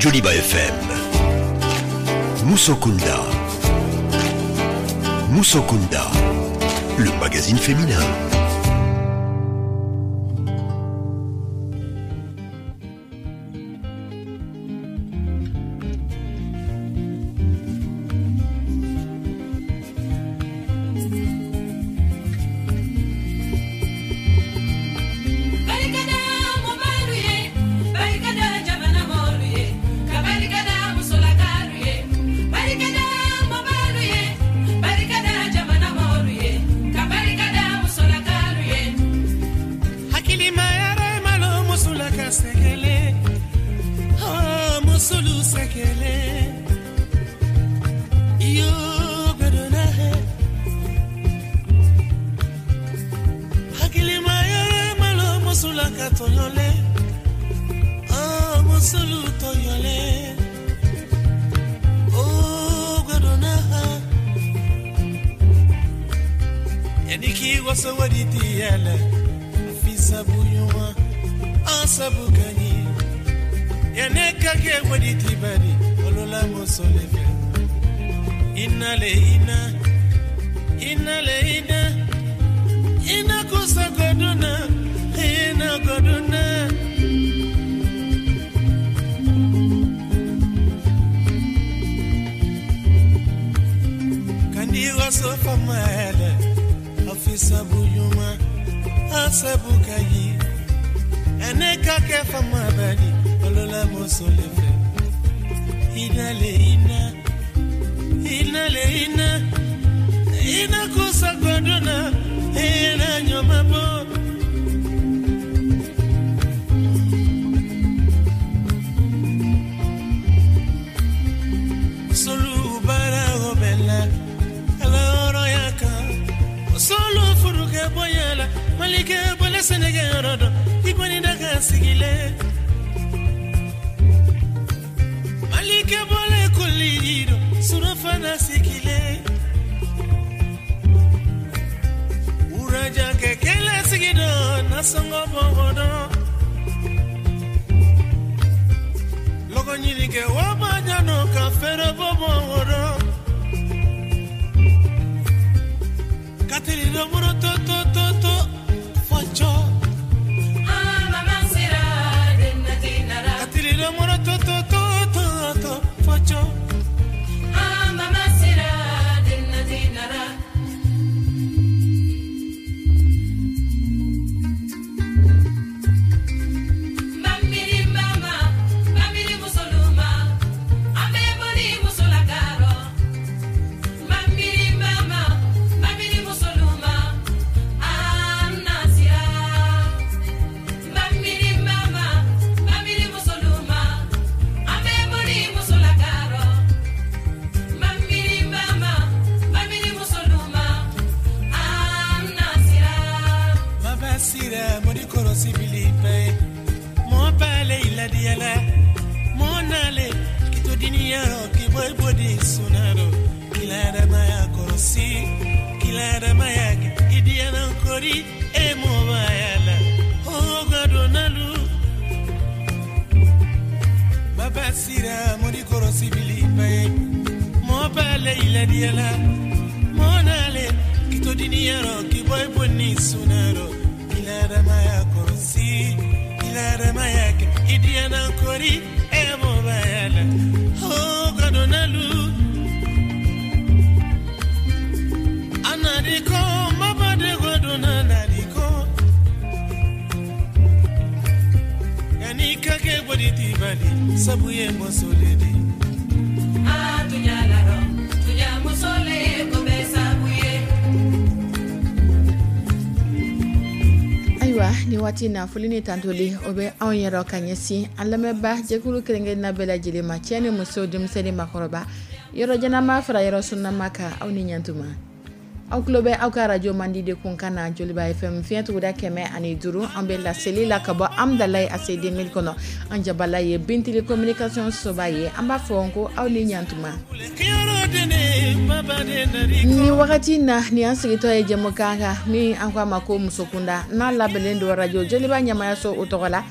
Joliba FM. Musokunda. Musokunda, le magazine féminin. Waati na foli ni tantoli o bɛ anw yɛrɛ ka ɲɛsin an lamɛnba jɛkulu kelenkelen bɛɛ lajɛlen ma, cɛ ni muso, denmisɛnnin, makɔrɔba, yɔrɔ janama fara yɔrɔ sunnama kan, aw ni ɲantuma. Aw tulo bɛ aw ka radio mandi de kun kan na, Joliba FM fiɲɛ tuguda 105. An bɛ laseli la ka bɔ Amdalaye ACD 1000 kɔnɔ. An jabala ye Bintili communication soba ye. An b'a fɔ ko aw ni ɲantuma. Ni wagati na ni an sigitɔ ye jɛmukan kan min an ko a ma ko musokunda, n'a labɛnnen don radio Joliba ɲɛmayaso o tɔgɔ la.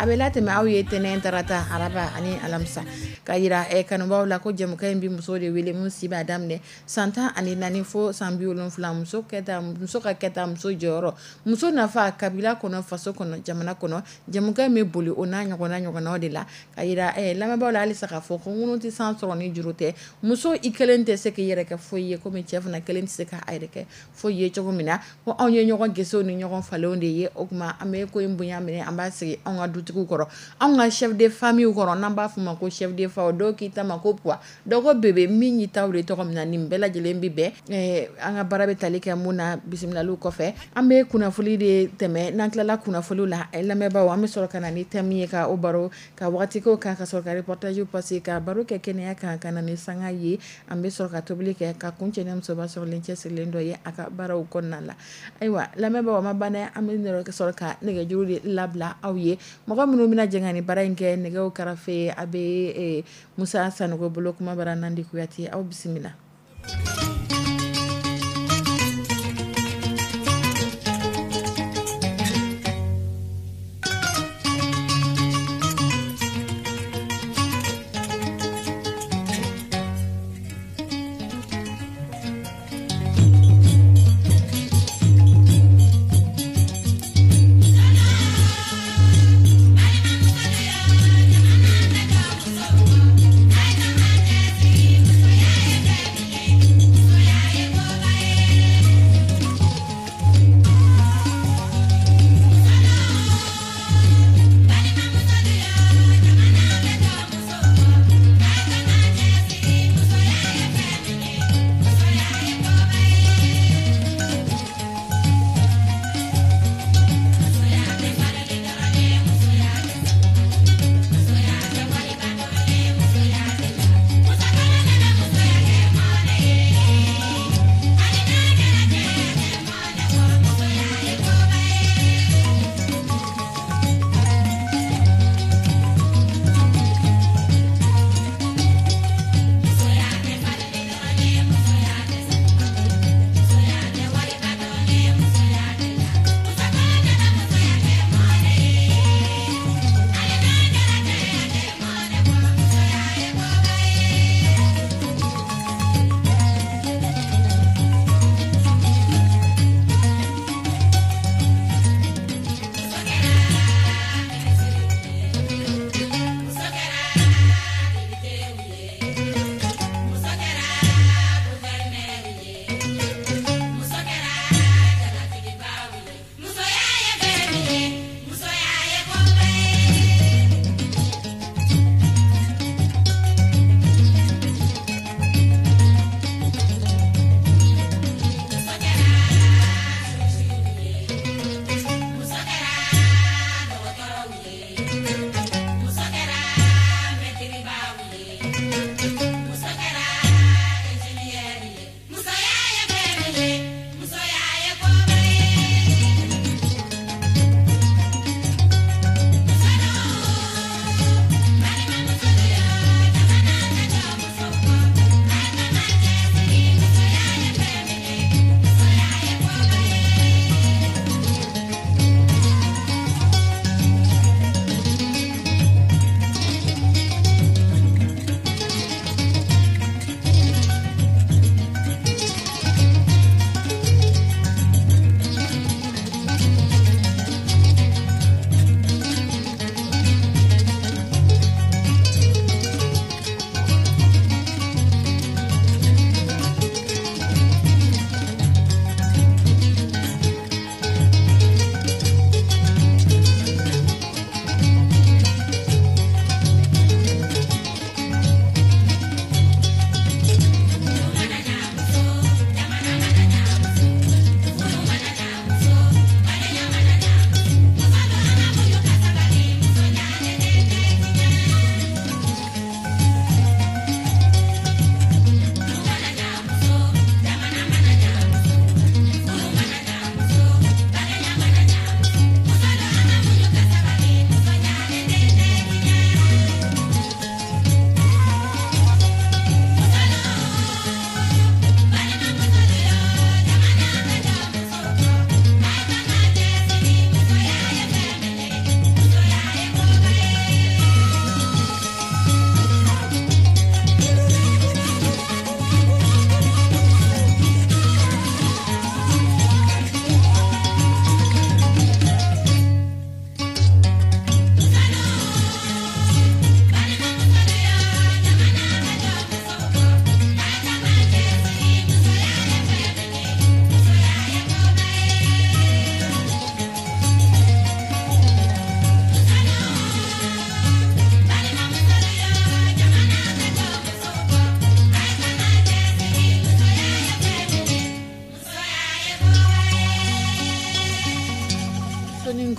A bɛ latɛmɛ aw ye tɛnɛn, tarata, araba ani alamisa. Ka yira kanubaw la ko jɛmukan in bɛ muso de wele min si b'a daminɛ san 14 fo san 70. Muso kɛta, muso ka kɛta, muso jɔyɔrɔ, muso nafa kabila kɔnɔ, faso kɔnɔ, jamana kɔnɔ. Jɛmukan in bɛ boli o n'a ɲɔgɔnna ɲɔgɔnnaw de la. Ka yira lamɛnbaaw la halisa k'a fɔ ko ŋunu tɛ san sɔrɔ ni juru tɛ. Muso i kelen tɛ se k'i yɛrɛ kɛ foyi ye, komi cɛ fana kelen tɛ se k'a yɛrɛ kɛ foyi ye cogo min na, ko anw ye ɲɔgɔn gesew ni ɲɔgɔn falenw de ye. O tuma an bɛ ko in bonya minɛ, an b'a sigi anw ka dutigiw kɔrɔ, anw ka chef de famille kɔrɔ, n'an b'a fɔ ma ko chef de fa. Dɔw k'i ta ma ko puwa, dɔw ko bébé. Min y'i ta wele tɔgɔ min na, nin bɛɛ lajɛlen bɛ bɛn. An ka baara bɛ tali kɛ mun na? Bisimilaliw kɔfɛ, an bɛ kunnafoni de tɛmɛ. N'an tilala kunnafoniw la, lamɛnbaaw, an bɛ sɔrɔ ka na ni thème ye, ka o baro ka waati ko kan, ka sɔrɔ ka reportage passer, ka baro kɛ kɛnɛya kan, ka na ni sanga ye. An bɛ sɔrɔ ka tobili kɛ ka kuncɛ ni musoba sɔrɔlen cɛsirilen dɔ ye a ka baaraw kɔnɔna la. Ayiwa lamɛnbaaw, ma ban dɛ. An bɛ sɔrɔ ka nɛgɛjuru de labila aw ye, mɔgɔ minnu bɛna jɛ ka ni baara in kɛ. Nɛgɛw karafe, a bɛ Musa Sanogo bolo. Kuma bara Nandi Kuyate, aw bisimila.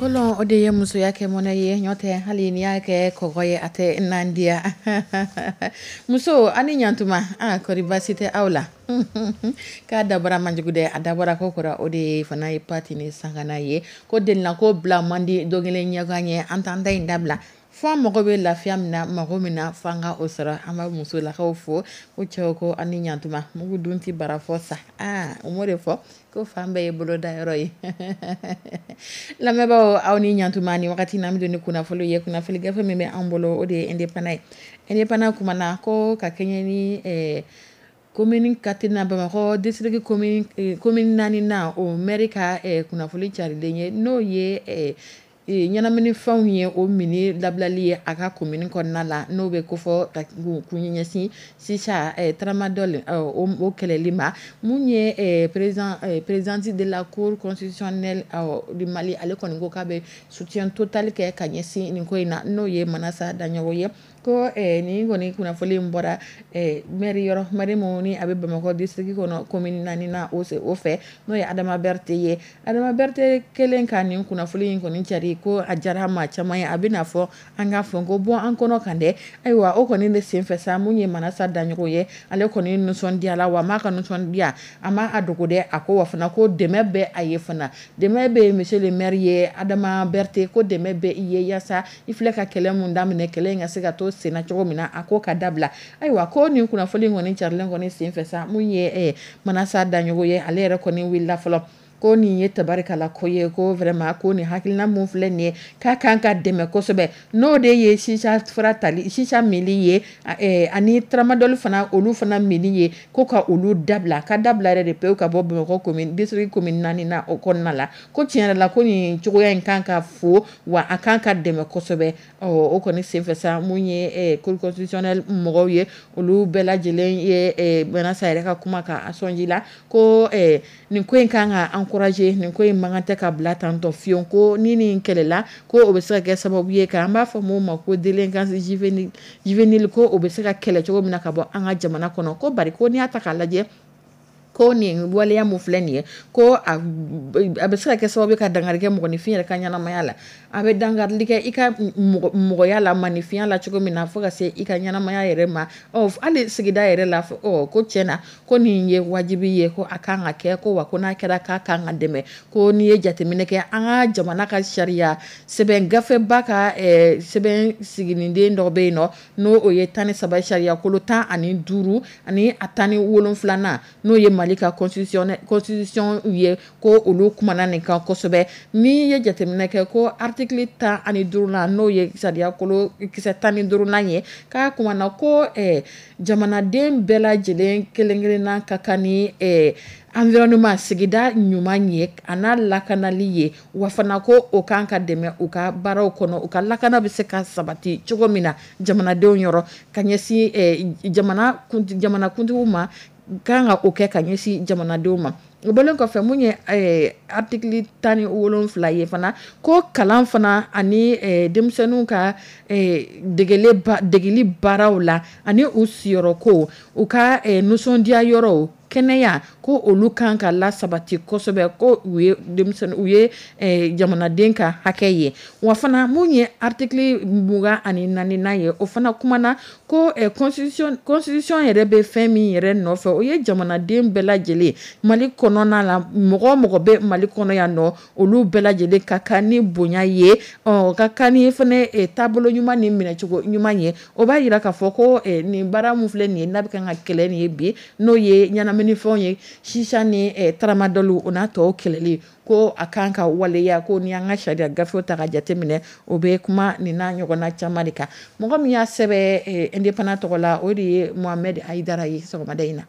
Bɔlɔn, o de ye musoya kɛ mɔnɛ ye. Ɲɔ tɛ, hali n'i y'a kɛ kɔgɔ ye, a tɛ nandiya. Muso ani ɲantuma, a kɔri baasi tɛ aw la? K'a dabɔra manjugu dɛ, a dabɔra ko kɔrɔ. O de ye fana ye pati ni sangana ye ko delina ko bila man di don kelen ɲɛkan ye. An t'an ta in dabila fo an mago bɛ lafiya min na, mago min na, fo an ka o sɔrɔ. An b'a musolakaw fo ko cɛw ko ani ɲantuma. Mugu dun tɛ bara fɔ sa. Aa, o m'o de fɔ ko fan bɛɛ ye boloda yɔrɔ ye. Lamɛnbaaw, aw ni ɲantuma. Ni wagati na, an bɛ don ni kunnafoni ye. Kunnafoni gafe min bɛ an bolo, o de ye Indépendant ye. Indépendant kumana ko ka kɛɲɛ ni commune 4 na, Bamakɔ district commune naani na, o maire ka kunnafoni carilen ye, n'o ye ɲɛnaminifɛnw ye, o mini labilali ye a ka commune kɔnɔna la, n'o bɛ kofɔ ka kun ɲɛsin chicha, tramadol, o kɛlɛli ma. Mun ye présidente de la Cour constitutionnelle du Mali, ale kɔni ko k'a bɛ soutien total kɛ ka ɲɛsin nin ko in na, n'o ye Manasa Daɲɔgɔ ye. Ko nin kɔni kunnafoni in bɔra maire yɔrɔ, maire mun ni a bɛ Bamakɔ district kɔnɔ, commune naani na, o fɛ, n'o ye Adama Berete ye. Adama Berete kɛlen ka nin kunnafoni in kɔni cari, ko a diyara maa caman ye. A bɛna fɔ an k'a fɔ ko bɔ an kɔnɔ kan dɛ. Ayiwa, o kɔni de senfɛ sa, mun ye Manasa Daɲɔgɔ ye, ale kɔni nisɔndiyala wa m'a ka nisɔndiya, a ma a dogo dɛ. A ko wa fana ko dɛmɛ bɛ a ye fana, dɛmɛ bɛ monsieur le maire ye, Adama Berete, ko dɛmɛ bɛ i ye yaasa i filɛ ka kɛlɛ mun daminɛ, kɛlɛ in ka se ka to senna cogo min na, a ko ka dabila. Ayiwa, ko nin kunnafoni kɔni carilen kɔni senfɛ sa, mun ye Manasa Daɲɔgɔ ye, ale yɛrɛ kɔni wulila fɔlɔ ko nin ye tabarikala ko ye, ko vraiment ko nin hakilina mun filɛ nin ye, k'a kan ka dɛmɛ kosɛbɛ, n'o de ye chicha fura tali, chicha mili ye, ani tramadol fana, olu fana mili ye, ko ka olu dabila, ka dabila yɛrɛ de pewu ka bɔ Bamakɔ commune district commune naani na, o kɔnɔna la. Ko tiɲɛ yɛrɛ la, ko nin cogoya in kan ka fo wa a kan ka dɛmɛ kosɛbɛ. Ɔ, o kɔni senfɛ sa, mun ye Cour constitutionnelle mɔgɔw ye, olu bɛɛ lajɛlen ye Manasa yɛrɛ ka kuma ka a sɔnji la ko nin ko in kan ka encourager, nin ko in man kan tɛ ka bila tantɔ fiyewu. Ko ni nin kɛlɛla, ko o bɛ se ka kɛ sababu ye ka an b'a fɔ mun ma ko délinquance juvénile, ko o bɛ se ka kɛlɛ cogo min na ka bɔ an ka jamana kɔnɔ. Ko bari ko n'i y'a ta k'a lajɛ, ko nin waleya mun filɛ nin ye, ko a bɛ se ka kɛ sababu ye ka dankari kɛ mɔgɔninfin yɛrɛ ka ɲɛnamaya la. A bɛ dankarili kɛ i ka mɔgɔya la, maninfinya la cogo min na, fo ka se i ka ɲɛnamaya yɛrɛ ma, ɔ hali sigida yɛrɛ la. Ɔ, ko tiɲɛna, ko nin ye wajibi ye, ko a kan ka kɛ, ko wa ko n'a kɛra, k'a kan ka dɛmɛ. Ko n'i ye jateminɛ kɛ an ka jamana ka sariya sɛbɛn gafeba ka sɛbɛn siginiden dɔ bɛ yen nɔ, n'o o ye 13, sariya kolo 15 ani a 17nan, n'o ye Mali ka constitution ye, ko olu kumana nin kan kosɛbɛ. N'i ye jateminɛ kɛ, ko article 15nan, n'o ye sariya kolo kisɛ 15nan ye, k'a kumana ko jamanaden bɛɛ lajɛlen kelen kelenna ka kan ni environnement, sigida ɲuman ye, a n'a lakanali ye. Wa fana ko o kan ka dɛmɛ u ka baaraw kɔnɔ, u ka lakana bɛ se ka sabati cogo min na jamanadenw yɔrɔ, ka ɲɛsin jamanakuntigiw ma, kan ka o kɛ ka ɲɛsin jamanadenw ma. O bɔlen kɔfɛ, mun ye article 17 ye fana, ko kalan fana ani denmisɛnninw ka degeli baaraw la, ani u siyɔrɔko, u ka nisɔndiya yɔrɔw, kɛnɛya, ko olu kan ka lasabati kosɛbɛ, ko u ye denmisɛnnin, u ye jamanaden ka hakɛ ye. Wa fana, mun ye article 24nan ye, o fana kumana ko constitution yɛrɛ bɛ fɛn min yɛrɛ nɔfɛ, o ye jamanaden bɛɛ lajɛlen Mali kɔnɔna la, mɔgɔ o mɔgɔ bɛ Mali kɔnɔ yan nɔ, olu bɛɛ lajɛlen ka kan ni bonya ye, ɔ ka kan ni fana taabolo ɲuman ni minɛcogo ɲuman ye. O b'a yira k'a fɔ ko nin baara mun filɛ nin ye, n'a bɛ kan ka kɛlɛ nin ye bi, n'o ye ɲɛnaminifɛnw ye, chicha ni tramadol, o n'a tɔw kɛlɛli, ko a kan ka waleya. Ko ni an ka sariya gafew ta ka jateminɛ, o bɛ kuma nin n'a ɲɔgɔnna caman de kan. Mɔgɔ min y'a sɛbɛn Indépendant tɔgɔ la, o de ye Mohamed Hayidara ye sɔgɔmada in na.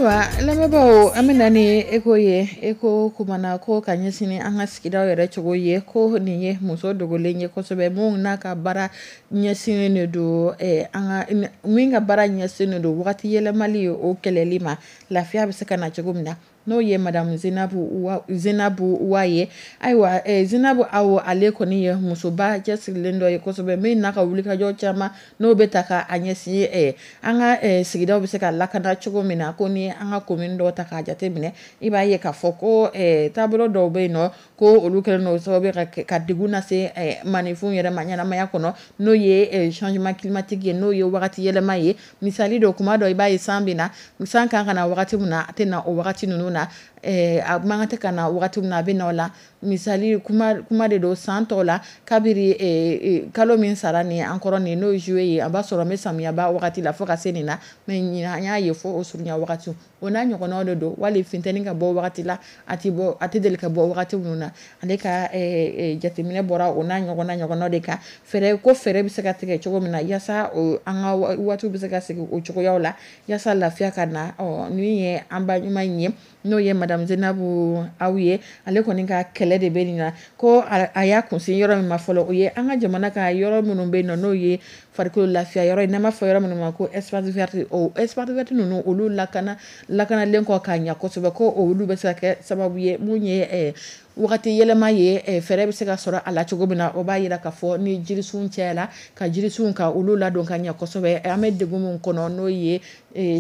Ayiwa lamɛnbaaw, an bɛ na ni eko ye. Eko kumana ko ka ɲɛsin an ka sigidaw yɛrɛ cogo ye, ko nin ye muso dogolen ye kosɛbɛ, mun n'a ka baara ɲɛsinnen de don an ka min ka baara ɲɛsinnen don wagati yɛlɛmali ye, o kɛlɛli ma, lafiya bɛ se ka na cogo min na, n'o ye Madame Zenabu Wa ye. Ayiwa, Zenabu Aw, ale kɔni ye musoba cɛsirilen dɔ ye kosɛbɛ, min n'a ka wulikajɔ caman n'o bɛ ta ka a ɲɛsin an ka sigidaw bɛ se ka lakana cogo min na. Ko ni an ka commune dɔw ta k'a jate minɛ, i b'a ye k'a fɔ ko taabolo dɔw bɛ yen nɔ, ko olu kɛlen don sababu ye ka degun lase maninfinw yɛrɛ ma ɲɛnamaya kɔnɔ, n'o ye changement climatique ye, n'o ye wagati yɛlɛma ye. Misali dɔ, kuma dɔ i b'a ye san bɛ na, san kan ka na wagati min na, a tɛ na o wagati ninnu na, a man kan tɛ ka na wagati min na, a bɛ na o la. Misali kuma de don, san tɔw la, kabiri kalo min sara nin an kɔrɔ nin, n'o ye juillet ye, a b'a sɔrɔ n bɛ samiyaba wagati la fo ka se nin na, mais ɲinan an y'a ye fo o surunya wagati, o n'a ɲɔgɔnnaw de don. Wali funteni ka bɔ wagati la, a tɛ bɔ, a tɛ deli ka bɔ wagati minnu na. Ale ka jateminɛ bɔra o n'a ɲɔgɔnna de kan. Fɛɛrɛ ko fɛɛrɛ bɛ se ka tigɛ cogo min na yaasa an ka waatiw bɛ se ka segin o cogoyaw la, yaasa lafiya ka na. Ɔ nin ye an ba ɲuman in ye, n'o ye Madame Zenabu Aw ye. Ale kɔni ka kɛlɛ de bɛ nin na, ko a y'a kunsin yɔrɔ min ma fɔlɔ, o ye an ka jamana ka yɔrɔ minnu bɛ yen nɔ, n'o ye farikolo lafiya yɔrɔ ye, n'an b'a fɔ yɔrɔ minnu ma ko espace vert. O espace vert ninnu, olu lakanalen kɔ k'a ɲɛ kosɛbɛ, ko olu bɛ se ka kɛ sababu ye mun ye wagati yɛlɛma ye, fɛɛrɛ bɛ se ka sɔrɔ a la cogo min na. O b'a yira k'a fɔ ni jirisun cayara, ka jirisun ka olu ladon ka ɲɛ kosɛbɛ, an bɛ degun min kɔnɔ, n'o ye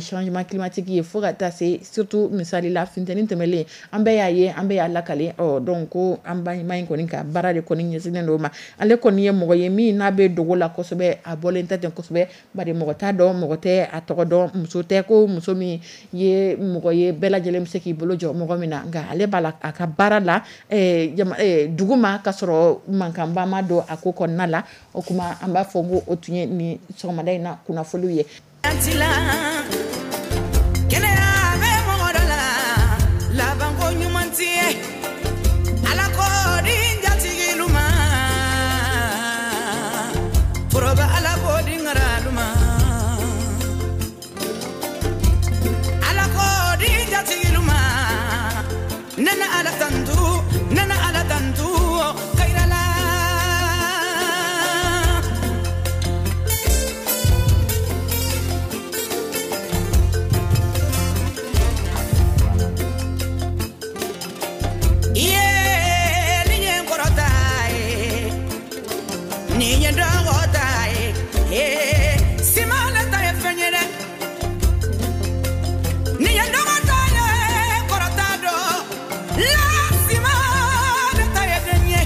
changement climatique ye, fo ka taa se surtout misali la funteni tɛmɛlen, an bɛɛ y'a ye, an bɛɛ y'a lakale. Ɔ donc ko an ba ɲuman in kɔni ka baara de kɔni ɲɛsinnen don o ma. Ale kɔni ye mɔgɔ ye min n'a bɛ dogo la kosɛbɛ, a bɔlen tɛ ten kosɛbɛ, bari mɔgɔ t'a dɔn, mɔgɔ tɛ a tɔgɔ dɔn, muso tɛ ko muso min ye mɔgɔ ye bɛɛ lajɛlen bɛ se k'i bolo jɔ mɔgɔ min na, nka ale b'a la a ka baara la dugu ma, ka sɔrɔ mankanba ma don a ko kɔnɔna la. O kuma an b'a fɔ ko o tun ye nin sɔgɔmada in na kunnafoniw ye. Kɛnɛya bɛ mɔgɔ dɔ la, labanko ɲuman tɛ ye, Ala ko di jatigilu ma, foroba Ala ko di ŋaralu ma, Ala ko di jatigilu ma, nana Ala tantu, nana Ala tantu kayrala. Iye ni ye kɔrɔta ye, ni ye dɔgɔta ye, simala ta ye fɛn ye dɛ, ni ye dɔgɔta ye kɔrɔta dɔ la, simala ta ye den ye,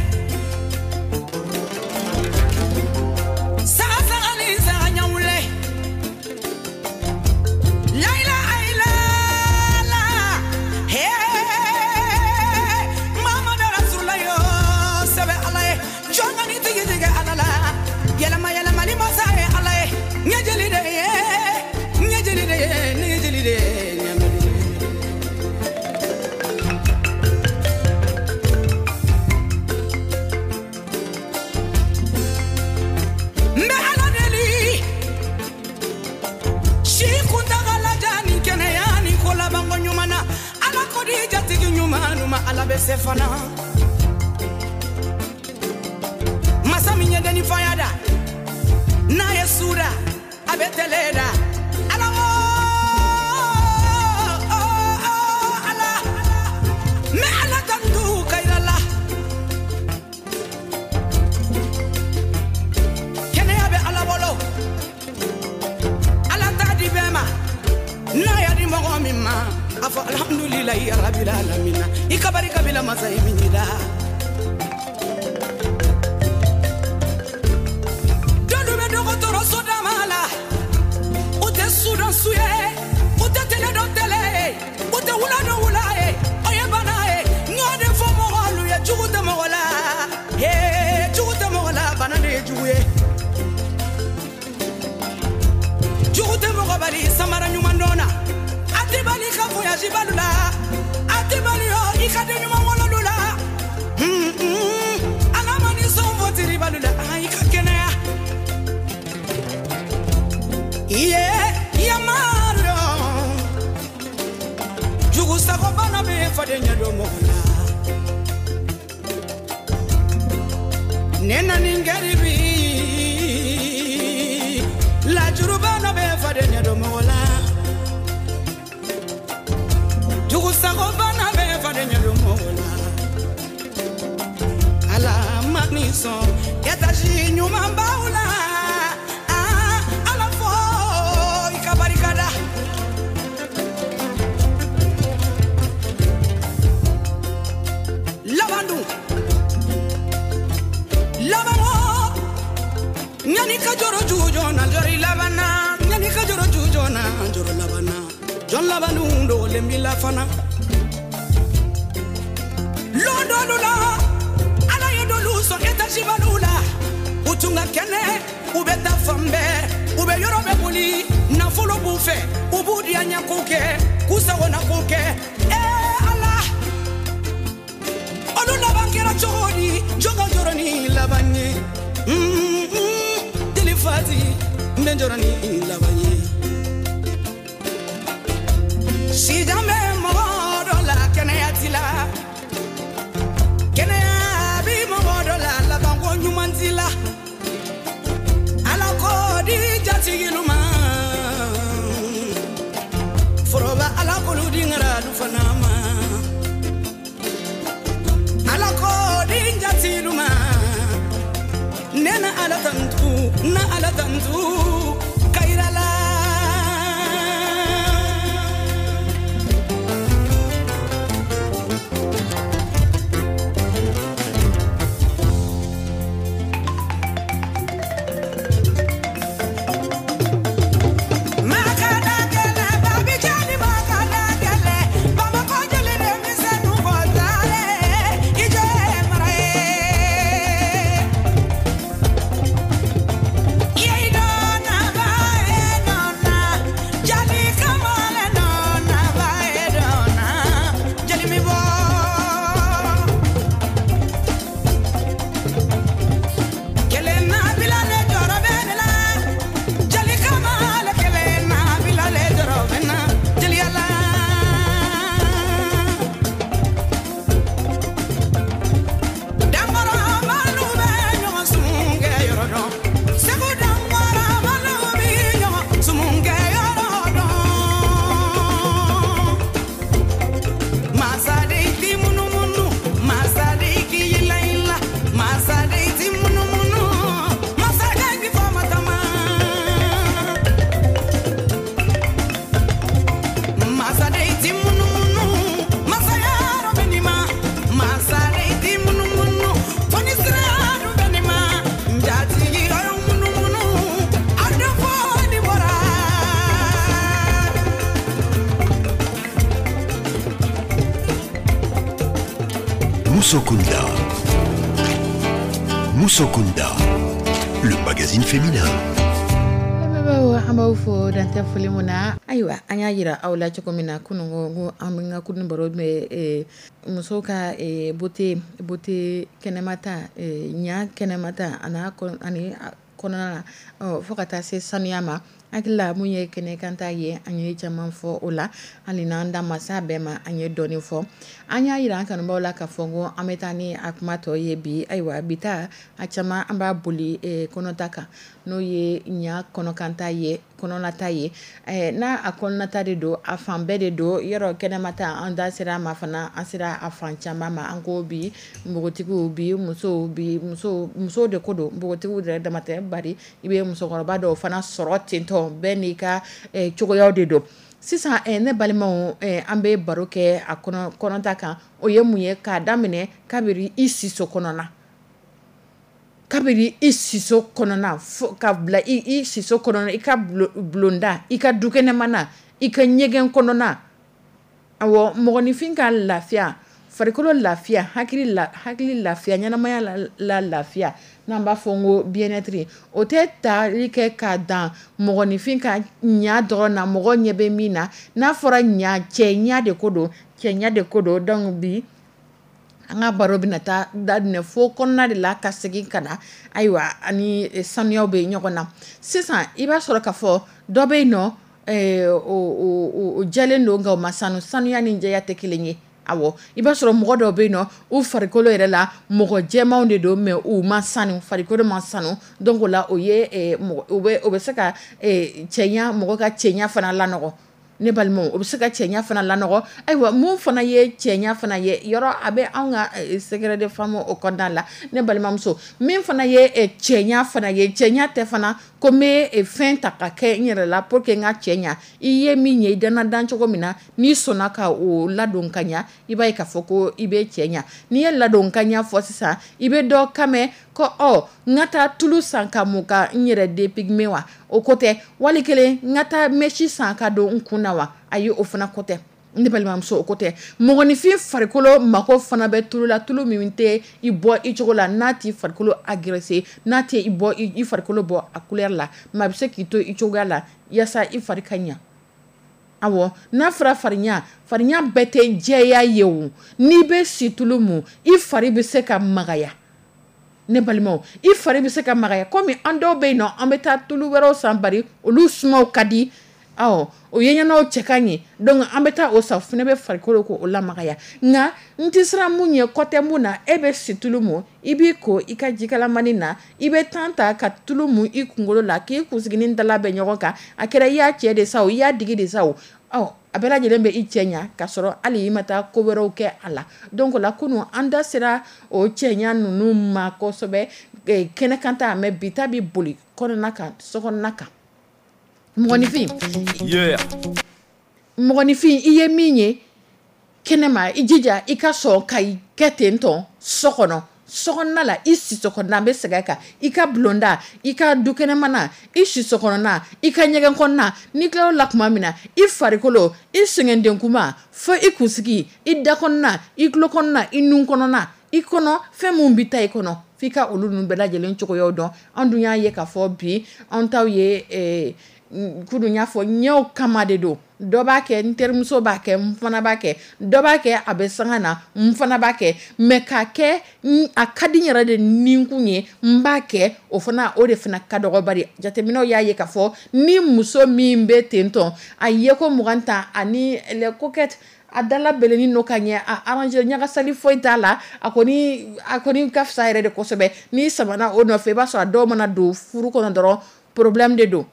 saga saga ni saga ɲawule, layila ayila la, he Mamadu Rasulula yo, sɛbɛ Ala ye, jɔn ka ni tigi tigɛ Ala la, yɛlɛma yɛlɛmali masa ye Ala ye, ɲɛjeli de ye, ɲɛjeli de ye, ɲɛjeli de ye, ɲɛmɛli de ye. N bɛ Ala deli, si kuntagala jan ni kɛnɛya ni ko labanko ɲuman na, Ala ko di jatigi ɲuman ma, Ala bɛ se fana. Masa min ye denni faya da, n'a ye su da, a bɛ tɛlɛ da. Ala wo, Ala, n bɛ Ala tantu kayira la. Kɛnɛya bɛ Ala bolo, Ala t'a di bɛɛ ma, n'a y'a di mɔgɔ min ma, a fɔ alhamdulilayi rabil alamina, i ka barika bila masa ye min da. Dɔlu bɛ dɔgɔtɔrɔso dama la, u tɛ su dɔn su ye, u tɛ tele dɔn tele ye, u tɛ wula dɔn wula ye, o ye bana ye. N y'o de fɔ mɔgɔlu ye, jugu tɛ mɔgɔ la, hee, jugu tɛ mɔgɔ la, bana de ye jugu ye. Jugu tɛ mɔgɔ bali samara ɲuman dɔn na, a tɛ bali ka voyage balu la, a tɛ bali yɔ i ka den ɲuman wololu la. Ala ma ni sɔn fɔ tiribalu la, i ka kɛnɛya. Iye yamaru Faden ɲɛ don mɔgɔ la. Ne na ni garibi lajurubana bɛ faden ɲɛ don mɔgɔ la. Jugusagobana bɛ faden ɲɛ don mɔgɔ la. Ala ma ni sɔn étage ɲuman b'aw la. Ala fo i ka barika da. Laban dun laban o ɲani ka jɔrɔ jujɔn na jɔrɔ i laban na, ɲani ka jɔrɔ jujɔn na jɔrɔ laban na, jɔn laban dun dogolen b'i la fana. Lon dɔlu la Ala ye dɔlu sɔn étage balu la, u tun ka kɛnɛ, u bɛ taa fan bɛɛ, u bɛ yɔrɔ bɛɛ boli, nafolo b'u fɛ, u b'u diya ɲɛ ko kɛ, k'u sagona ko kɛ. Ala, olu laban kɛra cogo di? Jɔn ka jɔrɔ ni laban ye? Deli Fati, n bɛ jɔrɔ ni laban ye. Sijan bɛ mɔgɔ dɔ la, kɛnɛya t'i la. Kɛnɛya bi mɔgɔ dɔ la, labanko ɲuman t'i la. Ala ko di jatigilu ma, foroba Ala k'olu di ŋaralu fana ma. Ala ko di jatigilu ma, ne na Ala tantu, na Ala tantu kayira la. Musokunda. Musokunda, le magazine féminin. Lamɛnbaaw, an b'aw fo dan tɛ foli mun na. Ayiwa, an y'a yira aw la cogo min na kunun ko an bɛ ka kunun baro bɛ, muso ka, beauté kɛnɛmata, ɲa kɛnɛmata, a n'a kɔn-, ani a kɔnɔna na, fo ka taa se sanuya ma. Hakili la mun ye kɛnɛ kan ta ye, an ye caman fɔ o la, hali n'an da ma s'a bɛɛ ma, an ye dɔɔnin fɔ. An y'a yira an kanubaw la k'a fɔ ko an bɛ taa ni a kuma tɔ ye bi. Ayiwa, bi ta a caman an b'a boli, kɔnɔta kan, n'o ye ɲa kɔnɔkanta ye, kɔnɔnata ye. N'a a kɔnɔnata de don, a fan bɛɛ de don. Yɔrɔ kɛnɛmata, an da sera a ma fana, an sera a fan caman ma. An ko bi npogotigiw, bi musow, bi musow de ko don, npogotigiw yɛrɛ dama tɛ, bari i bɛ musokɔrɔba dɔw fana sɔrɔ ten tɔ, bɛɛ n'i ka, cogoyaw de don. Sisan, ne balimaw, an bɛ baro kɛ a kɔnɔta kan. O ye mun ye? K'a daminɛ kabiri i siso kɔnɔna, kabiri i siso kɔnɔna fo ka bila i siso kɔnɔna, i ka bulonda, i ka dukɛnɛmana, i ka ɲɛgɛn kɔnɔna. Awɔ, mɔgɔninfin ka lafiya, farikolo lafiya, hakili lafiya, ɲɛnamaya la lafiya, n'an b'a fɔ n ko bien-être, o tɛ tali kɛ k'a dan mɔgɔninfin ka ɲa dɔrɔn na, mɔgɔ ɲɛ bɛ min na. N'a fɔra ɲa, cɛ ɲa de ko don, cɛ ɲa de ko don. Donc bi an ka baro bɛna taa daminɛ fo kɔnɔna de la ka segin ka na. Ayiwa, ani sanuyaw bɛ ɲɔgɔn na. Sisan i b'a sɔrɔ k'a fɔ dɔ bɛ yen nɔ, o jɛlen don nka o ma sanu. Sanuya ni jɛya tɛ kelen ye. Awɔ, i b'a sɔrɔ mɔgɔ dɔw bɛ yen nɔ, u farikolo yɛrɛ la, mɔgɔ jɛmanw de don, mais u ma sanu, farikolo ma sanu. Donc o la, o ye mɔgɔ o bɛ se ka cɛɲa, mɔgɔ ka cɛɲa fana lanɔgɔ. Ne balimaw, o bɛ se ka cɛɲa fana lanɔgɔ. Ayiwa, mun fana ye cɛɲa fana ye? Yɔrɔ a bɛ anw ka secret de femme o kɔnɔna la. Ne balimamuso, min fana ye cɛɲa fana ye, cɛɲa tɛ fana ko n bɛ fɛn ta ka kɛ n yɛrɛ la pour que n ka cɛ ɲa. I ye min ye, i danna dan cogo min na, n'i sɔnna ka o ladon ka ɲa, i b'a ye k'a fɔ ko i bɛ cɛ ɲa. N'i ye ladon ka ɲa fɔ sisan, i bɛ dɔ kan ko ɔ, n ka taa tulu san ka mun ka n yɛrɛ dépigmenter wa? O ko tɛ. Wali kelen, n ka taa mèche san ka don n kun na wa? Ayi, o fana ko tɛ. Ne balimamuso, o ko tɛ. Mɔgɔninfin farikolo mako fana bɛ tulu la, tulu min tɛ i bɔ i cogo la, n'a t'i farikolo agresser, n'a tɛ i bɔ i farikolo bɔ a couleur la, mais a bɛ se k'i to i cogoya la yaasa i fari ka ɲa. Awɔ, n'a fɔra farinya, farinya bɛɛ tɛ jɛya ye o. N'i bɛ situlu mun, i fari bɛ se ka magaya. Ne balimaw, i fari bɛ se ka magaya, komi an dɔw bɛ yen nɔ, an bɛ taa tulu wɛrɛw san, bari olu sumaw ka di, ɔ, o ye ɲɛnaw cɛ ka ɲi. Donc an bɛ taa o san, o fana bɛ farikolo ko o lamagaya. Nka n tɛ siran mun ɲɛ, kɔtɛ mun na, e bɛ situlu mun, i b'i ko i ka jikalamani na, i bɛ temps ta ka tulu mun i kunkolo la, k'i kunsiginin dala bɛ ɲɔgɔn kan. A kɛra i y'a cɛ de sa o, i y'a digi de sa o, ɔ, a bɛɛ lajɛlen bɛ i cɛ ɲa, k'a sɔrɔ hali i ma taa ko wɛrɛw kɛ a la. Donc o la, kunun an da sera o cɛɲa ninnu ma kosɛbɛ kɛnɛkan ta, mais bi ta bɛ boli kɔnɔna kan, sokɔnɔna kan. Mɔgɔninfin, mɔgɔninfin, i ye min ye kɛnɛma, i jija i ka sɔn ka i kɛ ten tɔn so kɔnɔ, sokɔnɔna la, i siso kɔnɔna, n bɛ segin a kan, i ka bulonda, i ka dukɛnɛmana, i siso kɔnɔna, i ka ɲɛgɛn kɔnɔna. N'i tilal'o la tuma min na, i farikolo, i sɛgɛndenkuma fo i kunsigi, i da kɔnɔna, i tulo kɔnɔna, i nun kɔnɔna, i kɔnɔ fɛn mun bɛ taa i kɔnɔ, f'i ka olu ninnu bɛɛ lajɛlen cogoyaw dɔn. An dun y'a ye k'a fɔ bi an taw ye, kunun y'a fɔ, ɲɛw kama de don. Dɔ b'a kɛ, n terimuso b'a kɛ, n fana b'a kɛ. Dɔ b'a kɛ, a bɛ sanga na, n fana b'a kɛ. Mais k'a kɛ a ka di n yɛrɛ de ninkun ye, n b'a kɛ, o fana, o de fana ka dɔgɔ. Bari jateminɛw y'a ye k'a fɔ ni muso min bɛ ten tɔn, a ye ko 20 ta ani les coquettes, a dala bɛlɛnin don ka ɲɛ, a arrangé, ɲagasali foyi t'a la, a kɔni ka fisa yɛrɛ de kosɛbɛ. N'i samana o nɔfɛ, i b'a sɔrɔ a dɔw mana don furu kɔnɔ dɔrɔn, problème de don.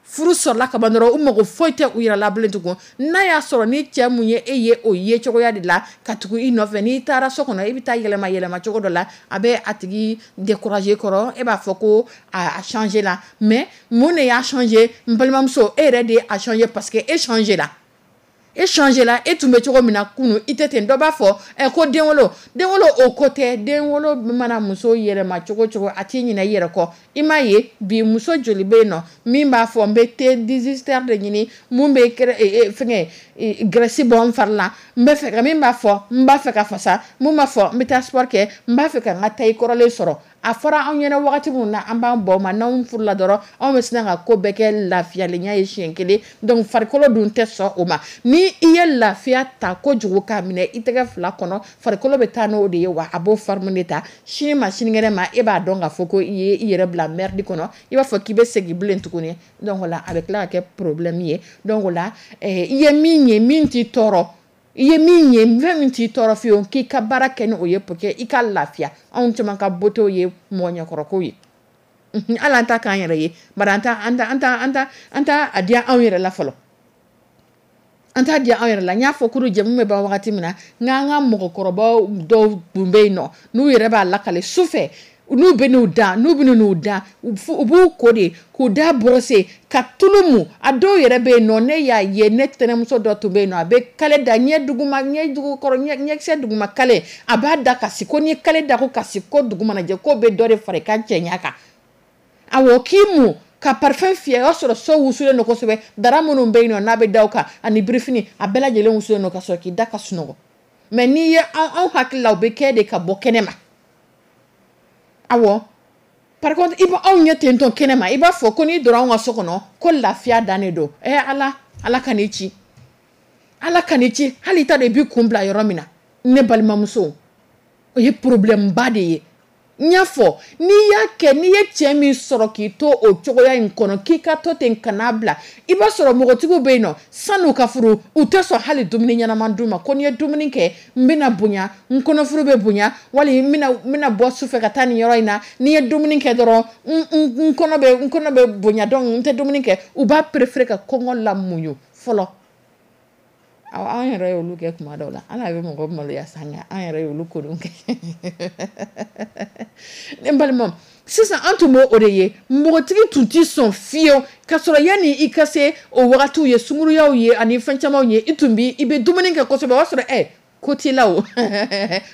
Furu sɔrɔla ka ban dɔrɔn, u mago foyi tɛ u yɛrɛ la bilen tugun. N'a y'a sɔrɔ ni cɛ mun ye e ye o ye cogoya de la ka tugu i nɔfɛ, n'i taara so kɔnɔ, i bɛ taa yɛlɛma yɛlɛma cogo dɔ la, a bɛ a tigi décourager kɔrɔ. E b'a fɔ ko a changer la, mais mun de y'a changer? N balimamuso, e yɛrɛ de ye a changer, parce que e changer la, e changer la. E tun bɛ cogo min na kunun, i tɛ ten. Dɔ b'a fɔ ɛ ko denwolo, denwolo, o ko tɛ. Denwolo mana muso yɛlɛma cogo cogo, a t'i ɲinɛ i yɛrɛ kɔ. I m'a ye bi, muso joli bɛ yen nɔ min b'a fɔ n bɛ thé 18 heures de ɲini, mun bɛ fɛngɛ graisse bɔ n fari la, n bɛ fɛ ka min b'a fɔ n b'a fɛ ka fasa, mun b'a fɔ n bɛ taa sport kɛ, n b'a fɛ ka n ka taille kɔrɔlen sɔrɔ? A fɔra anw ɲɛna wagati min na an b'an bɔ ma, n'anw furula dɔrɔn, anw bɛ sina ka ko bɛɛ kɛ lafiyalenya ye siɲɛ kelen. Donc farikolo dun tɛ sɔn o ma. Ni i ye lafiya ta kojugu k'a minɛ i tɛgɛ fila kɔnɔ, farikolo bɛ taa n'o de ye, wa a b'o forme de ta. Sini ma, sinikɛnɛ ma, e b'a dɔn k'a fɔ ko i ye i yɛrɛ bila merde kɔnɔ, i b'a fɔ k'i bɛ segin bilen tuguni. Donc o la, a bɛ tila ka kɛ problème ye. Donc o la, i ye min ye min t'i tɔɔrɔ, i ye min ye fɛn min t'i tɔɔrɔ fiyewu, k'i ka baara kɛ ni o ye pour que i ka lafiya. Anw caman ka beauté ye mɔgɔ ɲɛkɔrɔko ye. Hali an ta k'an yɛrɛ ye, bari an t'a a diya anw yɛrɛ la fɔlɔ, an t'a diya anw yɛrɛ la. N y'a fɔ kuru jɛmu bɛ ban wagati min na, n k'an ka mɔgɔkɔrɔbaw dɔw tun bɛ yen nɔ, n'u yɛrɛ b'a lakale su fɛ, n'u bɛ n'u da, n'u bɛ n'u da, u b'u ko de k'u da brosser ka tulu mu. A dɔw yɛrɛ bɛ yen nɔ, ne y'a ye, ne tɛnɛmuso dɔ tun bɛ yen nɔ, a bɛ kale da ɲɛ duguma, ɲɛ dugukɔrɔ, ɲɛkisɛ duguma kale, a b'a da ka si ko n'i ye kale da ko ka si ko dugu mana jɛ, k'o bɛ dɔ de fara i ka cɛɲa kan. Awɔ, k'i mu ka parfum fiyɛ, o y'a sɔrɔ so wusulen don kosɛbɛ, dara minnu bɛ yen nɔ n'a bɛ da o kan ani birifini, a bɛɛ lajɛlen wusulen don, ka sɔrɔ k'i da ka sunɔgɔ. Mais n'i ye anw hakili la, o bɛ kɛ de ka bɔ kɛnɛ ma. Awɔ, par contre, i bɛ anw ɲɛ ten tɔ kɛnɛ ma, i b'a fɔ ko n'i donna anw ka so kɔnɔ ko lafiya dan de don. Ɛ Ala, Ala ka n'i ci, Ala ka n'i ci, hali i t'a dɔn i b'i kun bila yɔrɔ min na. Ne balimamuso, o ye problème ba de ye. N y'a fɔ, n'i y'a kɛ, n'i ye cɛ min sɔrɔ k'i to o cogoya in kɔnɔ, k'i ka to ten, kan'a bila. I b'a sɔrɔ npogotigiw bɛ yen nɔ, san'u ka furu, u tɛ sɔn hali dumuni ɲɛnama d'u ma, ko n'i ye dumuni kɛ, n bɛna bonya, n kɔnɔfuru bɛ bonya, wali n bɛna bɔ sufɛ ka taa nin yɔrɔ in na. N'i ye dumuni kɛ dɔrɔn, n kɔnɔ bɛ bonya, donc n tɛ dumuni kɛ. U b'a préférer ka kɔngɔ lamuɲu fɔlɔ. Awɔ, an yɛrɛ y'olu kɛ kuma dɔw la. Ala bɛ mɔgɔ maloya sa, nka an yɛrɛ y'olu ko kɛ. Ne balima, sisan an tun b'o o de ye. Npogotigi tun tɛ sɔn fiyewu, ka sɔrɔ yanni i ka se o wagatiw ye, sunkuruyaw ye ani fɛn camanw ye, i tun bi i bɛ dumuni kɛ kosɛbɛ. O y'a sɔrɔ ko t'i la, o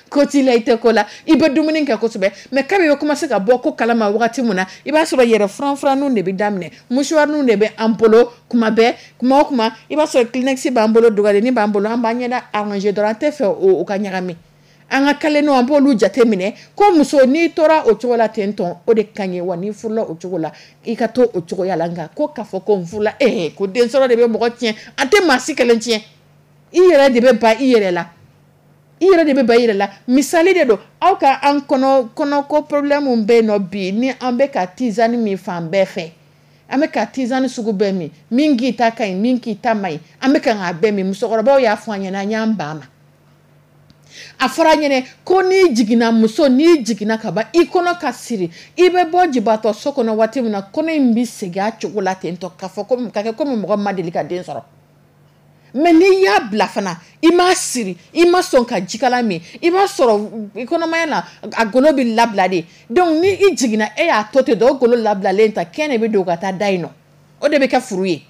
ko t'i la, i tɛ ko la, i bɛ dumuni kɛ kosɛbɛ. Mais kabi i bɛ commencer ka bɔ ko kalama wagati min na, i b'a sɔrɔ yɛrɛ furanfuranninw de bɛ daminɛ, mouchoirninw de bɛ an bolo kuma bɛɛ. Kuma o kuma, i b'a sɔrɔ Kleenex b'an bolo, dogalennin b'an bolo, an b'an ɲɛda arranger dɔrɔn, an tɛ fɛ o ka ɲagami. An ka kalenniw, an b'olu jate minɛ. Ko muso, n'i tora o cogo la ten tɔn, o de ka ɲi wa. N'i furula o cogo la, i ka to o cogoya la. Nka ko k'a fɔ ko n furula, ko den sɔrɔ de bɛ mɔgɔ tiɲɛ, a tɛ maa si kelen tiɲɛ. I yɛrɛ de bɛ ban i yɛrɛ la, i yɛrɛ de bɛ ban i yɛrɛ la. Misali de don, aw ka an kɔnɔ kɔnɔko problème bɛ yen nɔ bi, ni an bɛ ka tisane min fan bɛɛ fɛ, an bɛ ka tisane sugu bɛɛ min, min k'i ta ka ɲi, min k'i ta man ɲi, an bɛ ka k'a bɛɛ min. Musokɔrɔbaw y'a fɔ an ɲɛna, an y'an ban ma. A fɔra an ɲɛna ko n'i jiginna, muso, n'i jiginna ka ban, i kɔnɔ ka siri, i bɛ bɔ jibatɔ so kɔnɔ waati min na, kɔnɔ in bɛ segin a cogo la ten tɔ, k'a fɔ ko ka kɛ komi mɔgɔ ma deli ka den sɔrɔ. Mais n'i y'a bila fana, i m'a siri, i ma sɔn ka jikala min, i b'a sɔrɔ i kɔnɔmaya la, a golo bɛ labila de. Donc ni i jiginna, e y'a to ten dɔrɔn, o golo labilalen ta kɛn de bɛ don ka taa da yen nɔ, o de bɛ kɛ furu ye,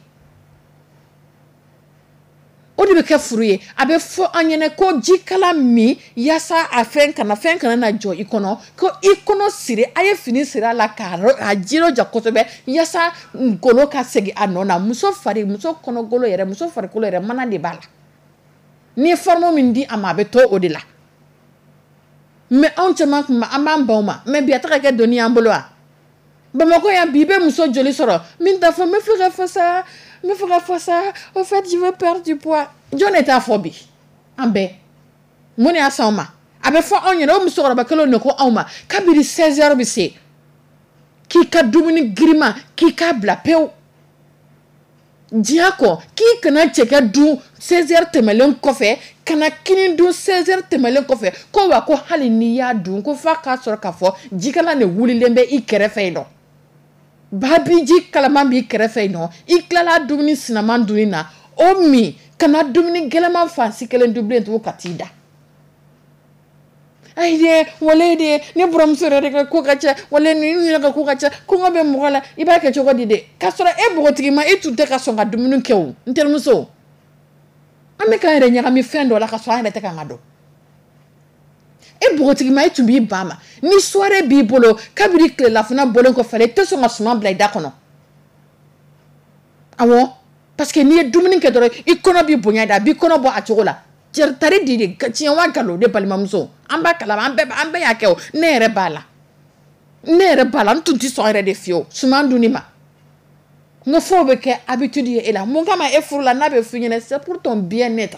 o de bɛ kɛ furu ye. A bɛ fɔ an ɲɛna ko jikala min yaasa a fɛn kana na jɔ i kɔnɔ, ko i kɔnɔ siri, a ye fini siri a la k'a a jija kosɛbɛ yaasa golo ka segin a nɔ na. Muso fari, muso kɔnɔgolo yɛrɛ, muso farikolo yɛrɛ, mana de b'a la. N'i ye forme min di a ma, a bɛ to o de la. Mais anw caman kun an b'an ban o ma. Mais bi, a tɛ ka kɛ doni y'an bolo wa? Bamakɔ yan bi, i bɛ muso joli sɔrɔ min t'a fɔ: "N bɛ fɛ ka fasa, n bɛ fɛ ka fasa, au fait, je veux perdre du poids"? Jɔn de t'a fɔ bi? An bɛɛ. Mun de y'a s'anw ma? A bɛ fɔ anw ɲɛna, o musokɔrɔba kelenw de ko anw ma, kabini 16 heures bɛ se, k'i ka dumuni girinma, k'i k'a bila pewu diɲɛ kɔ, k'i kana cɛkɛ dun 16 heures tɛmɛlen kɔfɛ, kana kini dun 16 heures tɛmɛlen kɔfɛ, ko wa ko hali n'i y'a dun, ko f'a k'a sɔrɔ k'a fɔ jikalan de wulilen bɛ i kɛrɛfɛ yen nɔ, babi ji kalaman b'i kɛrɛfɛ yen nɔ. I tilala dumuni sinaman dunni na, o min, kana dumuni gɛlɛman fansi kelen dun bilen tugun ka t'i da. Ayi dɛ, wale de ne buramuso yɛrɛ de ka ko ka ca, wale ni yɛrɛ ka ko ka ca, kɔngɔ bɛ mɔgɔ la, i b'a kɛ cogo di dɛ? K'a sɔrɔ e npogotigi ma, e tun tɛ ka sɔn ka dumuni kɛ. O n terimuso, an bɛ k'an yɛrɛ ɲagami fɛn dɔ la ka sɔrɔ an yɛrɛ tɛ k'an ka dɔn. E npogotigi ma, e tun b'i ban ma. Ni soirée b'i bolo, kabini tilelafana bɔlen kɔfɛ, i tɛ sɔn ka suman bila i da kɔnɔ. Awɔ, parce que n'i ye dumuni kɛ dɔrɔn, i kɔnɔ b'i bonya de, a b'i kɔnɔ bɔ a cogo la. Tari di de, tiɲɛ wa nkalon? Ne balimamuso, an b'a kalama, an bɛɛ y'a kɛ. O ne yɛrɛ b'a la, ne yɛrɛ b'a la. N tun tɛ sɔn yɛrɛ de fiyewu suman dunni ma. N ko f'o bɛ kɛ habitude ye e la. Mun kama e furu la? N'a bɛ f'i ɲɛna, c'est pour ton bien-être.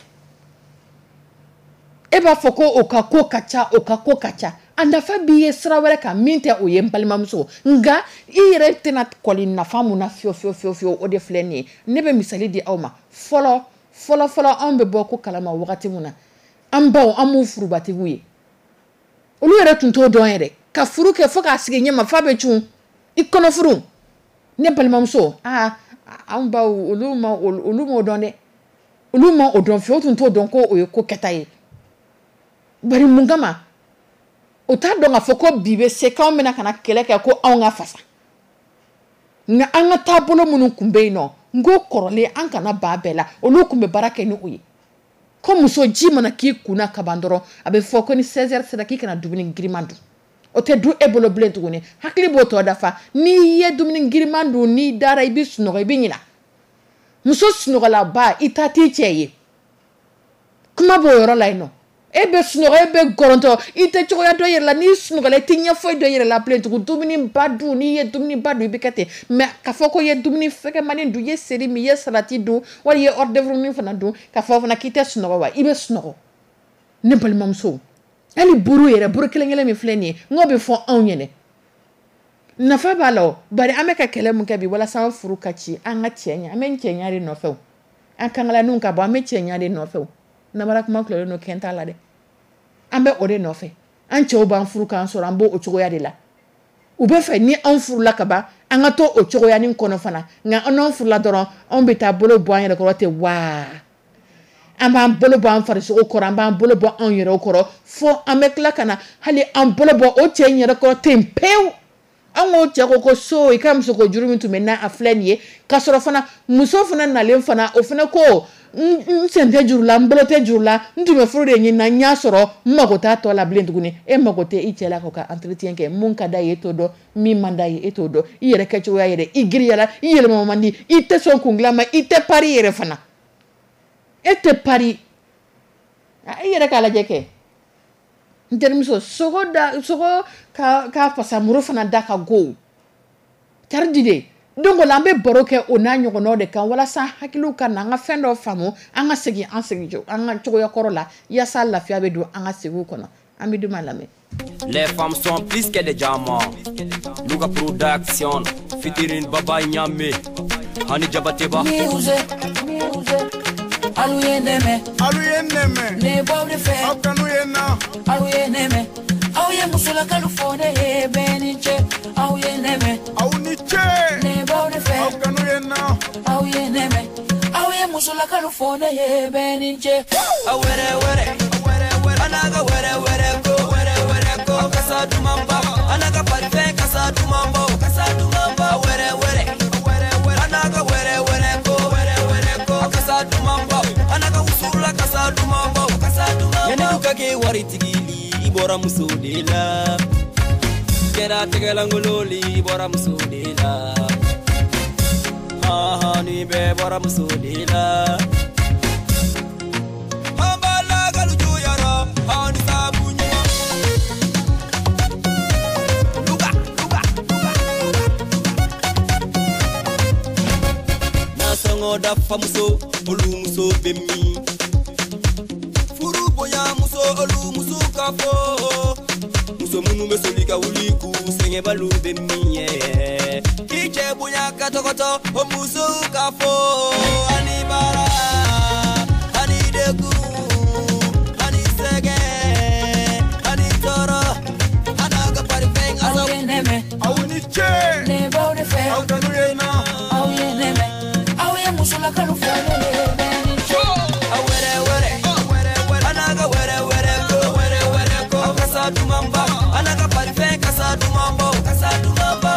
E b'a fɔ ko o ka ko ka ca, o ka ko ka ca, a nafa b'i ye sira wɛrɛ kan min tɛ o ye. N balimamuso, nka i yɛrɛ tɛna kɔli nafa mun na fiyewu fiyewu fiyewu fiyewu, o de filɛ nin ye. Ne bɛ misali di aw ma. Fɔlɔ fɔlɔ fɔlɔ, anw bɛ bɔ ko kalama wagati mun na, an baw, an m'u furubatigiw ye, olu yɛrɛ tun t'o dɔn yɛrɛ ka furu kɛ fo k'a sigi ɲɛ ma f'a bɛ cun i kɔnɔ furu. Ne balimamuso, aa, anw baw, olu m'o dɔn dɛ, olu ma o dɔn fiyewu. O tun t'o dɔn ko o ye ko kɛta ye. Bari mun kama o t'a dɔn k'a fɔ ko bi bɛ se k'anw bɛna ka na kɛlɛ kɛ ko anw ka fasa? Nka an ka taabolo minnu tun bɛ yen nɔ, n ko kɔrɔlen, an kana ba bɛɛ la, olu tun bɛ baara kɛ ni o ye, ko muso, ji mana k'i kunna kaban dɔrɔn, a bɛ fɔ ko ni 16 heures sera, k'i kana dumuni giriman dun. O tɛ dun e bolo bilen tuguni, hakili b'o tɔ dafa. N'i ye dumuni giriman dun, n'i dara, i bɛ sunɔgɔ, i bɛ ɲina. Muso sunɔgɔlaba, i ta t'i cɛ ye, kuma b'o yɔrɔ la yen nɔ. E bɛ sunɔgɔ, e bɛ gɔrɔntɔ, i tɛ cogoya dɔ yɛrɛ la. N'i sunɔgɔla, i tɛ ɲɛ foyi dɔn i yɛrɛ la bilen tugun. Dumuni ba dun, n'i ye dumuni ba dun, i bɛ kɛ ten. Mais k'a fɔ ko i ye dumuni fɛgɛmani dun, i ye seri min, i ye salati dun, wali i ye hors d'œuvre fana dun, k'a fɔ fana k'i tɛ sunɔgɔ wa, i bɛ sunɔgɔ. Ne balimamuso, Hali buru yɛrɛ, buru kelen kelen min filɛ nin ye, n k'o bɛ fɔ anw ɲɛnɛ. Nafa b'a la o, bari an bɛ ka kɛlɛ mun kɛ bi walasa an furu ka ci, an ka cɛ ɲɛ, an bɛ cɛɲa de nɔfɛ o. An kangalaniw ka bɔ, an bɛ cɛɲa de nɔfɛ o. Namara kuma tilalen don kɛn t'a la dɛ. An bɛ o de nɔfɛ. An cɛw b'an furu k'an sɔrɔ, an b'o o cogoya de la. U bɛ fɛ ni anw furula ka ban, an ka to o cogoyanin kɔnɔ fana. Nka an n'anw furula dɔrɔn, anw bɛ taa bolo bɔ an yɛrɛ kɔrɔ ten waa. An b'an bolo bɔ an farisogo kɔrɔ, an b'an bolo bɔ anw yɛrɛ kɔrɔ, fo an bɛ tila ka na hali an bolo bɔ o cɛ in yɛrɛ kɔrɔ ten pewu. An k'o cɛ ko ko so i ka musoko juru min tun bɛ na a filɛ nin ye, k'a sɔrɔ fana muso fana nalen fana o fana ko n sen tɛ juru la, n bolo tɛ juru la, n tun bɛ furu de ɲini na, n y'a sɔrɔ, n mago t'a tɔ la bilen tuguni. E mago tɛ i cɛ la k'o ka entretien kɛ, mun ka d'a ye e t'o dɔn, min man d'a ye e t'o dɔn, i yɛrɛ kɛcogoya yɛrɛ, i giriyala, i yɛlɛma man di, i tɛ sɔn kundilan ma, i tɛ pari yɛrɛ fana, e tɛ pari. I yɛrɛ k'a lajɛ kɛ. N terimuso, sogo da, sogo ka fasamuru fana da ka go tari di de. Donc o la an bɛ baro kɛ o n'a ɲɔgɔnnaw de kan walasa hakiliw ka na an ka fɛn dɔ faamu, an ka segin an segin an ka cogoya kɔrɔ la, yaasa lafiya bɛ don an ka segiw kɔnɔ. An bɛ d'u ma lamɛn. Les femmes sont plus que des diamants. Louga Production, featuring Baba Nyame, Hani Jabateba. Music, music. Alu ye nɛmɛ, alu ye nɛmɛ, ne b'aw de fɛ, aw kanu ye na, alu ye nɛmɛ, aw ye musolakalu fɔ ne ye bɛɛ ni cɛ, aw ye nɛmɛ, aw ni ce, ne b'aw de fɛ, aw kanu ye na, aw ye nɛmɛ, aw ye musolakalu fɔ ne ye bɛɛ ni cɛ. A wɛrɛ wɛrɛ, a n'a ka wɛrɛ wɛrɛ ko, wɛrɛ wɛrɛ ko, kasa duman ba, a n'a ka parfum kasa duman bɔ, kasa duman ba, wɛrɛ wɛrɛ, a n'a ka wɛrɛ wɛrɛ ko, wɛrɛ wɛrɛ ko, kasa duman ba, a n'a ka wusula kasa duman bɔ, kasa duman ba. Yanni ka kɛ waritigi li, i bɔra muso de la. Kɛra tɛgɛlankolon li, i bɔra muso de la. Han han, ni bɛɛ bɔra muso de la. An b'a lakalu juyara, an ni saabu ɲuman. Luga, luga, luga, luga. Nasɔngɔ dafa muso, olu muso bɛ min? Furu bonya muso, olu muso ka fɔ. Muso minnu bɛ soli ka wuli k'u sɛgɛnbaliw bɛ min ye? K'i cɛ bonya ka tɔgɔtɔ, o musow ka fɔ. Ani baara, ani degun, ani sɛgɛn, ani tɔɔrɔ, a n'a ka parifɛn Aw ye nɛmɛ, aw ni ce, ne b'aw de fɛ, aw kanu ye na, aw ye nɛmɛ, aw ye musolakalu fɔ ne ye bɛɛ ni cɛ. A wɛrɛ wɛrɛ, a n'a ka wɛrɛ wɛrɛ ko, wɛrɛ wɛrɛ ko, kasa duman ba, a n'a ka parifɛn kasa duman bɔ, kasa duman bɔ.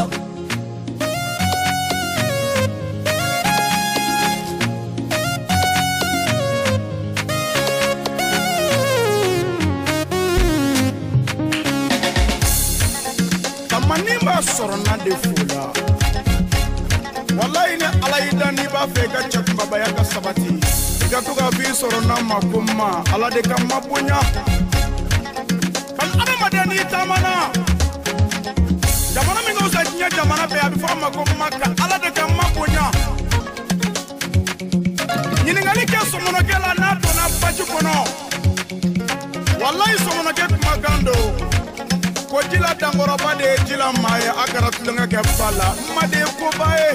Kamani b'a sɔrɔ na de fo la. Walayi ni Ala y'i dan n'i b'a fɛ i ka cɛ kunbabaya ka sabati, i ka to ka f'i sɔrɔ n'a ma ko ma, Ala de ka ma bonya. Bani adamaden n'i taamana jamana min ka fisa diɲɛ jamana bɛɛ, a bɛ fɔ a ma ko Maka, Ala de ka ma bonya. Ɲininkali kɛ sɔmɔnɔkɛ la n'a donna baji kɔnɔ, walayi sɔmɔnɔkɛ kumakan don ko jila dankɔrɔba de ye jila maa ye, a kɛra tulonkɛ kɛ ba la, ma de ye koba ye.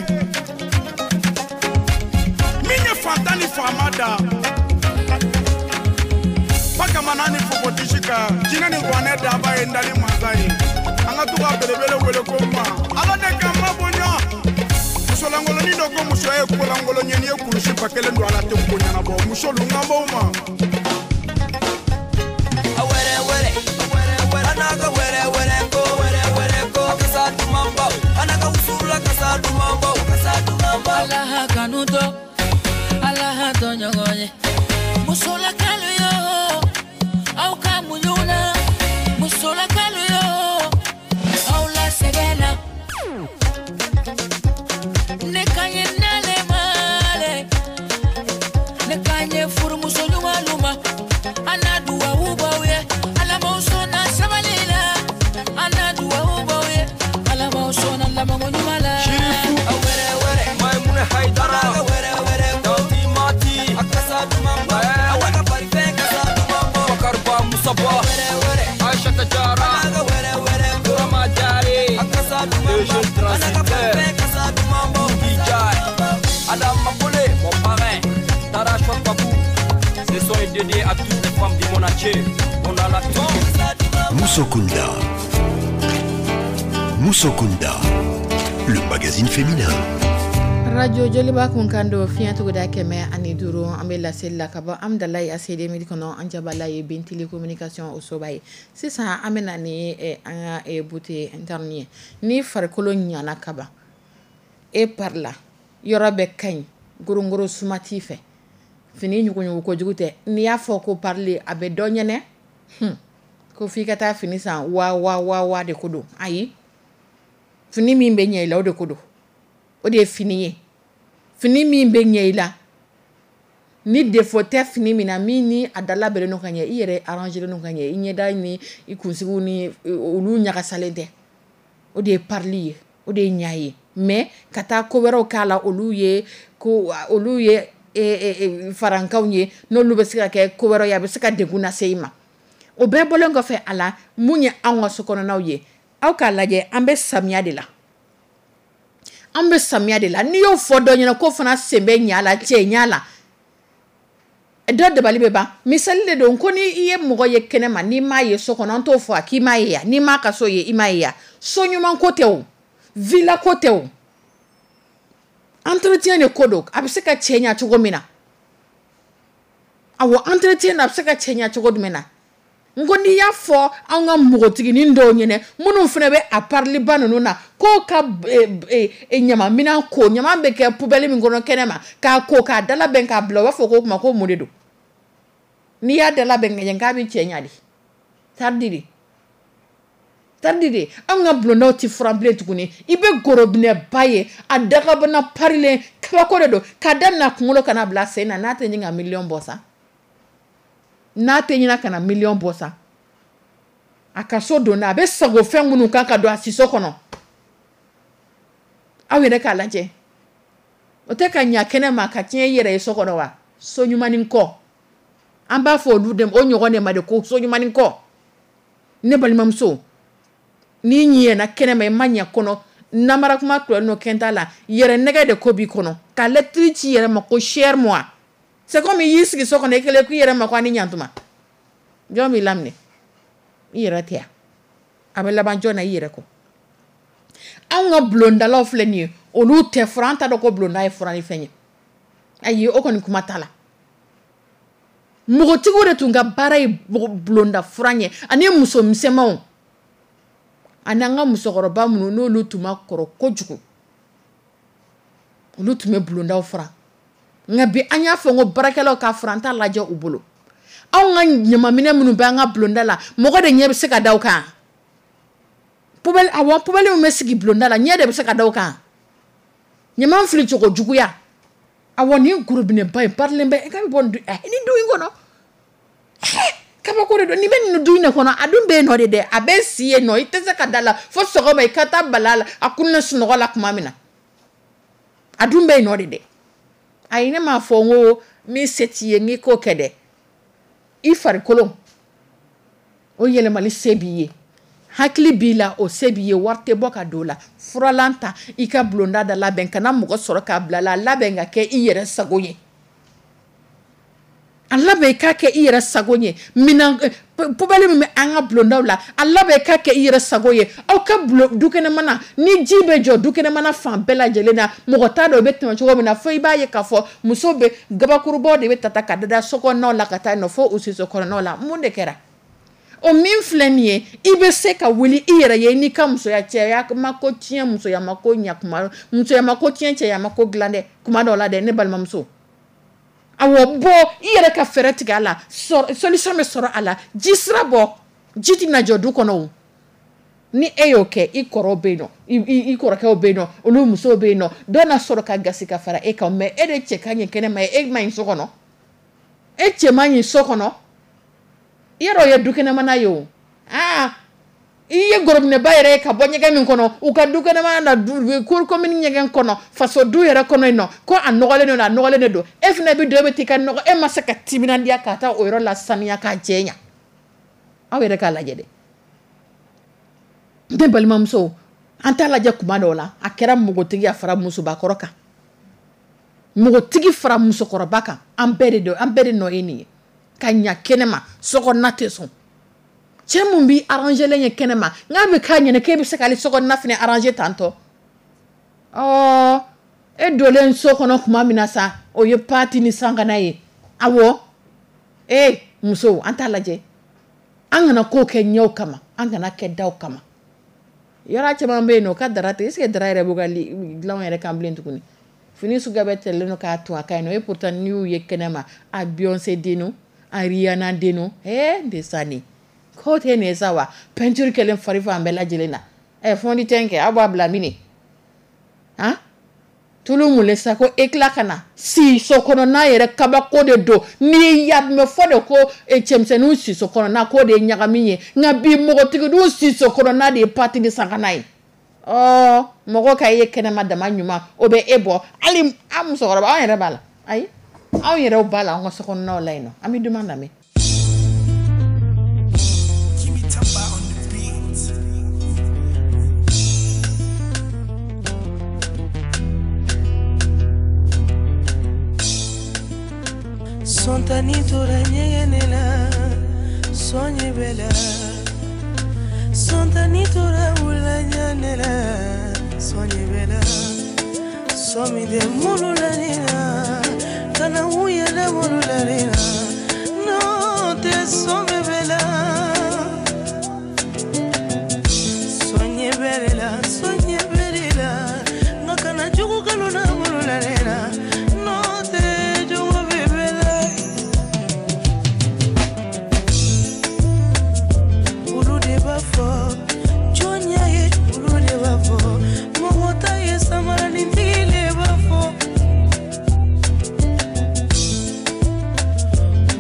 Min ye fantan ni faama da, bakamana ni fofotisi kan, jinɛ ni kuranɛ daba ye n dali mansa ye. An ka to ka belebele wele ko ma, Ala de ka ma bonya. Musolangolonin dɔ ko muso ye kolankolon ye, n'i ye kulusi ba kelen don a la tɛ ko ɲɛnabɔ. Musolu n kan b'aw ma. A wɛrɛ wɛrɛ, a n'a ka wɛrɛ wɛrɛ ko, wɛrɛ wɛrɛ ko, kasa duman bɔ, a n'a ka wusula kasa duman bɔ, kasa duman bɔ. Ala ha kanu tɔ, Ala ha tɔ ɲɔgɔn ye. Musolakalu yo, aw ka muɲu na. Musolakalu yo, aw la sɛgɛn na. Ne ka ɲi n'ale ma le, ne ka ɲi furumuso ɲumanw ma. An na duwawu b'aw ye, Ala m'aw sɔnna sabali la. An na duwawu b'aw ye, Ala m'aw sɔnna labanko ɲuman la. Sirifu. A wɛrɛ wɛrɛ, Maimuna Haidara, a n'a ka wɛrɛ wɛrɛ ko, Tanti Mati, a kasa duman bɔ, a n'a ka parifɛn kasa duman bɔ, Bakariba Musaba, a wɛrɛ wɛrɛ, Ce son est dédié à toutes les femmes du monde entier. On a la tombe. Musokunda. Musokunda. Le magazine féminin. Radio Joliba kunkan don, fiɲɛ tuguda 105. An bɛ laseli la ka bɔ Amdalayi ACD mili kɔnɔ, an jabala ye Bentili Communication o soba ye. Sisan an bɛ na ni an ka beauté interne ye. Ni farikolo ɲana kaban, e pari la, yɔrɔ bɛɛ ka ɲi, gorongoro suma t'i fɛ, fini ɲuguɲugu kojugu tɛ. N'i y'a fɔ ko parili, a bɛ dɔ ɲɛnɛ ko f'i ka taa fini san wa wa wa wa de ko don. Ayi, fini min bɛ ɲɛ i la, o de ko don, o de ye fini ye. Fini min bɛ ɲɛ i la, ni défaut tɛ fini min na, min ni a da labɛnnen don ka ɲɛ, i yɛrɛ arrangé don ka ɲɛ, i ɲɛda ni i kunsigiw ni olu ɲagasalen tɛ, o de ye parili ye, o de ye ɲa ye. Mais ka taa ko wɛrɛw k'a la, olu ye ko olu ye farankanw ye, n'olu bɛ se ka kɛ ko wɛrɛw ye, a bɛ se ka degun lase i ma. O bɛɛ bɔlen kɔfɛ a la, mun ye anw ka so kɔnɔnaw ye? Aw k'a lajɛ, an bɛ samiya de la, an bɛ samiya de la. N'i y'o fɔ dɔ ɲɛna k'o fana sen bɛ ɲa la, cɛ ɲa la, dɔ dabali bɛ ban. Misali de don ko ni i ye mɔgɔ ye kɛnɛma, n'i m'a ye so kɔnɔ, an t'o fɔ a k'i m'a ye yan. N'i m'a ka so ye, i m'a ye yan. So ɲuman ko tɛ o, villa ko tɛ o, entretien de ko don. A bɛ se ka cɛ ɲa cogo min na, awɔ, entretien na, a bɛ se ka cɛ ɲa cogo jumɛn na? N ko n'i y'a fɔ an ka npogotiginin dɔw ɲɛnɛ, minnu fana bɛ a pariliba ninnu na, k'o ka ɲamaminɛn ko, ɲama bɛ kɛ poubelle min kɔnɔ kɛnɛma, k'a ko k'a dalabɛn k'a bila, u b'a fɔ k'o tuma ko mun de don? N'i y'a dalabɛn ka ɲɛ, k'a bɛ cɛ ɲa de tardi de tardi de. Anw ka bulondaw tɛ furan bilen tuguni. I bɛ gorobinɛba ye, a dagabana parilen, kabako de don, k'a daminɛ a kunkolo ka na bila sen na. N'a tɛ ɲini ka miliyɔn bɔ sa, n'a tɛ ɲini ka na miliyɔn bɔ sa, a ka so donna, a bɛ sago fɛn minnu kan ka don a siso kɔnɔ, aw yɛrɛ k'a lajɛ, o tɛ ka ɲa kɛnɛ ma ka tiɲɛ i yɛrɛ ye so kɔnɔ wa? So ɲumanin kɔ, an b'a fɔ olu de, o ɲɔgɔn de ma de ko so ɲumanin kɔ. Ne balimamuso, n'i ɲɛna kɛnɛma, i ma ɲɛ kɔnɔ, namara kuma tulɔ n'o kɛnta la, yɛrɛ nɛgɛ de ko b'i kɔnɔ ka lɛtiri ci yɛrɛ ma ko cher moi. C'est comme i y'i sigi so kɔnɔ, i kɛlen k'i yɛrɛ ma ko a ni ɲantuma. Jɔn b'i laminɛ? I yɛrɛ tɛ yan. A bɛ laban jɔn na? I yɛrɛ kɔ. Anw ka bulondalaw filɛ nin ye, olu tɛ furan. An t'a dɔn ko bulonda ye furan ni fɛn ye. Ayi, o kɔni kuma t'a la. Npogotigiw de tun ka baara ye bulonda furan ye, ani muso misɛnmanw, ani an ka musokɔrɔba minnu n'olu tun ma kɔrɔ kojugu, olu tun bɛ bulondaw furan. Nka bi, an y'a fɔ ko baarakɛlaw ka furan t'a lajɛ u bolo. Anw ka ɲamaminɛ minnu bɛ an ka bulonda la, mɔgɔ de ɲɛ bɛ se ka da o kan. Poubelle, awɔ, poubelle min bɛ sigi bulonda la, ɲɛ de bɛ se ka da o kan. Ɲama fili cogo juguya, awɔ, nin gorobinɛba in parilen bɛ, e ka bɛ bɔ nin du nin du in kɔnɔ, kabako de don. Nin bɛ nin du in de kɔnɔ, a dun bɛ yen nɔ de dɛ, a bɛ si yen nɔ. I tɛ se ka da la fo sɔgɔma, i ka taa bala la, a kunna sunɔgɔ la tuma min na, a dun bɛ yen nɔ de dɛ. Ayi, ne m'a fɔ n ko min se t'i ye n'i k'o kɛ dɛ. I farikolo o yɛlɛmali se b'i ye, hakili b'i la, o se b'i ye, wari tɛ bɔ ka don o la. Furalan ta, i ka bulonda da labɛn, kana mɔgɔ sɔrɔ k'a bila la. A labɛn ka kɛ i yɛrɛ sago ye, a labɛn i k'a kɛ i yɛrɛ sago ye. Minan poubelle min bɛ an ka bulondaw la, a labɛn i k'a kɛ i yɛrɛ sago ye. Aw ka bulon dukɛnɛmana, ni ji bɛ jɔ dukɛnɛmana fan bɛɛ lajɛlen na, mɔgɔ t'a dɔn o bɛ tɛmɛ cogo min na, fo i b'a ye k'a fɔ muso bɛ gabakurubaw de bɛ ta ka da so kɔnɔnaw la ka taa yen nɔ, fo u siso kɔnɔnaw la. Mun de kɛra? O min filɛ nin ye, i bɛ se ka wuli i yɛrɛ ye n'i ka musoya. Cɛya ma ko tiɲɛ, musoya ma ko ɲa kuma, musoya ma ko tiɲɛ, cɛya ma ko dilan dɛ kuma dɔw la dɛ. Ne balimamuso, awɔ, bɔ i yɛrɛ ka fɛɛrɛ tigɛ a la, solution bɛ sɔrɔ a la. Ji sira bɔ, ji tɛna jɔ du kɔnɔ o. Ni e y'o kɛ, i kɔrɔw bɛ yen nɔ, i kɔrɔkɛw bɛ yen nɔ, olu musow bɛ yen nɔ, dɔ na sɔrɔ ka gasi ka fara e kan. Mais e de cɛ ka ɲi kɛnɛma ye, e ma ɲi so kɔnɔ, e cɛ man ɲi so kɔnɔ. I yɛrɛ o ye dukɛnɛmana ye o. Aa, i ye gorobinɛba yɛrɛ ye ka bɔ ɲɛgɛn min kɔnɔ, u ka dukɛnɛmana na, du cour commune ɲɛgɛn kɔnɔ, faso du yɛrɛ kɔnɔ yen nɔ, ko a nɔgɔlen don, a nɔgɔlen de don. E fana bɛ don, e bɛ t'i ka nɔgɔ, e ma se ka timinandiya ka taa o yɔrɔ la saniya k'a jɛ ɲa. Aw yɛrɛ k'a lajɛ dɛ, ne balimamuso. An t'a lajɛ kuma dɔw la, a kɛra npogotigi, a fara musobakɔrɔ kan, npogotigi fara musokɔrɔba kan, an bɛɛ de don, an bɛɛ de nɔ ye nin ye. Ka ɲa kɛnɛma, sokɔnɔna tɛ sɔn. Cɛ mun b'i arranger len ye kɛnɛma, n'a bɛ k'a ɲɛna k'e bɛ se k'ale sokɔnɔna fana arranger tantɔ. Ɔ, e donlen so kɔnɔ tuma min na sa, o ye pati ni sankana ye. Awɔ, ee musow, an t'a lajɛ, an kana ko kɛ ɲɛw kama, an kana kɛ daw kama. Yɔrɔ caman bɛ yen nɔ, o ka dara tɛ. Est ce que dara yɛrɛ b'u ka dilanw yɛrɛ kan bilen tuguni? Fini suguya bɛɛ tɛlen don k'a to a ka ɲi nɔ. Et pourtant, n'i y'u ye kɛnɛma, a Beyoncé dennu, a Rihanna dennu, ee ndesani ko tɛ nin ye sa wa. Peinture kɛlen fari fan bɛɛ lajɛlen na. Ɛ, fond de teint kɛ, aw b'a bila min han, tulu mun sa ko éclat ka na si so kɔnɔna yɛrɛ. Kabako de don. N'i y'a mɛn fɔ de ko cɛmisɛnninw si so kɔnɔna k'o de ye ɲagami ye, nka bi npogotigininw si so kɔnɔna de ye pati ni sankana ye. Ɔ, mɔgɔ ka ye kɛnɛma dama ɲuman, o bɛ e bɔ. Hali an musokɔrɔba, anw yɛrɛ b'a la. Ayi, anw yɛrɛw b'a la, an ka sokɔnɔnaw la yen nɔ. An bɛ duman lamɛn. Jimmy Tamba on the beat. Sɔntani tora ɲɛgɛn ne la, sɔɲɛ bɛ la. Sɔntani tora wula ɲɛ la, sɔɲɛ bɛ la. Sɔmi tɛ mulu la ne na, kana u yɛlɛ mulu la ne na. N'o tɛ sɔmi bɛ la. Sɔɲɛ bɛ de la, sɔɲɛ bɛ de la. Nka kana jugu kalo na mulu la ne na. N'o tɛ jugu bɛ bɛ la. Olu de b'a fɔ jɔn y'a ye, olu de b'a fɔ mɔgɔ ta ye, samaranintigi de b'a fɔ.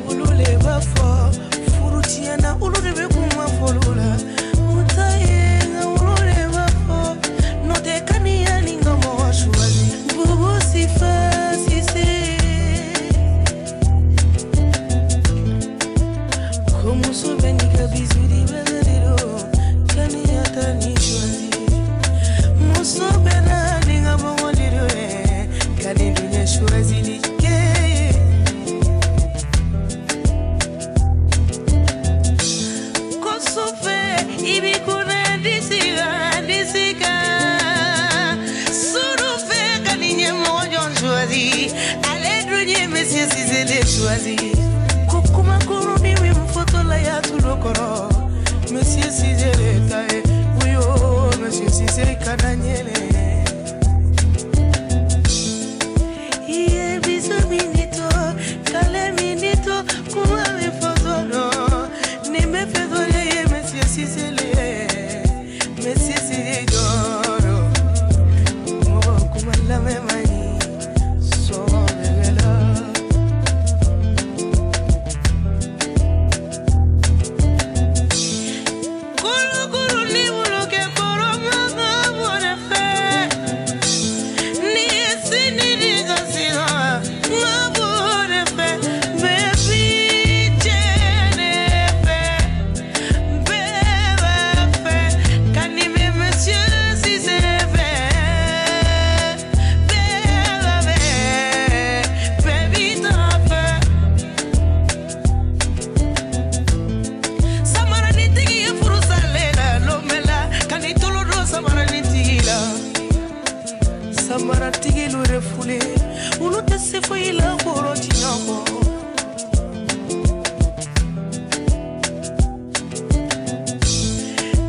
Olu de b'a fɔ furu tiɲɛna, olu de bɛ kuma fɔlɔ la. U ta ye nka olu de b'a fɔ n'o tɛ kaniya ni ka mɔgɔ suwazi. Bubu sifa sise. Ko muso bɛ n'i ka bisu di bɛɛ de don, kaniya ta ni choisi. Muso bɛ na ni ka mɔgɔ de don ye, ka ni dun ye choisi di kɛ. Ko sufɛ i b'i kunna disi kan, disi kan. Suru fɛ ka ni ɲɛmɔgɔ jɔn choisi, ale dun ye Monsieur Cissé de choisi. Ko kuma kurunin min fɔtɔ la y'a tulo kɔrɔ, Monsieur Cissé de ta ye. Wuyo, Monsieur Cissé kana ɲɛnɛ. I ye bisu min di to, kale min di to, kuma min fɔtɔ dɔn. Nin bɛɛ fɛ dɔ de ye Monsieur Cissé le ye. Monsieur Cissé jɔyɔrɔ. Mɔgɔ kuma lamɛn man ɲi, sɔngɔ bɛ bɛɛ la. Kurukuru ni bolo kɛ kɔrɔ ma ka bɔ ne fɛ. Ni ye sini di ka siran, ma bɔ ne fɛ. Bɛɛ b'i jɛ ne fɛ. Bɛɛ b'a fɛ ka nin bɛ Monsieur Cissé fɛ. Bɛɛ b'a fɛ, bɛɛ b'i ta fɛ. Samaranintigi ye furu salen la lomɛ la, ka n'i tolo don samaranintigi la. Samaratigi lu refule, olu tɛ se foyi la kɔrɔ tiɲɛ kɔ.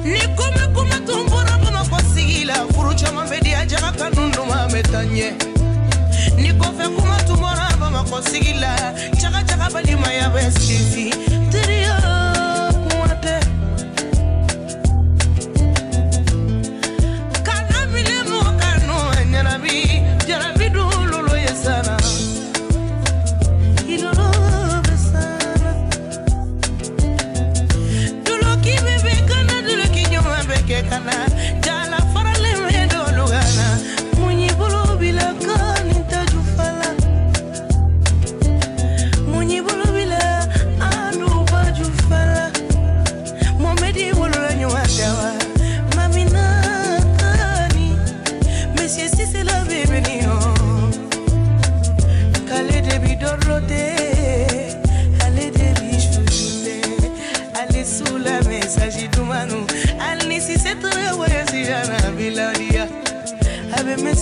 Ni kuma kuma tun bɔra Bamakɔ sigi la, furu caman bɛ di a jaga kanu duman bɛ taa ɲɛ. Ni kɔfɛ kuma tun bɔra Bamakɔ sigi la, jaga jaga balimaya bɛ sinsin. Teriya kuma tɛ. Kana minɛ mɔgɔ kanu ɲɛnabi, jarabi dun lolo ye sana. I lolo bɛ sana. Duloki bɛ bɛ kana, duloki ɲuman bɛ kɛ kana. Jala faralen bɛ dɔlu kana. Mun y'i bolo bila kan ni taju fala.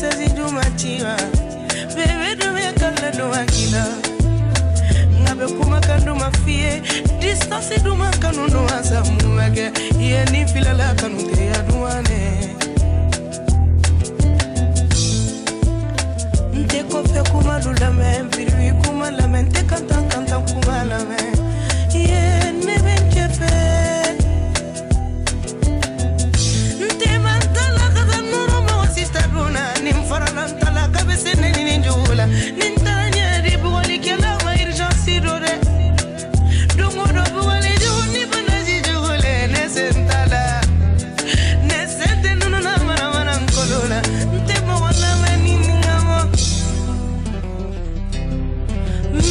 Message duman ci wa? Bébé dun kala duman kila. Ngabe kumakan duman f'i ye. Distance duman kanu duman sa mun bɛ kɛ? I ye nin filala kanu teriya duman ne. N tɛ kɔfɛ kuma du lamɛn, biribi kuma lamɛn, n tɛ kantan kantan kuma lamɛn. Ye ne bɛ n cɛ fɛ. N tɛ man ta la ka taa nɔrɔ mɔgɔ sista dun na. Ni n farala n ta la k'a bɛ se ne ni nin jugu la. Ni n taara ɲɛ di bugɔlikɛla ma urgence don dɛ. Don o don bugɔli jugu ni banaji jugu le, ne sen t'a la. Ne sen tɛ nunnu na manamana nkolo la. N tɛ mɔgɔ lamɛn ni nin ka mɔ.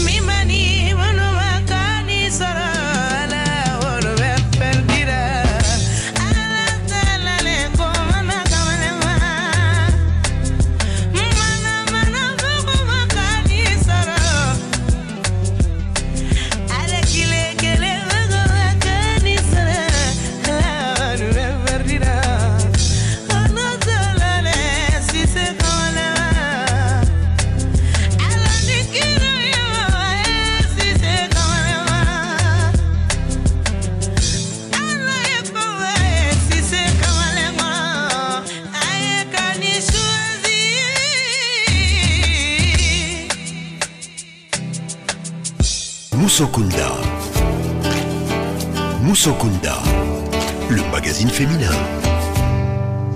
Min ma ni minnu ma ka ni sɔrɔ a la, olu bɛ perdira. Ala tala le ko mana kamalen ma. Mana mana fɔ ko ma ka ni sɔrɔ. Ala kile kelen ko ma ka ni sɔrɔ. Olu bɛ perdira. Ala tala le sise kamalen ma. Ala ni kira ye mama ye sise kamalen ma. Ala ye koba ye sise kamalen ma. A ye ka ni choisi. Moussokunda. Moussokunda, le magazine féminin.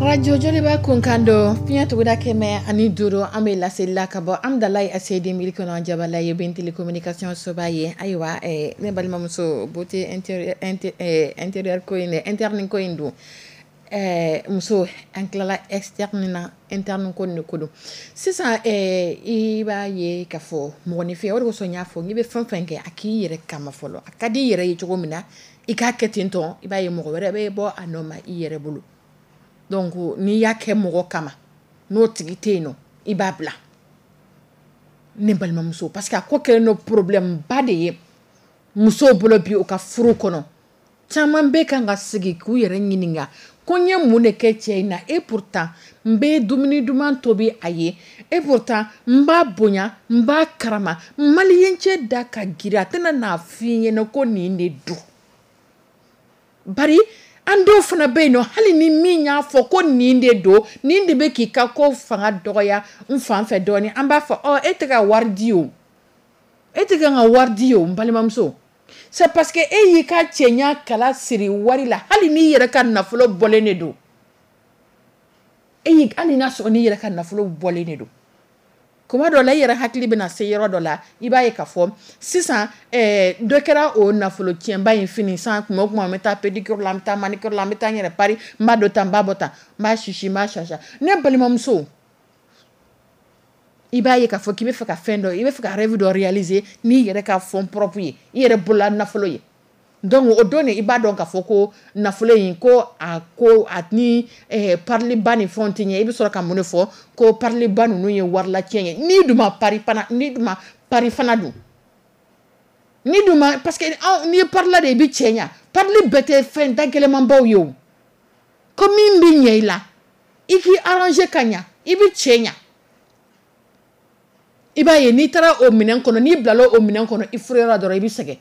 Radio Joliba kunkan don fiɲɛ tuguda 105, an bɛ laseli la ka bɔ Amdalayi ACD mili kɔnɔ Jabala ye ben télécommunication soba ye. Ayiwa, ne balimamuso, beauté intérieur ko in dɛ, interne ko in don, muso, an tilala externe na, interne ko nin de ko don sisan. I b'a ye k'a fɔ mɔgɔninfin, o de kosɔn n y'a fɔ n'i bɛ fɛn fɛn kɛ, a k'i yɛrɛ kama fɔlɔ. A ka di i yɛrɛ ye cogo min na, i k'a kɛ ten tɔ, i b'a ye mɔgɔ wɛrɛ bɛ bɔ a nɔ ma i yɛrɛ bolo. Donc n'i y'a kɛ mɔgɔ kama, n'o tigi tɛ yen nɔ, i b'a bila, ne balimamuso, parce que a ko kɛlen don problème ba de ye musow bolo bi u ka furu kɔnɔ. Caman bɛ kan ka sigi k'u yɛrɛ ɲininka ko n ye mun de kɛ cɛ in na? Et pourtant n bɛ dumuni duman tobi a ye, et pourtant n b'a bonya, n b'a karama. Maliyɛn cɛ da ka girin, a tɛna n'a f'i ɲɛna ko nin de don. Bari an dɔw fana bɛ yen nɔ, hali ni min y'a fɔ ko nin de don, nin de bɛ k'i ka ko fanga dɔgɔya n fan fɛ dɔɔnin, an b'a fɔ ɔ e tɛ ka wari di o, e tɛ ka n ka wari di o. N balimamuso, c'est parce que e y'i ka cɛɲa kala siri wari la. Hali n'i yɛrɛ ka nafolo bɔlen de don, e y'i hali n'a sɔrɔ n'i yɛrɛ ka nafolo bɔlen de don, kuma dɔ la i yɛrɛ hakili bɛna se yɔrɔ dɔ la, i b'a ye k'a fɔ sisan dɔ kɛra o nafolo tiɲɛba in fini san. Kuma o kuma, n bɛ taa pédicure la, n bɛ taa manicure la, n bɛ taa n yɛrɛ pari, n b'a dɔ ta, n b'a bɔ tan, n b'a sisi, n b'a sasa. Ne balimamuso, i b'a ye k'a fɔ k'i bɛ fɛ ka fɛn dɔ, i bɛ fɛ ka rêve dɔ réaliser n'i yɛrɛ ka fonds propre ye, i yɛrɛ bolola nafolo ye. Donc o don de i b'a dɔn k'a fɔ ko nafolo in ko a ko a ni pariliba ni fɛnw tɛ ɲɛ. I bɛ sɔrɔ ka mun de fɔ ko pariliba ninnu ye warilatiɲɛ ye? N'i dun ma pari fana, n'i dun ma pari fana dun, n'i dun ma, parce que anw n'i ye parila de, i bɛ cɛ ɲa. Parili bɛɛ tɛ fɛn dagɛlɛmanbaw ye o. Ko min bɛ ɲɛ i la, i k'i arranger ka ɲa, i bɛ cɛ ɲa. I b'a ye n'i taara o minɛn kɔnɔ, n'i bilala o minɛn kɔnɔ i furuyɔrɔ dɔrɔn, i bɛ sɛgɛn,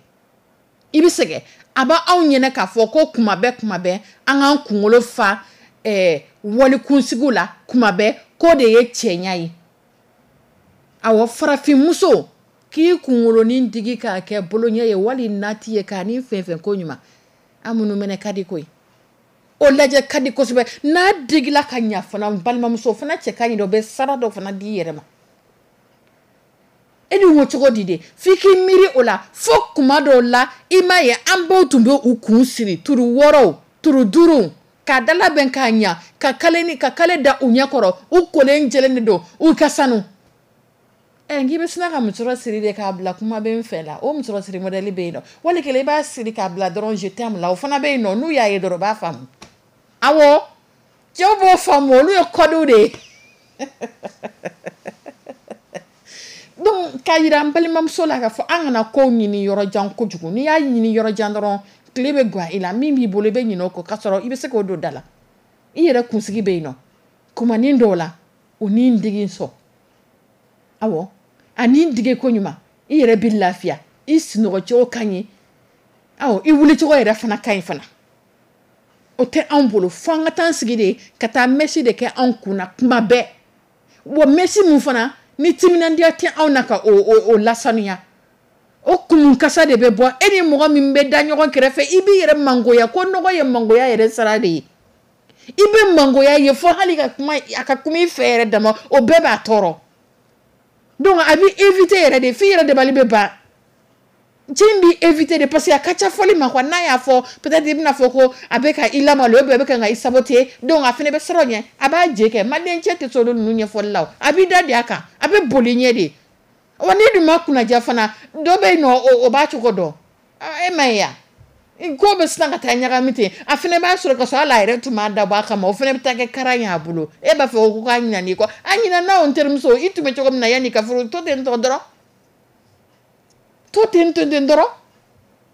i bɛ sɛgɛn. A b'anw ɲɛna k'a fɔ ko kuma bɛɛ, kuma bɛɛ, an k'an kunkolo fa walikunsigiw la kuma bɛɛ, k'o de ye cɛɲa ye. Awɔ, farafinmuso k'i kunkolonin digi k'a kɛ boloɲɛ ye wali nati ye k'a ni fɛn fɛn ko ɲuman, an minnu mɛnɛ ka di koyi, o lajɛ ka di kosɛbɛ. N'a digila ka ɲa fana, n balimamuso fana cɛ ka ɲi dɛ, o bɛ sara dɔ fana d'i yɛrɛ ma. E dun ko cogo di de? F'i k'i miiri o la fo kuma dɔw la. I m'a ye an baw tun bɛ u kun siri turu wɔɔrɔw, turu duuru, k'a dalabɛn k'a ɲa, ka kale ni ka kale da u ɲɛ kɔrɔ, u kolen jɛlen de don, u ka sanu. Ɛ, n'i bɛ sina ka musɔrɔ siri de k'a bila kuma bɛ n fɛ la, o musɔrɔ siri modèle bɛ yen nɔ. Wali kelen i b'a siri k'a bila dɔrɔn je t'aime la, o fana bɛ yen nɔ. N'u y'a ye dɔrɔn, u b'a faamu. Awɔ, cɛw b'o faamu, olu ye codew de ye. Donc k'a yira n balimamuso la k'a fɔ an kana kow ɲini yɔrɔ jan kojugu. N'i y'a ɲini yɔrɔ jan dɔrɔn, tile bɛ gan i la, min b'i bolo i bɛ ɲinɛ o kɔ, k'a sɔrɔ i bɛ se k'o don da la. I yɛrɛ kunsigi bɛ yen nɔ kumanin dɔw la. O ni dege sɔn. Awɔ, a ni dege ko ɲuman, i yɛrɛ bɛ lafiya, i sunɔgɔcogo ka ɲi, awɔ, i wulicogo yɛrɛ fana ka ɲi fana. O tɛ anw bolo, fo an ka taa sigi de ka taa mèche de kɛ anw kun na kuma bɛɛ. Wa mèche min fana ni timinandiya tɛ anw na ka o lasanuya, o kunkasa de bɛ bɔ. E ni mɔgɔ min bɛ da ɲɔgɔn kɛrɛfɛ, i b'i yɛrɛ mangoya ko nɔgɔ ye mangoya yɛrɛ sara de ye. I bɛ mangoya ye fo hali ka kuma a ka kuma i fɛ yɛrɛ dama, o bɛɛ b'a tɔɔrɔ. Donc a bɛ éviter yɛrɛ de, f'i yɛrɛ dabali bɛ ban. Cɛ in b'i éviter de parce que a ka ca fɔli ma quoi. N'a y'a fɔ, peut-être i bɛna fɔ ko a bɛ ka i lamalo ou bien a bɛ ka i saboter. Donc a fana bɛ siran o ɲɛ, a b'a je kɛ. Malien cɛ tɛ sɔn olu ninnu ɲɛfɔli la o, a b'i da de a kan, a bɛ boli ɲɛ de. Wa n'i dun ma kunnaja fana, dɔ bɛ yen nɔ, o b'a cogo dɔn. E ma ye ya, ko bɛ sisan ka taa ɲagami ten. A fana b'a sɔrɔ ka sɔrɔ hali a yɛrɛ tun m'a dabɔ a kama, o fana bɛ taa kɛ karan y'a bolo. E b'a fɔ ko k'a ɲinɛ i kɔ, a ɲinɛna o. N terimuso, i tun bɛ cogo min na yanni ka furu, to ten tɔ dɔrɔn, to ten to ten dɔrɔn.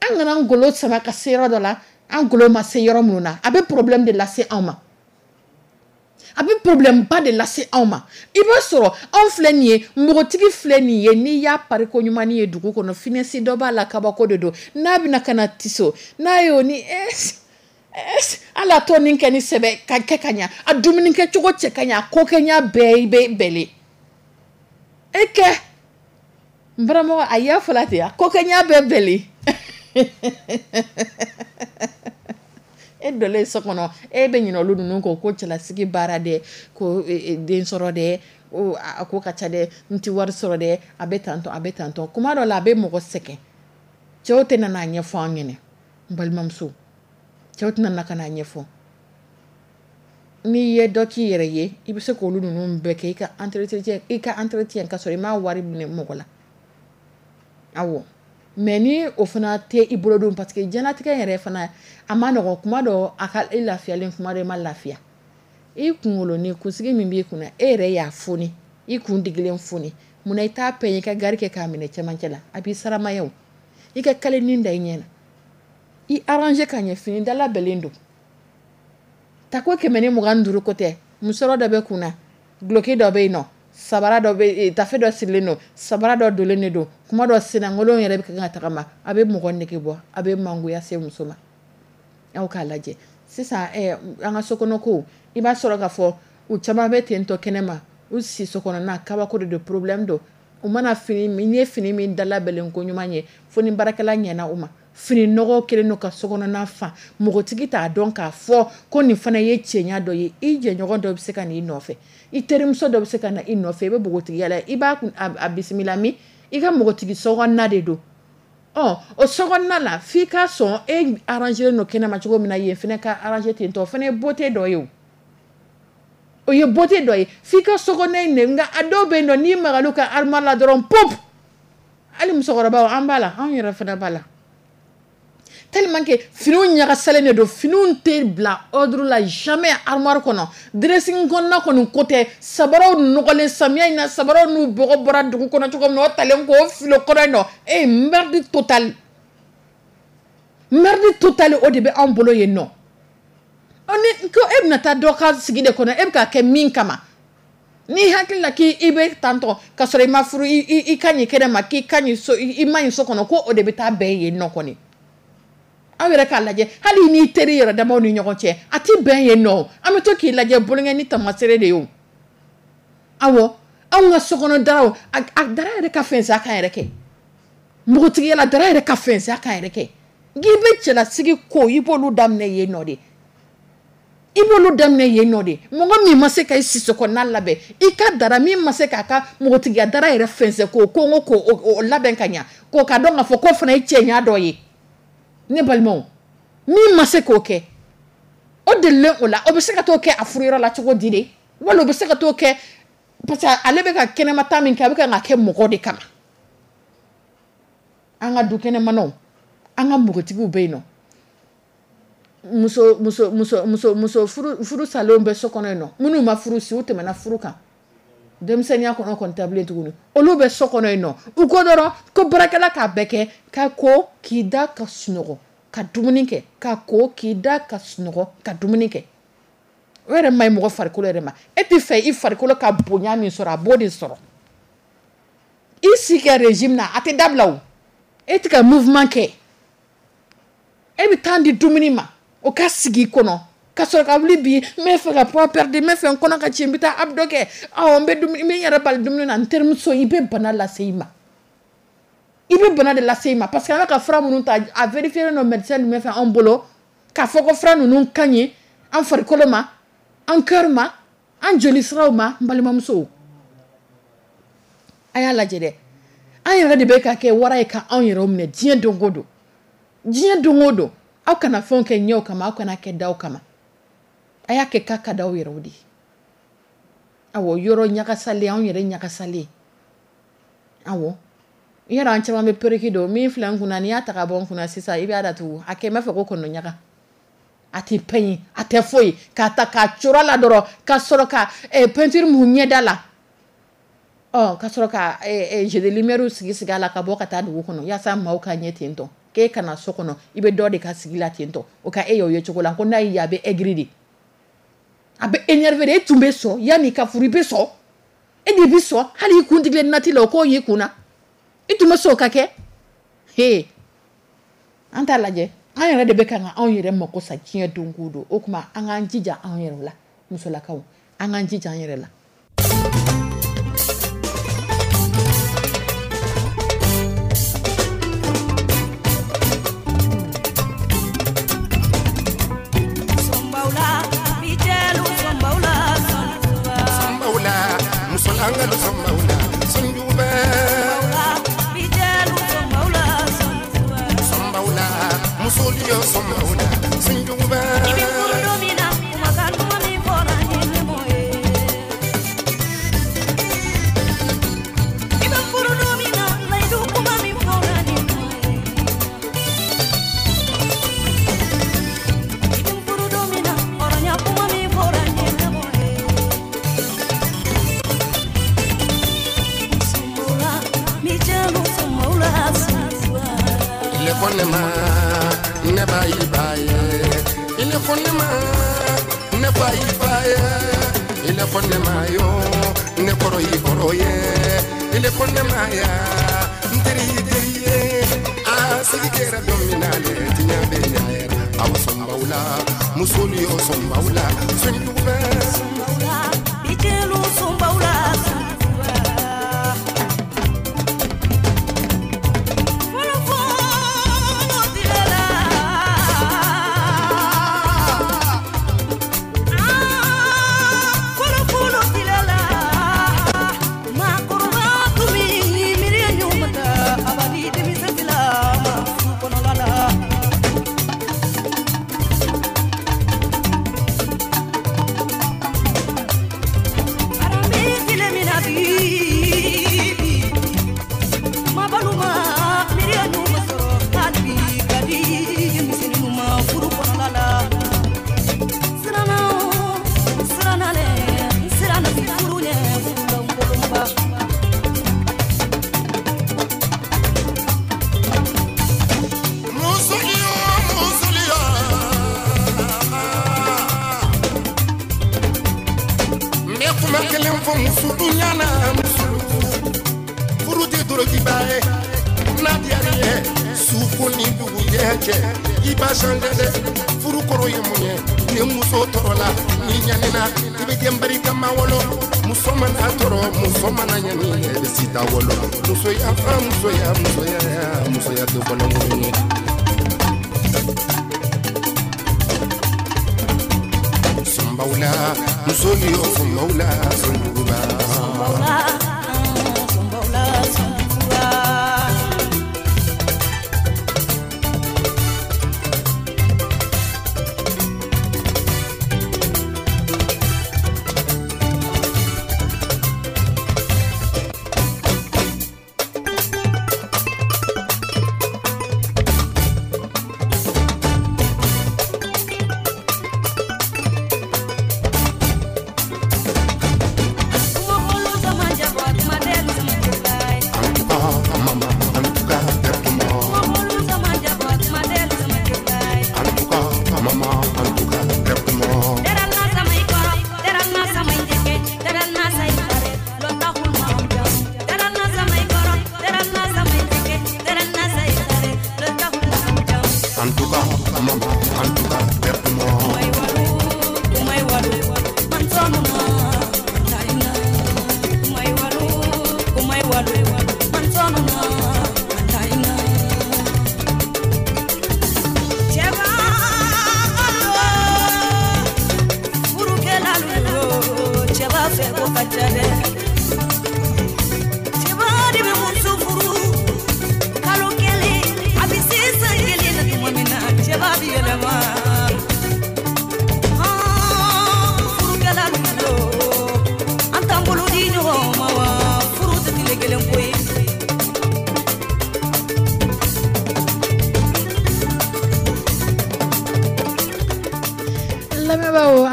An kana an golo sama ka se yɔrɔ dɔ la, an golo ma se yɔrɔ minnu na. A bɛ problème de lase anw ma, a bɛ problème ba de lase anw ma. I b'a sɔrɔ anw filɛ nin ye, npogotigi filɛ nin ye, n'i y'a pari ko ɲuman ye dugu kɔnɔ, finesse dɔ b'a la, kabako de don. N'a bɛna ka na tiso n'a y'o ni hali a tɔ nin kɛ ni sɛbɛ ka kɛ ka ɲa, a dumuni kɛcogo cɛ ka ɲa, a ko kɛɲa bɛɛ bɛ bɛlen e kɛ. N baramɔgɔ, a y'a fɔla ten, a ko kɛɲa bɛɛ bɛlen. E donnen so kɔnɔ, e bɛ ɲinɛ olu ninnu kɔ, ko cɛlasigi baara dɛ, ko den sɔrɔ dɛ, a ko ka ca dɛ, n tɛ wari sɔrɔ dɛ, a bɛ tantɔ, a bɛ tantɔ. Kuma dɔ la, a bɛ mɔgɔ sɛgɛn. Cɛw tɛ na n'a ɲɛfɔ an ɲɛna. N balimamuso, cɛw tɛna na ka n'a ɲɛfɔ. N'i ye dɔ k'i yɛrɛ ye, i bɛ se k'olu ninnu bɛɛ kɛ, i ka entretien, i ka entretien ka sɔrɔ i m'a wari minɛ mɔgɔ la. Awɔ, mais ni o fana tɛ i bolo don, parce que diɲɛlatigɛ yɛrɛ fana a ma nɔgɔn. Kuma dɔ a ka e lafiyalen, kuma dɔ i ma lafiya. I kunkolo ni kunsigi min b'i kunna, e yɛrɛ y'a foni, i kun digilen foni, munna i t'a pɛɲɛ, i ka gari kɛ k'a minɛ cɛmancɛ la, a b'i saramaya o. I ka kalenin da i ɲɛ na, i arranger ka ɲɛ, fini dala bɛlen don, tako 125 ko tɛ. Musɔrɔ dɔ bɛ kunna, duloki dɔ bɛ yen nɔ, sabara dɔ bɛ, tafe dɔ sirilen don, sabara dɔ donlen de don. Kuma dɔ sennankolo yɛrɛ bɛ kan ka tagama, a bɛ mɔgɔ nege bɔ, a bɛ mangoya se muso ma. Aw k'a lajɛ sisan, an ka sokɔnɔ ko, i b'a sɔrɔ k'a fɔ u caman bɛ ten tɔ kɛnɛma, u si so kɔnɔna kabako de don, problème don. U mana fini min, n'i ye fini min dalabɛlen ko ɲuman ye, fo ni baarakɛla ɲɛna u ma. Fini nɔgɔ kɛlen don ka sokɔnɔna fa, mɔgɔtigi t'a dɔn k'a fɔ ko nin fana ye cɛɲa dɔ ye. I jɛɲɔgɔn dɔ bɛ se ka na i nɔfɛ, i terimuso dɔ bɛ se ka na i nɔfɛ, i bɛ npogotigiya la, i b'a a bisimila min, i ka npogotigi sokɔnɔna de don. Ɔ, o sokɔnɔna la, f'i ka sɔn e arranger don kɛnɛma cogo min na, yen fana ka arranger ten tɔ, o fana ye beauté dɔ ye o. O ye beauté dɔ ye, f'i ka sokɔnɔna in de. Nka a dɔw bɛ yen nɔ, n'i magal'u ka armoire la dɔrɔn, pop, hali musokɔrɔbaw, an b'a la, anw yɛrɛ fana b'a la, tellement que finiw ɲagasalen de don, finiw tɛ bila ordre la jamais armoire kɔnɔ, dressing kɔnɔna kɔni ko tɛ. Sabaraw nɔgɔlen, samiya in na, sabaraw n'u bɔgɔ bɔra dugu kɔnɔ cogo min na, o talen k'o fili o kɔnɔ yen nɔ. E merde totale, merde totale, o de bɛ anw bolo yen nɔ. Ni ko e bɛna taa dɔ ka sigi de kɔnɔ, e bɛ k'a kɛ min kama, n'i hakili la k'i bɛ tantɔ ka sɔrɔ i ma furu, i ka ɲi kɛnɛ ma, k'i ka ɲi so, i ma ɲi so kɔnɔ, ko o de bɛ taa bɛn yen nɔ kɔni. Aw yɛrɛ k'a lajɛ, hali n'i teri yɛrɛ damaw ni ɲɔgɔn cɛ, a ti bɛn yen nɔ. An bɛ to k'i lajɛ bolonkɛ ni tamasere de ye o. Awɔ, anw ka sokɔnɔ daraw, a dara yɛrɛ ka fɛnsɛ kan yɛrɛ kɛ, npogotigiya la dara yɛrɛ ka fɛnsɛ kan yɛrɛ kɛ. K'i bɛ cɛlasigi ko, i b'olu daminɛ yen nɔ de, i b'olu daminɛ yen nɔ de. Mɔgɔ min ma se ka i siso kɔnɔna labɛn, i ka dara min ma se k'a ka npogotigiya dara yɛrɛ fɛnsɛ k'o ko k'o labɛn ka ɲa, k'o ka dɔn k'a fɔ k'o fana ye cɛɲa dɔ ye. Ne balimaw, min ma se k'o kɛ, o delilen o la, o bɛ se ka t'o kɛ a furuyɔrɔ la cogo di de? Wala o bɛ se ka t'o kɛ, parce que ale bɛ ka kɛnɛmata min kɛ, a bɛ ka kɛ mɔgɔ de kama. An ka du kɛnɛmanaw, an ka npogotigiw bɛ yen nɔ, muso muso muso muso muso furu furu salenw bɛ so kɔnɔ yen nɔ, minnu ma furu si, u tɛmɛna furu kan denmisɛnninya kɔnɔ kɔni tɛ bilen tuguni, olu bɛ so kɔnɔ yen nɔ. U ko dɔrɔn ko baarakɛla k'a bɛɛ kɛ, ka ko k'i da ka sunɔgɔ ka dumuni kɛ, ka ko k'i da ka sunɔgɔ ka dumuni kɛ. O yɛrɛ ma ɲi mɔgɔ farikolo yɛrɛ ma. E tɛ fɛ i farikolo ka bonya min sɔrɔ, a b'o de sɔrɔ. I si kɛ régime na, a tɛ dabila o. E tɛ ka mouvement kɛ, e bɛ temps di dumuni ma, o ka sigi i kɔnɔ ka sɔrɔ ka wuli bi n bɛ fɛ ka poids perdre, n bɛ fɛ n kɔnɔ ka ci, n bɛ taa abdo kɛ, awɔ, n bɛ dumuni, n bɛ n yɛrɛ bali dumuni na. N terimuso, i bɛ bana lase i ma, i bɛ bana de lase i ma, parce que an bɛ ka fura minnu ta, a vérifié don médecin ninnu fɛ anw bolo k'a fɔ ko fura ninnu ka ɲi an farikolo ma, an cœur ma, an joli siraw ma. N balimamusow, a y'a lajɛ dɛ, an yɛrɛ de bɛ ka kɛ wara ye ka anw yɛrɛw minɛ diɲɛ don o don, diɲɛ don o don. Aw kana fɛnw kɛ ɲɛw kama, aw kana kɛ daw kama, a y'a kɛ k'a ka d'aw yɛrɛw de ye. Awɔ, yɔrɔ ɲagasalen, anw yɛrɛ ɲagasalen. Awɔ, yɔrɔ an caman bɛ perruque don min filɛ n kunna, n'i y'a ta ka bɔ n kunna sisan, i b'a datugu, a kɛ n b'a fɔ ko kɔnɔ ɲaga, a tɛ pɛɲi, a tɛ foyi, k'a ta k'a coro a la dɔrɔn, ka sɔrɔ ka peinture mun ɲɛda la, ɔ ka sɔrɔ ka jeu de lumière sigi sigi a la, ka bɔ ka taa dugu kɔnɔ yaasa maaw ka ɲɛ ten tɔ. K'e kana so kɔnɔ, i bɛ dɔ de ka sigi la ten tɔ, o ka e y'o ye cogo la ko n'a y'i ye, a bɛ aigri de, a bɛ énervé de. E tun bɛ sɔn yanni i ka furu, i bɛ sɔn, e de bɛ sɔn hali i kun tigilen nati la, o k'o y'i kun na, i tun bɛ sɔn o ka kɛ. He, an t'a lajɛ, an yɛrɛ de bɛ ka anw yɛrɛ mako sa diɲɛ don o don. O tuma an k'an jija anw yɛrɛ la, musolakaw, an k'an jija an yɛrɛ la. Kuma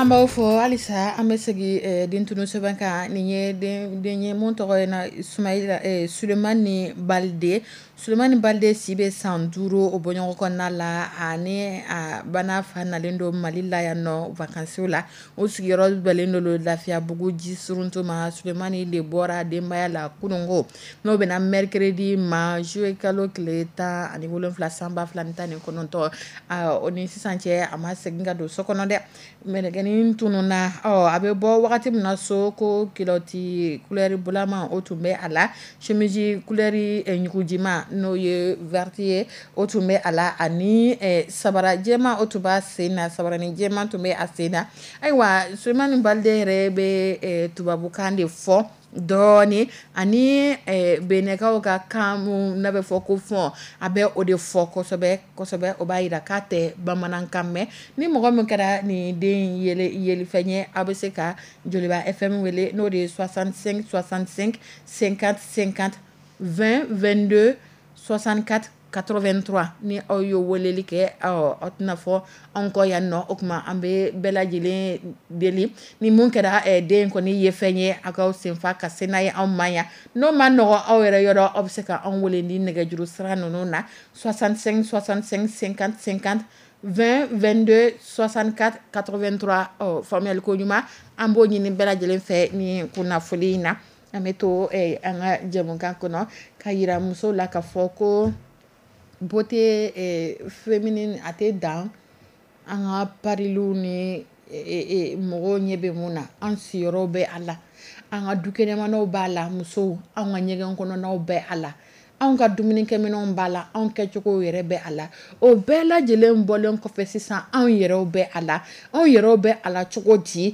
An b'aw fɔ halisa. An bɛ segin den tunu sɛbɛn kan. Nin ye den ye mun tɔgɔ ye na Sumayila Sulemani Balide. Sulemani Balide si bɛ san 5. O bɔɲɔgɔn kɔnɔna la, ani a bana fa nalen don Mali la yan nɔ vacances la. O sigiyɔrɔ bɛnnen don Lafiyabugu ji suruntu ma. Sulemani de bɔra denbaya la kununko, n'o bɛna mercredi ma, juillet kalo tile 17 san 2019. O ni sisan cɛ, a ma segin ka don so kɔnɔ dɛ. Mɛlɛkɛnin tununna. Ɔ, a bɛ bɔ wagati min na so, ko culotte couleur bulama, o tun bɛ a la, chemise couleur ɲugujima, n'o ye verte ye, o tun bɛ a la, ani sabara jɛma, o tun b'a sen na, sabaranin jɛma tun bɛ a sen na. Ayiwa, Sulemani Balide yɛrɛ bɛ tubabukan de fɔ dɔɔni, ani Benɛkaw ka kan mun n'a bɛ fɔ ko fɔn, a bɛ o de fɔ kosɛbɛ kosɛbɛ. O b'a jira k'a tɛ bamanankan mɛn. Ni mɔgɔ min kɛra nin den yelifɛn ye, aw bɛ se ka Joliba FM wele, n'o de ye 65 65 50 50, 20 22 64 83. Ni aw ye weleli kɛ, aw tɛna fɔ anw kɔ yan nɔ. O tuma, an bɛ bɛɛ lajɛlen deli, ni mun kɛra den kɔni ye fɛn ye, aw k'aw senfa ka se n'a ye anw ma yan. N'o ma nɔgɔ aw yɛrɛ yɔrɔ, aw bɛ se ka anw wele ni nɛgɛjuru sira ninnu na: 65 65 50 50, 20 22 64 83. Ɔ, faamuyali ko ɲuman, an b'o ɲini bɛɛ lajɛlen fɛ ni kunnafoni in na. An bɛ to an ka jɛmukan kɔnɔ ka yira musow la ka fɔ ko beauté féminine, a tɛ dan an ka pariliw ni mɔgɔw ɲɛ bɛ mun na. An siyɔrɔ bɛ a la, an ka dukɛnɛmanaw b'a la, musow, an ka ɲɛgɛn kɔnɔnaw bɛ a la, anw ka dumunikɛminɛnw b'a la, anw kɛcogow yɛrɛ bɛ a la. O bɛɛ lajɛlen bɔlen kɔfɛ sisan, anw yɛrɛw bɛ a la. Anw yɛrɛw bɛ a la cogo di?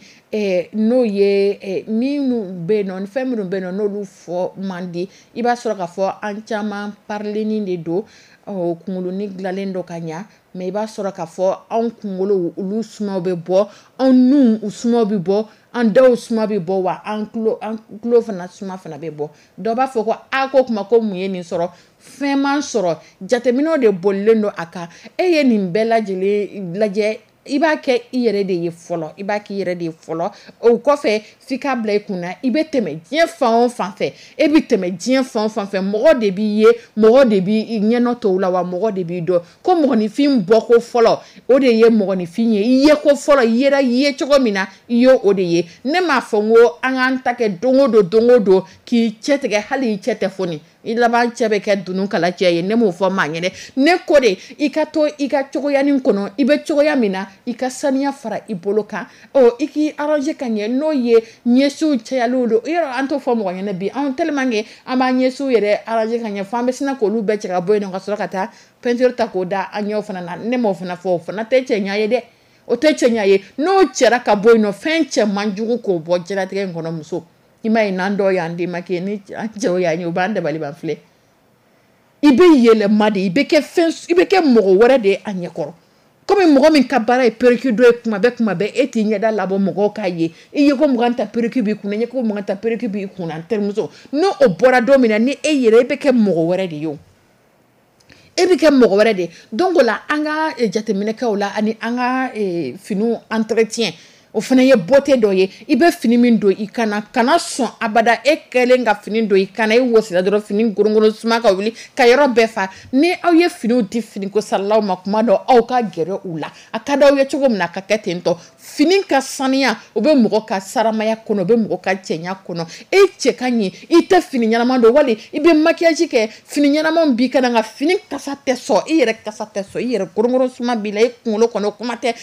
N'o ye minnu bɛ yen nɔ, fɛn minnu bɛ yen nɔ, n'olu fɔ man di, i b'a sɔrɔ k'a fɔ an caman parilennin de don, kunkolonin dilanlen don ka ɲa, mais i b'a sɔrɔ k'a fɔ anw kunkolo, olu sumaw bɛ bɔ, anw nun, u sumaw bɛ bɔ, an daw suma bɛ bɔ, wa an tulo fana suma fana bɛ bɔ. Dɔ b'a fɔ ko a ko kuma ko mun ye nin sɔrɔ? Fɛn man sɔrɔ, jateminɛw de bolilen don a kan. E ye nin bɛɛ lajɛlen lajɛ, i b'a kɛ i yɛrɛ de ye fɔlɔ, i b'a k'i yɛrɛ de ye fɔlɔ. O kɔfɛ, f'i k'a bila i kunna, i bɛ tɛmɛ diɲɛ fan o fan fɛ, e bɛ tɛmɛ diɲɛ fan o fan fɛ, mɔgɔ de b'i ye, mɔgɔ de b'i ɲɛnɔ tɔw la, wa mɔgɔ de b'i dɔn. Ko mɔgɔninfin bɔko fɔlɔ, o de ye mɔgɔninfin ye. I ye ko fɔlɔ, i yɛrɛ ye cogo min na, i ye o de ye. Ne m'a fɔ n ko an k'an ta kɛ don o don, don o don k'i cɛ tigɛ, hali i cɛ tɛ foni, i laban cɛ bɛ kɛ dunun kala cɛ ye. Ne m'o fɔ maa ɲɛnɛ. Ne ko de, i ka to i ka cogoyanin kɔnɔ, i bɛ cogoya min na, i ka saniya fara i bolo kan, ɔ, i k'i arranger ka ɲɛ, n'o ye ɲɛsiw cayaliw don. Yɔrɔ an t'o fɔ mɔgɔ ɲɛnɛ bi, anw tellement que an b'an ɲɛsiw yɛrɛ arranger ka ɲɛ, fo an bɛ sina k'olu bɛɛ cɛ ka bɔ yen nɔ, ka sɔrɔ ka taa peinture ta k'o da an ɲɛw fana na. Ne m'o fana fɔ, o fana tɛ cɛɲa ye dɛ, o tɛ cɛɲa ye. N'o cɛra ka bɔ yen nɔ, fɛn cɛ man jugu k'o bɔ diɲɛlatigɛ in kɔnɔ. Muso, i m'a ye, n'an dɔw y'an démaquiller, ni an cɛw y'an ye, u b'an dabali ban filɛ. I bɛ yɛlɛma de, i bɛ kɛ fɛn, i bɛ kɛ mɔgɔ wɛrɛ de ye a ɲɛkɔrɔ, komi mɔgɔ min ka baara ye perruque dɔ ye kuma bɛɛ, kuma bɛɛ, e t'i ɲɛda labɔ mɔgɔw k'a ye. I ye ko 20 ta, perruque b'i kunna, i ye ko 20 ta, perruque b'i kunna. N terimuso, n'o o bɔra don min na, ni e yɛrɛ, e bɛ kɛ mɔgɔ wɛrɛ de ye o, e bɛ kɛ mɔgɔ wɛrɛ de ye. Donc o la, an ka jateminɛ kɛ o la, ani an ka finiw entretien, o fana ye beauté dɔ ye. I bɛ fini min don i kana, kana sɔn abada e kɛlen ka fini don i kana, e wɔsira dɔrɔn, fini gorongoro suma ka wuli ka yɔrɔ bɛɛ fa. Ni aw ye finiw di finiko saralaw ma, kuma dɔ aw ka gɛrɛ u la, a ka d'aw ye cogo min na, a ka kɛ ten tɔ. Fini ka saniya, o bɛ mɔgɔ ka saramaya kɔnɔ, o bɛ mɔgɔ ka cɛɲa kɔnɔ. E cɛ ka ɲi, i tɛ fini ɲɛnama don, wali i bɛ maquillage kɛ, fini ɲɛnamaw b'i kan, nka fini kasa tɛ sɔn, i yɛrɛ kasa tɛ sɔn, i yɛrɛ gorongoro suma b'i la i kunkolo kɔnɔ, kuma tɛ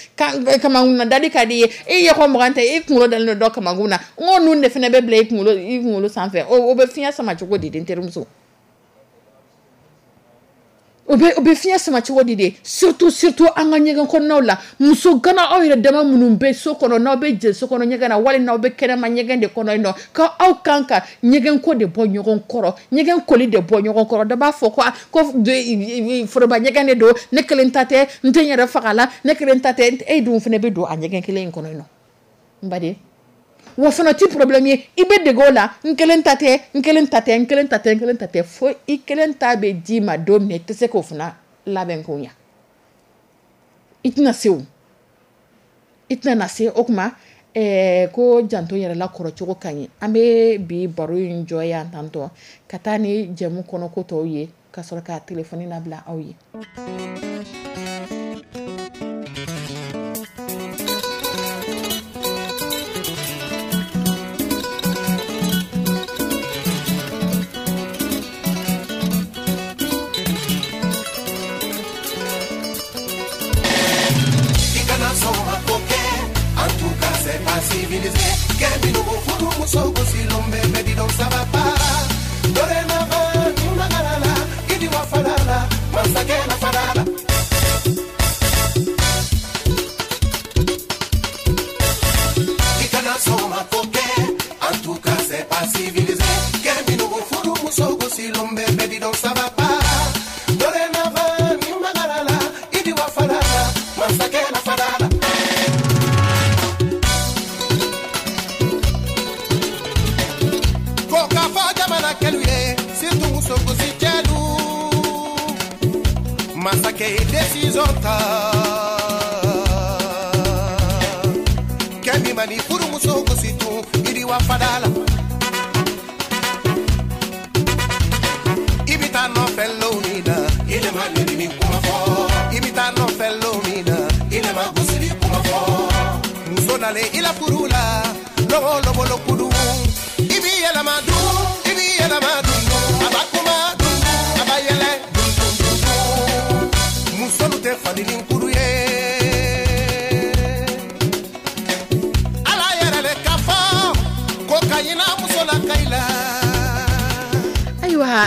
kamakun na dali ka di i ye. E ye ko 20 tɛ, e kunkolo dalen don dɔ kamakun na, n ko nun de fana bɛ bila i kunkolo sanfɛ, o bɛ fiɲɛ sama cogo di? Den terimuso, o bɛ fiɲɛ sama cogo di de? Surtout, surtout an ka ɲɛgɛn kɔnɔnaw la. Muso gana, aw yɛrɛ dama minnu bɛ so kɔnɔ, n'aw bɛ jɛ so kɔnɔ ɲɛgɛn na, wali n'aw bɛ kɛnɛma ɲɛgɛn de kɔnɔ yen nɔ, ko aw kan ka ɲɛgɛn ko de bɔ ɲɔgɔn kɔrɔ, ɲɛgɛn koli de bɔ ɲɔgɔn kɔrɔ. Dɔ b'a fɔ ko foroba ɲɛgɛn de don, ne kelen ta tɛ, n tɛ n yɛrɛ faga la, ne kelen ta tɛ. E dun fana bɛ don a ɲɛgɛn kelen in kɔnɔ yen nɔ, n baden. Wa fana ti problème ye, i bɛ dege o la. N kelen ta tɛ, n kelen ta tɛ, n kelen ta tɛ, n kelen ta tɛ, fo i kelen ta bɛ d'i ma don min na, i tɛ se k'o fana labɛn k'o ɲa, i tɛna se o. I tɛna na se o tuma ko janto yɛrɛ la kɔrɔcogo ka ɲi. An bɛ bi baro in jɔ yan tantɔ ka taa ni jɛmu kɔnɔ ko tɔw ye ka sɔrɔ ka téléphone labila aw ye.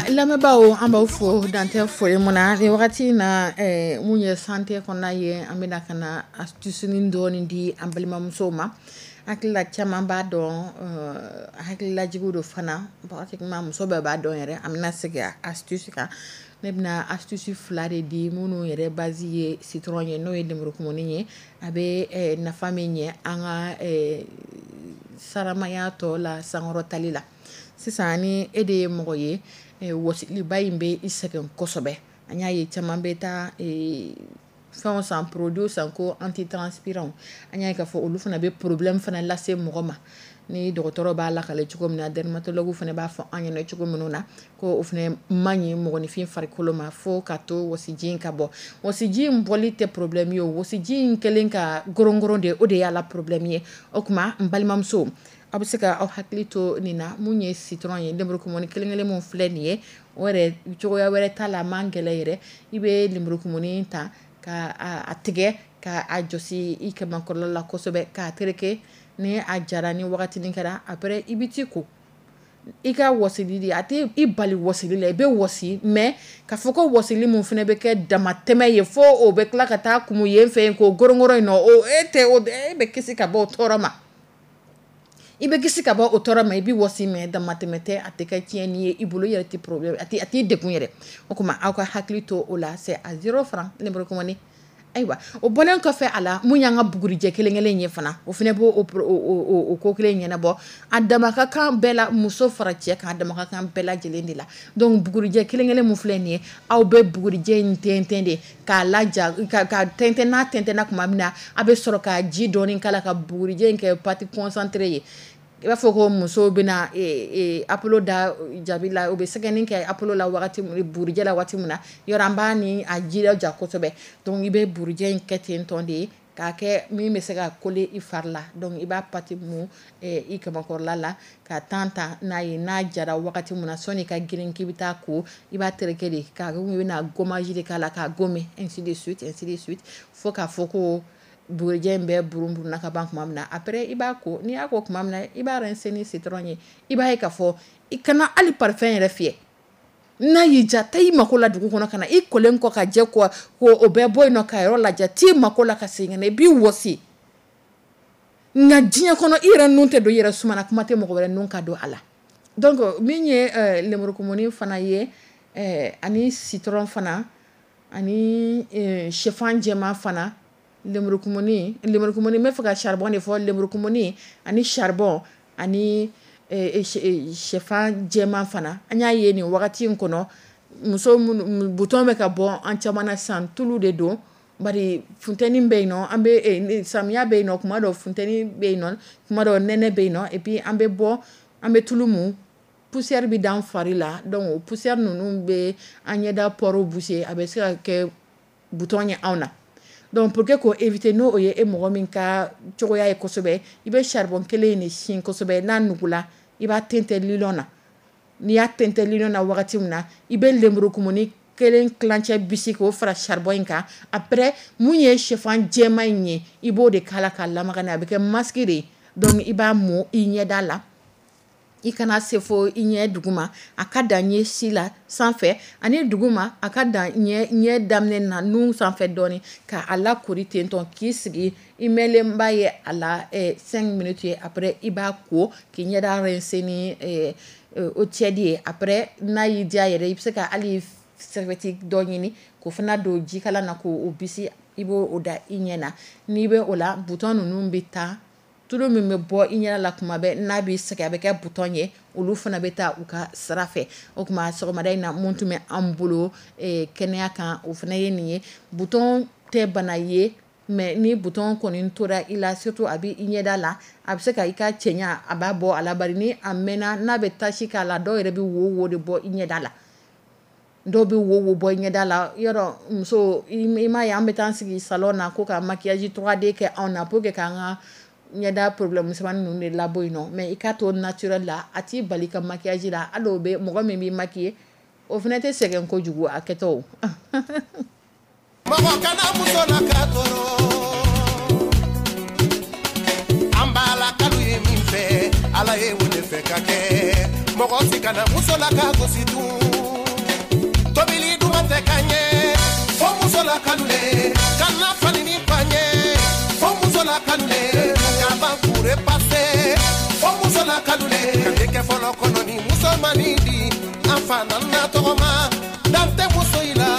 Lamɛnbaaw, an b'aw fo dantɛ foli mun na nin wagati in na. Mun ye santé kɔnɔna ye, an bɛna ka na astuce dɔɔni di an balimamusow ma. Hakilila caman b'a dɔn, hakililajigiw don fana, pratiquement muso bɛɛ b'a dɔn yɛrɛ. An bɛna segin astuce kan. Ne bɛna astuce fila de di minnu yɛrɛ base ye citron ye, n'o ye lemurukumuni ye. A bɛ nafa min ɲɛ an ka saramaya tɔ la sankɔrɔtali la. Sisan ni e de ye mɔgɔ ye, wɔsiliba in bɛ i sɛgɛn kosɛbɛ, an y'a ye caman bɛ taa fɛn san, produit san ko antitranspirant. An y'a ye k'a fɔ olu fana bɛ problème fana lase mɔgɔ ma. Ni dɔgɔtɔrɔ b'a lakale cogo min na, dermatologue fana b'a fɔ an ɲɛna cogo minnu na, ko o fana man ɲi mɔgɔninfin farikolo ma, fo ka to wɔsiji in ka bɔ. Wɔsiji in bɔli tɛ problème ye o, wɔsiji in kɛlen ka gorongoron de, o de y'a la problème ye. O tuma n balimamuso, aw bɛ se ka aw hakili to nin na. Mun ye citron ye, lemurukumuni kelen kelen mun filɛ nin ye, o yɛrɛ cogoya wɛrɛ t'a la, a man gɛlɛn yɛrɛ. I bɛ lemurukumuni ta ka a tigɛ ka a jɔsi i kamankɔrɔla la kosɛbɛ, k'a tereke. Ni a jara, ni wagatinin kɛra, après i bɛ t'i ko i ka wɔsili de. A tɛ i bali wɔsili la, i bɛ wɔsi, mais k'a fɔ ko wɔsili mun fana bɛ kɛ damatɛmɛ ye fo o bɛ tila ka taa kumu yen fɛ yen k'o gorongoron in nɔ, o e tɛ o, e bɛ kisi ka bɔ o tɔɔrɔ ma. I bɛ kisi ka bɔ o tɔɔrɔ ma. I bɛ wɔsi, mais damatɛmɛ tɛ, a tɛ kɛ tiɲɛni ye i bolo, i yɛrɛ tɛ problème, a t'i degun yɛrɛ. O tuma aw ka hakili to o la, c'est à 0 franc lemurukumuni. Ayiwa, o bɔlen kɔfɛ a la, mun y'an ka bugurijɛ kelen kelen ye fana, o fana b'o o ko kelen ɲɛnabɔ. A dama ka kan bɛɛ la, muso fara cɛ kan, a dama ka kan bɛɛ lajɛlen de la. Donc bugurijɛ kelen kelen mun filɛ nin ye, aw bɛ bugurijɛ in tɛntɛn de k'a laja, ka tɛntɛn. N'a tɛntɛnna tuma min na, a bɛ sɔrɔ ka ji dɔɔni k'a la ka bugurijɛ in kɛ pâte concentrée ye. I b'a fɔ ko musow bɛna apolo da jabi la, u bɛ sɛgɛnni kɛ apolo la wagati, bugurijɛ la waati min na, yɔrɔ an b'a ni a ji ja kosɛbɛ. Donc i bɛ bugurijɛ in kɛ ten tɔ de ye k'a kɛ min bɛ se ka coller i fari la. Donc i b'a pâte mun i kamakɔrɔla la ka tan ta n'a ye. N'a jara wagati min na, sɔnni ka girin k'i bɛ taa ko, i b'a tereke de k'a i bɛna gommage de k'a la k'a gommer, ainsi de suite, ainsi de suite, fo k'a fɔ ko bugurijɛ in bɛɛ burun ka ban tuma min na. Après i b'a ko. N'i y'a ko tuma min na, i b'a rincer ni citron ye. I b'a ye k'a fɔ i kana hali parfum yɛrɛ fiyɛ. N'a y'i diya, taa i mako la dugu kɔnɔ ka na, i kolen kɔ ka jɛ kɔ ko o bɛɛ bɔ yen nɔ ka yɔrɔ lajɛ, t'i mako la ka segin ka na, i b'i wɔsi. Nka diɲɛ kɔnɔ, i yɛrɛ nun tɛ don i yɛrɛ suma na, kuma tɛ mɔgɔ wɛrɛ nun ka don a la. Donc min ye lemurukumuni fana ye, ani citron fana, ani sɛfan jɛman fana, lemurukumuni, lemurukumuni, n bɛ fɛ ka charbon de fɔ, lemurukumuni ani charbon ani sɛfan jɛman fana. An y'a ye nin wagati in kɔnɔ, muso minnu bouton bɛ ka bɔ an caman na sisan, tulu de don. Bari funteni bɛ yen nɔ, an bɛ samiya bɛ yen nɔ, kuma dɔ funteni bɛ yen nɔ, kuma dɔ nɛnɛ bɛ yen nɔ, et puis an bɛ bɔ, an bɛ tulu mu, poussière bɛ dan fari la. Donc o poussière ninnu bɛ an ɲɛda pores boucher, a bɛ se ka kɛ bouton ye anw na. Donc pour que k'o éviter, n'o ye e mɔgɔ min ka cogoya ye kosɛbɛ, i bɛ charbon kelen in de sin kosɛbɛ. N'a nugula, i b'a tɛntɛn lilɔn na. N'i y'a tɛntɛn lilɔn na wagati min na, i bɛ lenburukumuni kelen tilancɛ bisi k'o fara charbon in kan. Après, mun ye sɛfan jɛman in ye, i b'o de k'a la k'a lamaga n'a ye, a bɛ kɛ masque de ye. Donc i b'a mɔ i ɲɛda la, i kana se fo i ɲɛ duguma, a ka dan ɲɛ si la sanfɛ ani duguma, a ka dan ɲɛ daminɛ na nun sanfɛ dɔɔni, ka a lakori ten tɔ k'i sigi i mɛnlenba ye a la 5 minutes ye. Après i b'a ko k'i ɲɛda rincer ni eau tiède ye. Après, n'a y'i diya yɛrɛ, i bɛ se ka hali serviette dɔ ɲini k'o fana don jikalan na k'o bisi, i b'o da i ɲɛ na. N'i bɛ o la, bouton ninnu bɛ taa, tulu min bɛ bɔ i ɲɛ la kuma bɛɛ n'a b'i sɛgɛn, a bɛ kɛ bouton ye, olu fana bɛ taa u ka sira fɛ. O tuma sɔgɔmada in na, mun tun bɛ an bolo kɛnɛya kan, o fana ye nin ye. Bouton tɛ bana ye, mais ni bouton kɔni tora i la, surtout a bɛ i ɲɛda la, a bɛ se ka i ka cɛɲa a b'a bɔ a la. Bari ni a mɛnna, n'a bɛ tache k'a la, dɔw yɛrɛ bɛ wo de bɔ i ɲɛda la, dɔw bɛ wo bɔ i ɲɛda la. Yɔrɔ muso, i m'a ye, an bɛ taa sigi salon na ko ka maquillage 3D kɛ anw na pour que k'an ka ɲɛda problème misɛnmanin ninnu de labɔ yen nɔ. Mais i k'a to naturel la, a t'i bali ka maquillage la. Hali o bɛ mɔgɔ min b'i maquiller, o fana tɛ sɛgɛn kojugu a kɛtɔ o. Mɔgɔ kana muso la ka tɔɔrɔ, an b'a la kanu ye min fɛ, Ala ye o de fɛ ka kɛ. Mɔgɔ si kana muso la ka gosi dun, tobili duman tɛ ka ɲɛ fo muso la kanu le, kana fani ni paɲɛ fo muso la kanu le, ka ban kure pase fo muso la kanu le, ka denkɛ fɔlɔ kɔnɔ ni muso ma nin di, an fa nana tɔgɔma dan tɛ muso in la.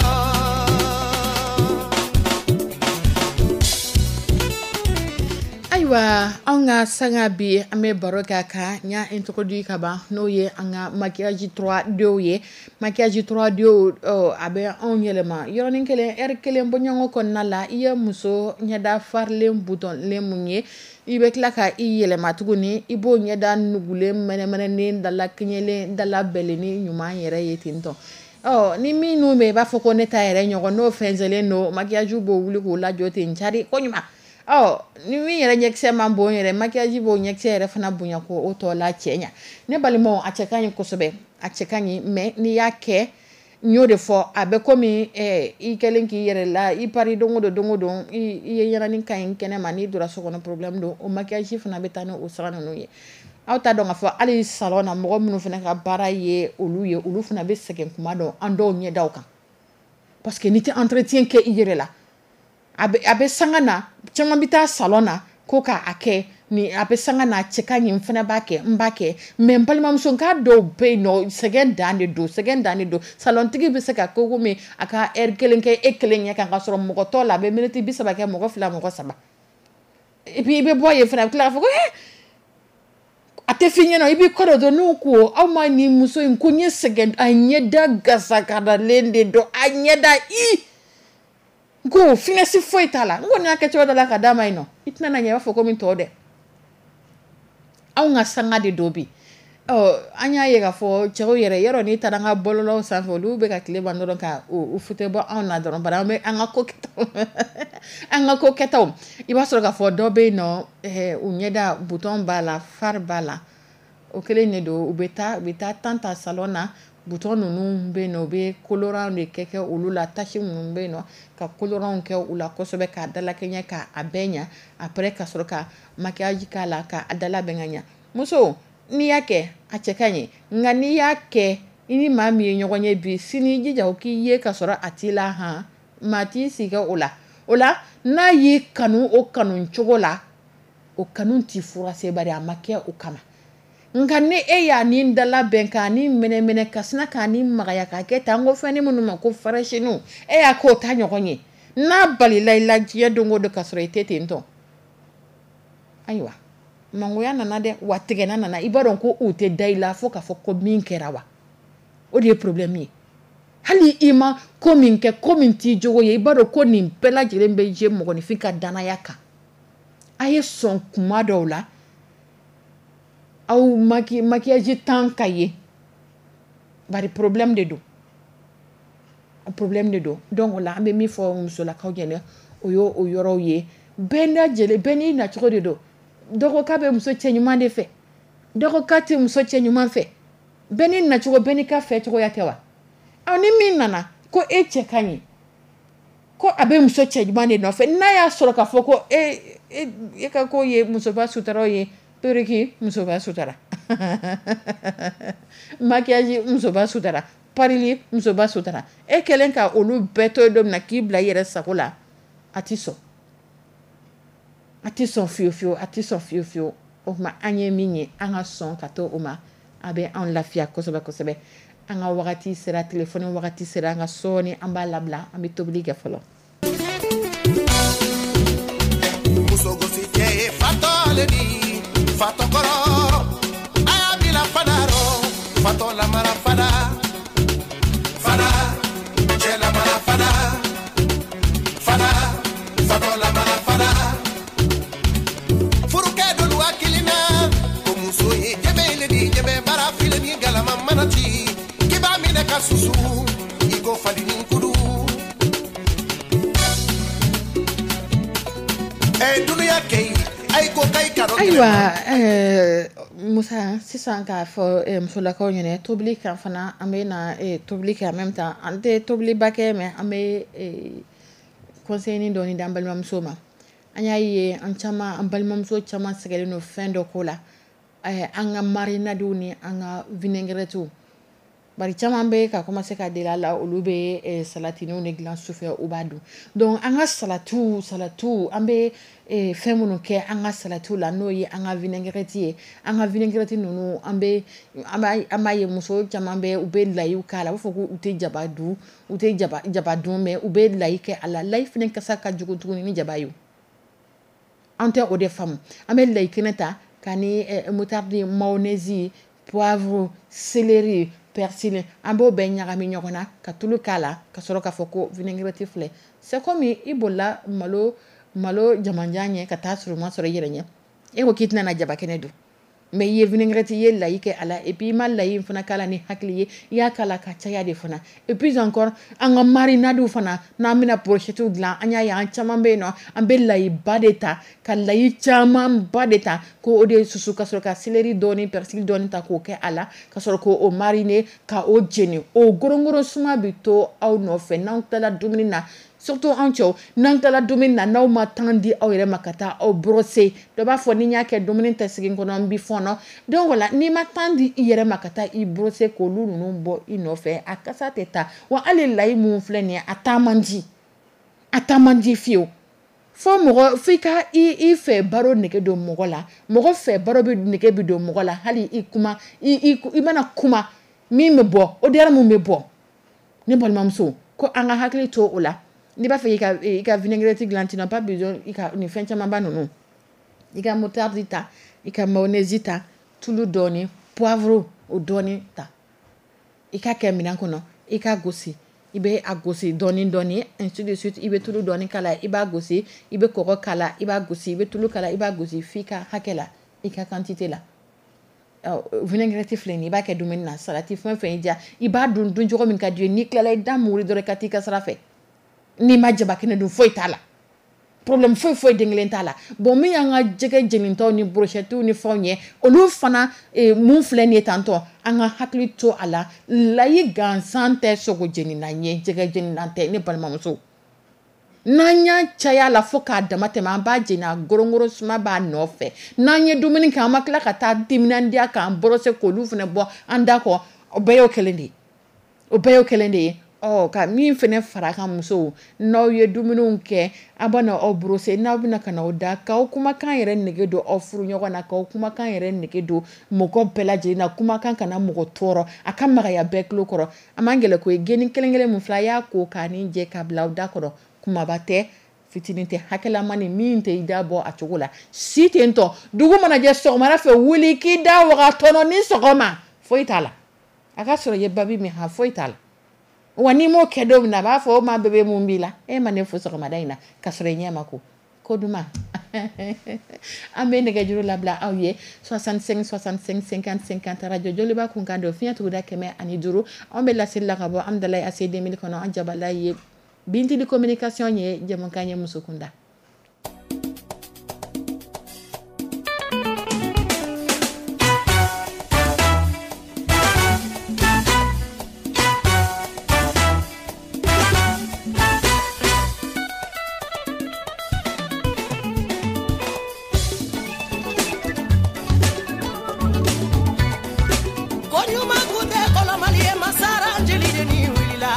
Ayiwa, anw ka sanga bi, an bɛ baro kɛ a kan. N y'a introduit ka ban, n'o ye an ka maquillage 3D ye. Maquillage 3D, a bɛ anw yɛlɛma yɔrɔnin kelen, heure kelen bɔɲɔgɔn kɔnɔna la. I ye muso ɲɛda farilen boutonlen mun ye, i bɛ tila ka i yɛlɛma tuguni, i b'o ɲɛda nugulen mɛnɛmɛnɛnen dala kɛɲɛlen dala bɛlɛnin ɲuman yɛrɛ ye ten tɔ. Ɔ ni minnu bɛ i b'a fɔ ko ne ta yɛrɛ ɲɔgɔn, n'o fɛnsɛnlen don, maquillage b'o wuli k'o lajɔ ten cari ko ɲuman. Ɔ ni min yɛrɛ ɲɛkisɛ man bon yɛrɛ, maquillage b'o ɲɛkisɛ yɛrɛ fana bonya ko o tɔ la cɛ ɲa. Ne balimaw, a cɛ ka ɲi kosɛbɛ, a cɛ ka ɲi, mais n'i y'a kɛ, n y'o de fɔ, a bɛ komi i kɛlen k'i yɛrɛ la i pari don o don, don o don i ye ɲɛnani ka ɲi kɛnɛ ma, n'i donna so kɔnɔ problème don. O maquillage fana bɛ taa ni o sira ninnu ye. Aw t'a dɔn k'a fɔ hali salon na, mɔgɔ minnu fana ka baara ye olu ye, olu fana bɛ sɛgɛn kuma dɔn an dɔw ɲɛdaw kan, parce que n'i tɛ entretien kɛ i yɛrɛ la, a bɛ sanga na. Caman bɛ taa salon na ko k'a kɛ ni a bɛ sanga na, cɛ ka ɲi, n fana b'a kɛ, n b'a kɛ. Mais n balimamuso, n k'a dɔw bɛ yen nɔ, sɛgɛn dan de don, sɛgɛn dan de don. Salontigi bɛ se ka ko komi a ka heure kelen kɛ e kelen ɲɛ kan, ka sɔrɔ mɔgɔ tɔ la, a bɛ miniti 30 kɛ mɔgɔ fila, mɔgɔ saba. Et puis i bɛ bɔ yen fana, a bɛ tila k'a fɔ ko a tɛ f'i ɲɛna, i b'i kɔ dɔ n'u ko aw ma nin muso in ko n ye sɛgɛn, a ɲɛda gasakadalen de don, a ɲɛda i ko finesse foyi t'a la. N kɔni y'a kɛ cogo dɔ la ka d'a ma yen nɔ, i tɛna na ɲɛ, i b'a fɔ komi tɔw dɛ. Anw ka sanga de don bi. Ɔ an y'a ye k'a fɔ cɛw yɛrɛ, yɔrɔ n'i taara an ka bɔlɔlɔw sanfɛ, olu bɛ ka tile ban dɔrɔn ka u fute bɔ anw na dɔrɔn. Bari an bɛ an ka ko kɛtaw, an ka ko kɛtaw, i b'a sɔrɔ k'a fɔ dɔ bɛ yen nɔ, u ɲɛda bouton b'a la, fari b'a la, o kelen de don. U bɛ taa tan ta salon na, bouton ninnu bɛ yen nɔ, u bɛ colorant de kɛ olu la, tache minnu bɛ yen nɔ, ka colorant kɛ u la kosɛbɛ k'a dalakɛɲɛ k'a bɛɛ ɲa. Après ka sɔrɔ ka maquillage k'a la k'a dala bɛn ka ɲa. Muso, n'i y'a kɛ a cɛ ka ɲi, nka n'i y'a kɛ i ni maa min ye ɲɔgɔn ye bi, sini i jija o k'i ye ka sɔrɔ a t'i la han, maa t'i sigi o la. O la n'a y'i kanu o kanu cogo la, o kanu t'i furase, bari a ma kɛ o kama. Nka ni e y'a ni dala bɛn k'a ni mɛnɛmɛnɛ ka sina k'a ni magaya k'a kɛ tan, n ko fɛn ni minnu ma ko farasiniw, e y'a k'o ta ɲɔgɔn ye, n'a balila i la diɲɛ don o don ka sɔrɔ i tɛ ten tɔ, ayiwa mangoya nana dɛ, wa tigɛna nana. I b'a dɔn ko o tɛ da i la fo k'a fɔ ko min kɛra wa, o de ye problème ye. Hali i ma ko min kɛ, ko min t'i jogo ye, i b'a dɔn ko nin bɛɛ lajɛlen bɛ je mɔgɔninfin ka danaya kan. A ye sɔn kuma dɔw la aw maquillage tan ka ye, bari problème de don, problème de don. Donc o la, an bɛ min fɔ musolakaw ɲɛna, o y'o o yɔrɔw ye. Bɛɛ lajɛlen, bɛɛ n'i nacogo de don. Dɔ ko k'a bɛ muso cɛ ɲuman de fɛ, dɔ ko k'a tɛ muso cɛ ɲuman fɛ. Bɛɛ n'i nacogo, bɛɛ n'i ka fɛ cogoya tɛ wa? Ɔ, ni min nana ko e cɛ ka ɲi, ko a bɛ muso cɛ ɲuman de nɔfɛ, n'a y'a sɔrɔ k'a fɔ ko e ka ko ye musoba sutaraw ye, perruque musoba sutara, maquillage musoba sutara, parili musoba sutara, e kɛlen ka olu bɛɛ to yen don min na k'i bila i yɛrɛ sago la, a ti sɔn, a ti sɔn fiyewu fiyewu, a ti sɔn fiyewu fiyewu. O tuma, an ye min ye, an ka sɔn ka to o ma, a bɛ anw lafiya kosɛbɛ kosɛbɛ. An ka wagati sera, telefɔni wagati sera, an ka sɔɔni an b'a labila, an bɛ tobili kɛ fɔlɔ. Muso gosi cɛ ye fatɔ le di, fatɔ kɔrɔ a y'a bila fada rɔ, fatɔ lamara fada fada, cɛ lamara fada fada, fatɔ lamara fada. Furukɛ dolu hakili na ko muso ye jɛbɛ le di, jɛbɛ bara file ni galama mana ci, k'i b'a minɛ ka susu i ko fali ni kudu. Ɛ dunuya kɛ yi, ayi ko k'ayi ka dɔ. Ayiwa, Musa, sisan k'a fɔ musolakaw ɲɛna, tobili kan fana, an bɛ na tobili kɛ. En même temps, an tɛ tobiliba kɛ, mais an bɛ conseil dɔɔni d'an balimamuso ma. An y'a ye, an caman, an balimamuso caman sɛgɛnnen don fɛn dɔ ko la, an ka marinadew ni an ka vinaigrettew. Bari caman bɛ ka commencer ka deli a la, olu bɛ salatiniw de dilan sufɛ, u b'a dun. Donc an ka salatiw, an bɛ fɛn minnu kɛ an ka salatiw la, n'o ye an ka vinaigrette ye, an ka vinaigrette ninnu, an bɛ an b'a ye muso caman bɛ, u bɛ layiw k'a la, u b'a fɔ ko u tɛ jaba dun, u tɛ jaba dun, mais u bɛ layi kɛ a la. Layi fana kasa ka jugu tuguni ni jaba ye. An tɛ o de faamu. An bɛ layi kɛnɛ ta ka ni moutarde, mayonnaise, poivre, céleri, persil, an b'o bɛɛ ɲagami ɲɔgɔn na ka tulu k'a la, ka sɔrɔ k'a fɔ ko vinaigrette filɛ. C'est comme i bolila malo jamanjan ɲɛ ka taa surunman sɔrɔ i yɛrɛ ɲɛ. E ko k'i tɛna na jaba kɛnɛ dun, mais i ye vinaigrette, i ye layi kɛ a la, et puis i ma layi in fana k'a la ni hakili ye, i y'a k'a la ka caya de fana. Et puis encore, an ka marinade fana, n'an bɛna brochette dilan, an y'a ye an caman bɛ yen nɔ, an bɛ layiba de ta, ka layi camanba de ta k'o de susu, ka sɔrɔ ka céleri dɔɔni, persil dɔɔni ta k'o kɛ a la, ka sɔrɔ k'o mariner ka o jeni. O gorongoro suma bɛ to aw nɔfɛ n'aw tilala dumuni na. Surtout anw cɛw, n'an tilala dumuni na, n'aw ma temps di aw yɛrɛ ma ka taa aw brosser, dɔ b'a fɔ ni n y'a kɛ, dumuni tɛ sigi n kɔnɔ, n bɛ fɔɔnɔ. Donc voilà, n'i ma temps di i yɛrɛ ma ka taa i brosser k'olu ninnu bɔ i nɔfɛ, a kasa tɛ taa wa. Hali layi mun filɛ nin ye, a taa man di, a taa man di fiyewu. Fo mɔgɔ f'i ka i fɛ baro nege don mɔgɔ la, mɔgɔ fɛ baro bɛ nege bɛ don mɔgɔ la. Hali i kuma, i mana kuma min bɛ bɔ, odeur mun bɛ bɔ. Ne balimamuso, ko an ka hakili to o la. N'i b'a fɛ i ka vinaigrette dilan, tu n'as pas besoin i ka nin fɛn camanba ninnu. I ka moutarde ta, i ka mayonnaise ta, tulu dɔɔni, poivre o dɔɔni ta, i ka kɛ minɛn kɔnɔ, i ka gosi, i bɛ a gosi dɔɔni dɔɔni, ainsi de suite. I bɛ tulu dɔɔni k'a la, i b'a gosi, i bɛ kɔgɔ k'a la, i b'a gosi, i bɛ tulu k'a la, i b'a gosi f'i ka hakɛ la, i ka quantité la. Vinaigrette filɛ nin ye, i b'a kɛ dumuni na, salati fɛn fɛn y'i diya, i b'a dun dun cogo min ka di ye. N'i tilala, i da muguri dɔrɔn, i ka t'i ka sira fɛ. N'i ma jaba kɛnɛ dun, foyi t'a la, problème foyi foyi den kelen t'a la. Bon, min y'an ka jɛgɛ jenitɔw ni brochettew ni fɛnw ye, olu fana, mun filɛ nin ye tantɔ, an ka hakili to a la. Layi gansan tɛ sogo jenina ye, jɛgɛ jenina tɛ. Ne balimamuso, n'an y'a caya la fo k'a dama tɛmɛ, an b'a jeni, a gorongoro suma b'a nɔfɛ. N'an ye dumuni kɛ, an ma tila ka taa timinandiya k'an brosser k'olu fana bɔ an da kɔ, o bɛɛ y'o kelen de ye, o bɛɛ y'o kelen de ye. Ɔ, ka min fana fara kan, musow, n'aw ye dumuniw kɛ, aw bɛ aw brosser, n'aw bɛna ka na aw da, k'aw kumakan yɛrɛ nege don aw furu ɲɔgɔn na, k'aw kumakan yɛrɛ nege don mɔgɔ bɛɛ lajɛlen na. Kumakan kana mɔgɔ tɔɔrɔ, a ka magaya bɛɛ tulo kɔrɔ. A man gɛlɛn koyi. Geni kelen kelen mun filɛ, a y'a ko k'a ni jɛ k'a bila aw da kɔrɔ, kumaba tɛ, fitinin tɛ, hakɛlama ni min tɛ i da bɔ a cogo la si ten tɔ. Dugu mana jɛ, sɔgɔmada fɛ, wuli k'i da waga tɔnɔ ni sɔgɔma, foyi t'a la. A ka sɔrɔ i ye babi min, ha, foyi t'a la. Wa n'i m'o kɛ don min na, a b'a fɔ o ma bébé, mun b'i la? E ma ne fo sɔgɔmada in na ka sɔrɔ i ɲɛ ma ko ko duman. An bɛ nɛgɛjuru labila aw ye, 65 65 50 50. Radio Joliba kunkan don, fiɲɛ tuguda 105. Anw bɛ laseli la ka bɔ Amidalayi AC 2000 kɔnɔ. An jabala ye Bintili communication ye. Jɛmukan ye muso kunda. Ko ɲuman kun tɛ kɔlɔmali ye, masara jeli de ni wulila.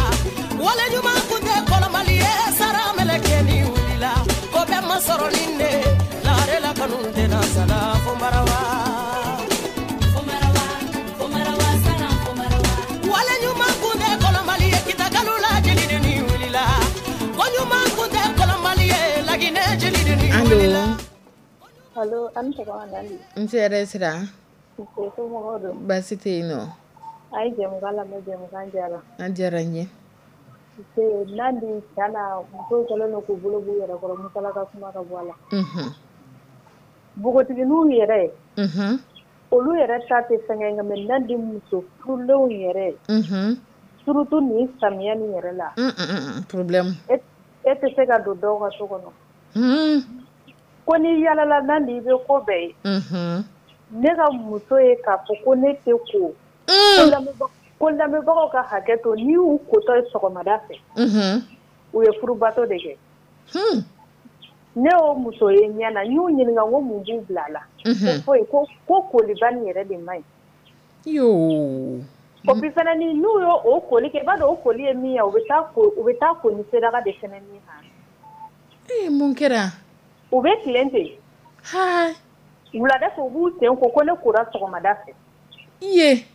Wale ɲuman kun tɛ kɔlɔmali ye, sara mɛlɛkɛ ni wulila. Ko bɛɛ ma sɔrɔ nin de lare la, kanu tɛna sala fo marawa. Wale ɲuman kun tɛ kɔlɔmali ye, kitakalu la jeli de ni wulila. Ko ɲuman kun tɛ kɔlɔmali ye, laginɛ jeli de ni Allo? wulila. Allo, a ni sɔgɔma Nali. N hɛrɛ sira. Nse, somɔgɔw don? Baasi tɛ yen nɔ. A ye jɛmukan lamɛn, jɛmukan diyara. An diyara n ye. Nse Nandi, tiɲɛ na musow kɛlen don k'u bolo b'u yɛrɛ kɔrɔ, musala ka kuma ka bɔ a la. Npogotigininw yɛrɛ, olu yɛrɛ ta tɛ fɛngɛ nka mais Nandi, muso furulenw yɛrɛ, surtout nin samiya nin yɛrɛ la, Problème. E e tɛ se ka don dɔw ka so kɔnɔ. Ko n'i yalala Nandi, i bɛ ko bɛɛ ye. Ne ka muso ye k'a fɔ ko ne tɛ ko, ko lamɛnbagaw ka hakɛ to, n'i y'u kotɔ ye sɔgɔmada fɛ, u ye furubato de kɛ. Ne y'o muso ye ɲɛ na, n y'u ɲininka ko mun b'u bila a la. Ko foyi, ko koliba nin yɛrɛ de man ɲi. Yoo. O puis fana ni n'u y'o o koli kɛ, i b'a dɔn o koli ye min ye, u bɛ taa ko ni saraka de fɛnɛ min na. Ee, mun kɛra? U bɛ tilen ten. Ha. Wulada fɛ, u b'u sen ko, ko ne kora sɔgɔmada fɛ. I ye.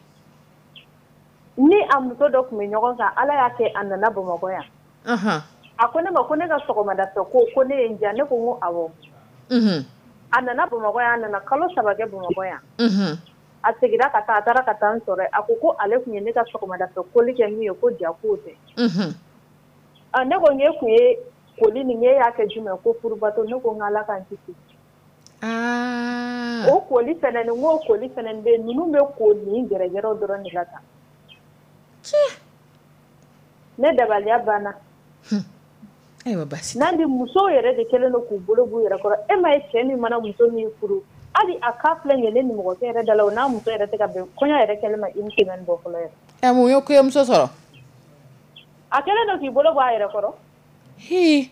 Ni a muso dɔ tun bɛ ɲɔgɔn kan, Ala y'a kɛ a nana Bamakɔ yan. A ko ne ma ko ne ka sɔgɔmada fɛ ko ne ye n diya. Ne ko n ko awɔ. A nana Bamakɔ yan, a nana kalo 3 kɛ Bamakɔ yan. A seginna ka taa, a taara ka taa n sɔrɔ yen. A ko ko ale tun ye ne ka sɔgɔmada fɛ koli kɛ min ye, ko ja k'o tɛ. A ne ko n e tun ye koli nin, e y'a kɛ jumɛn? Ko furubato. Ne ko n ko Ala k'an kisi. O koli fɛnɛ nin, n k'o koli fɛnɛ bɛ yen, ninnu bɛ ko nin gɛrɛgɛrɛw dɔrɔn de la tan. Ne dabaliya banna. Ayiwa, basi. Nandi, musow yɛrɛ de kɛlen don k'u bolo b'u yɛrɛ kɔrɔ. E ma ye, cɛ min mana muso min furu, hali a ka filɛ nin ye ne nimɔgɔkɛ yɛrɛ da la, o n'a muso yɛrɛ tɛ ka bɛn, kɔɲɔ yɛrɛ kɛlen ma une semaine bɔ fɔlɔ yɛrɛ. Ɛ, mun ye kɔɲɔmuso sɔrɔ? A kɛlen don k'i bolo bɔ a yɛrɛ kɔrɔ. Hi.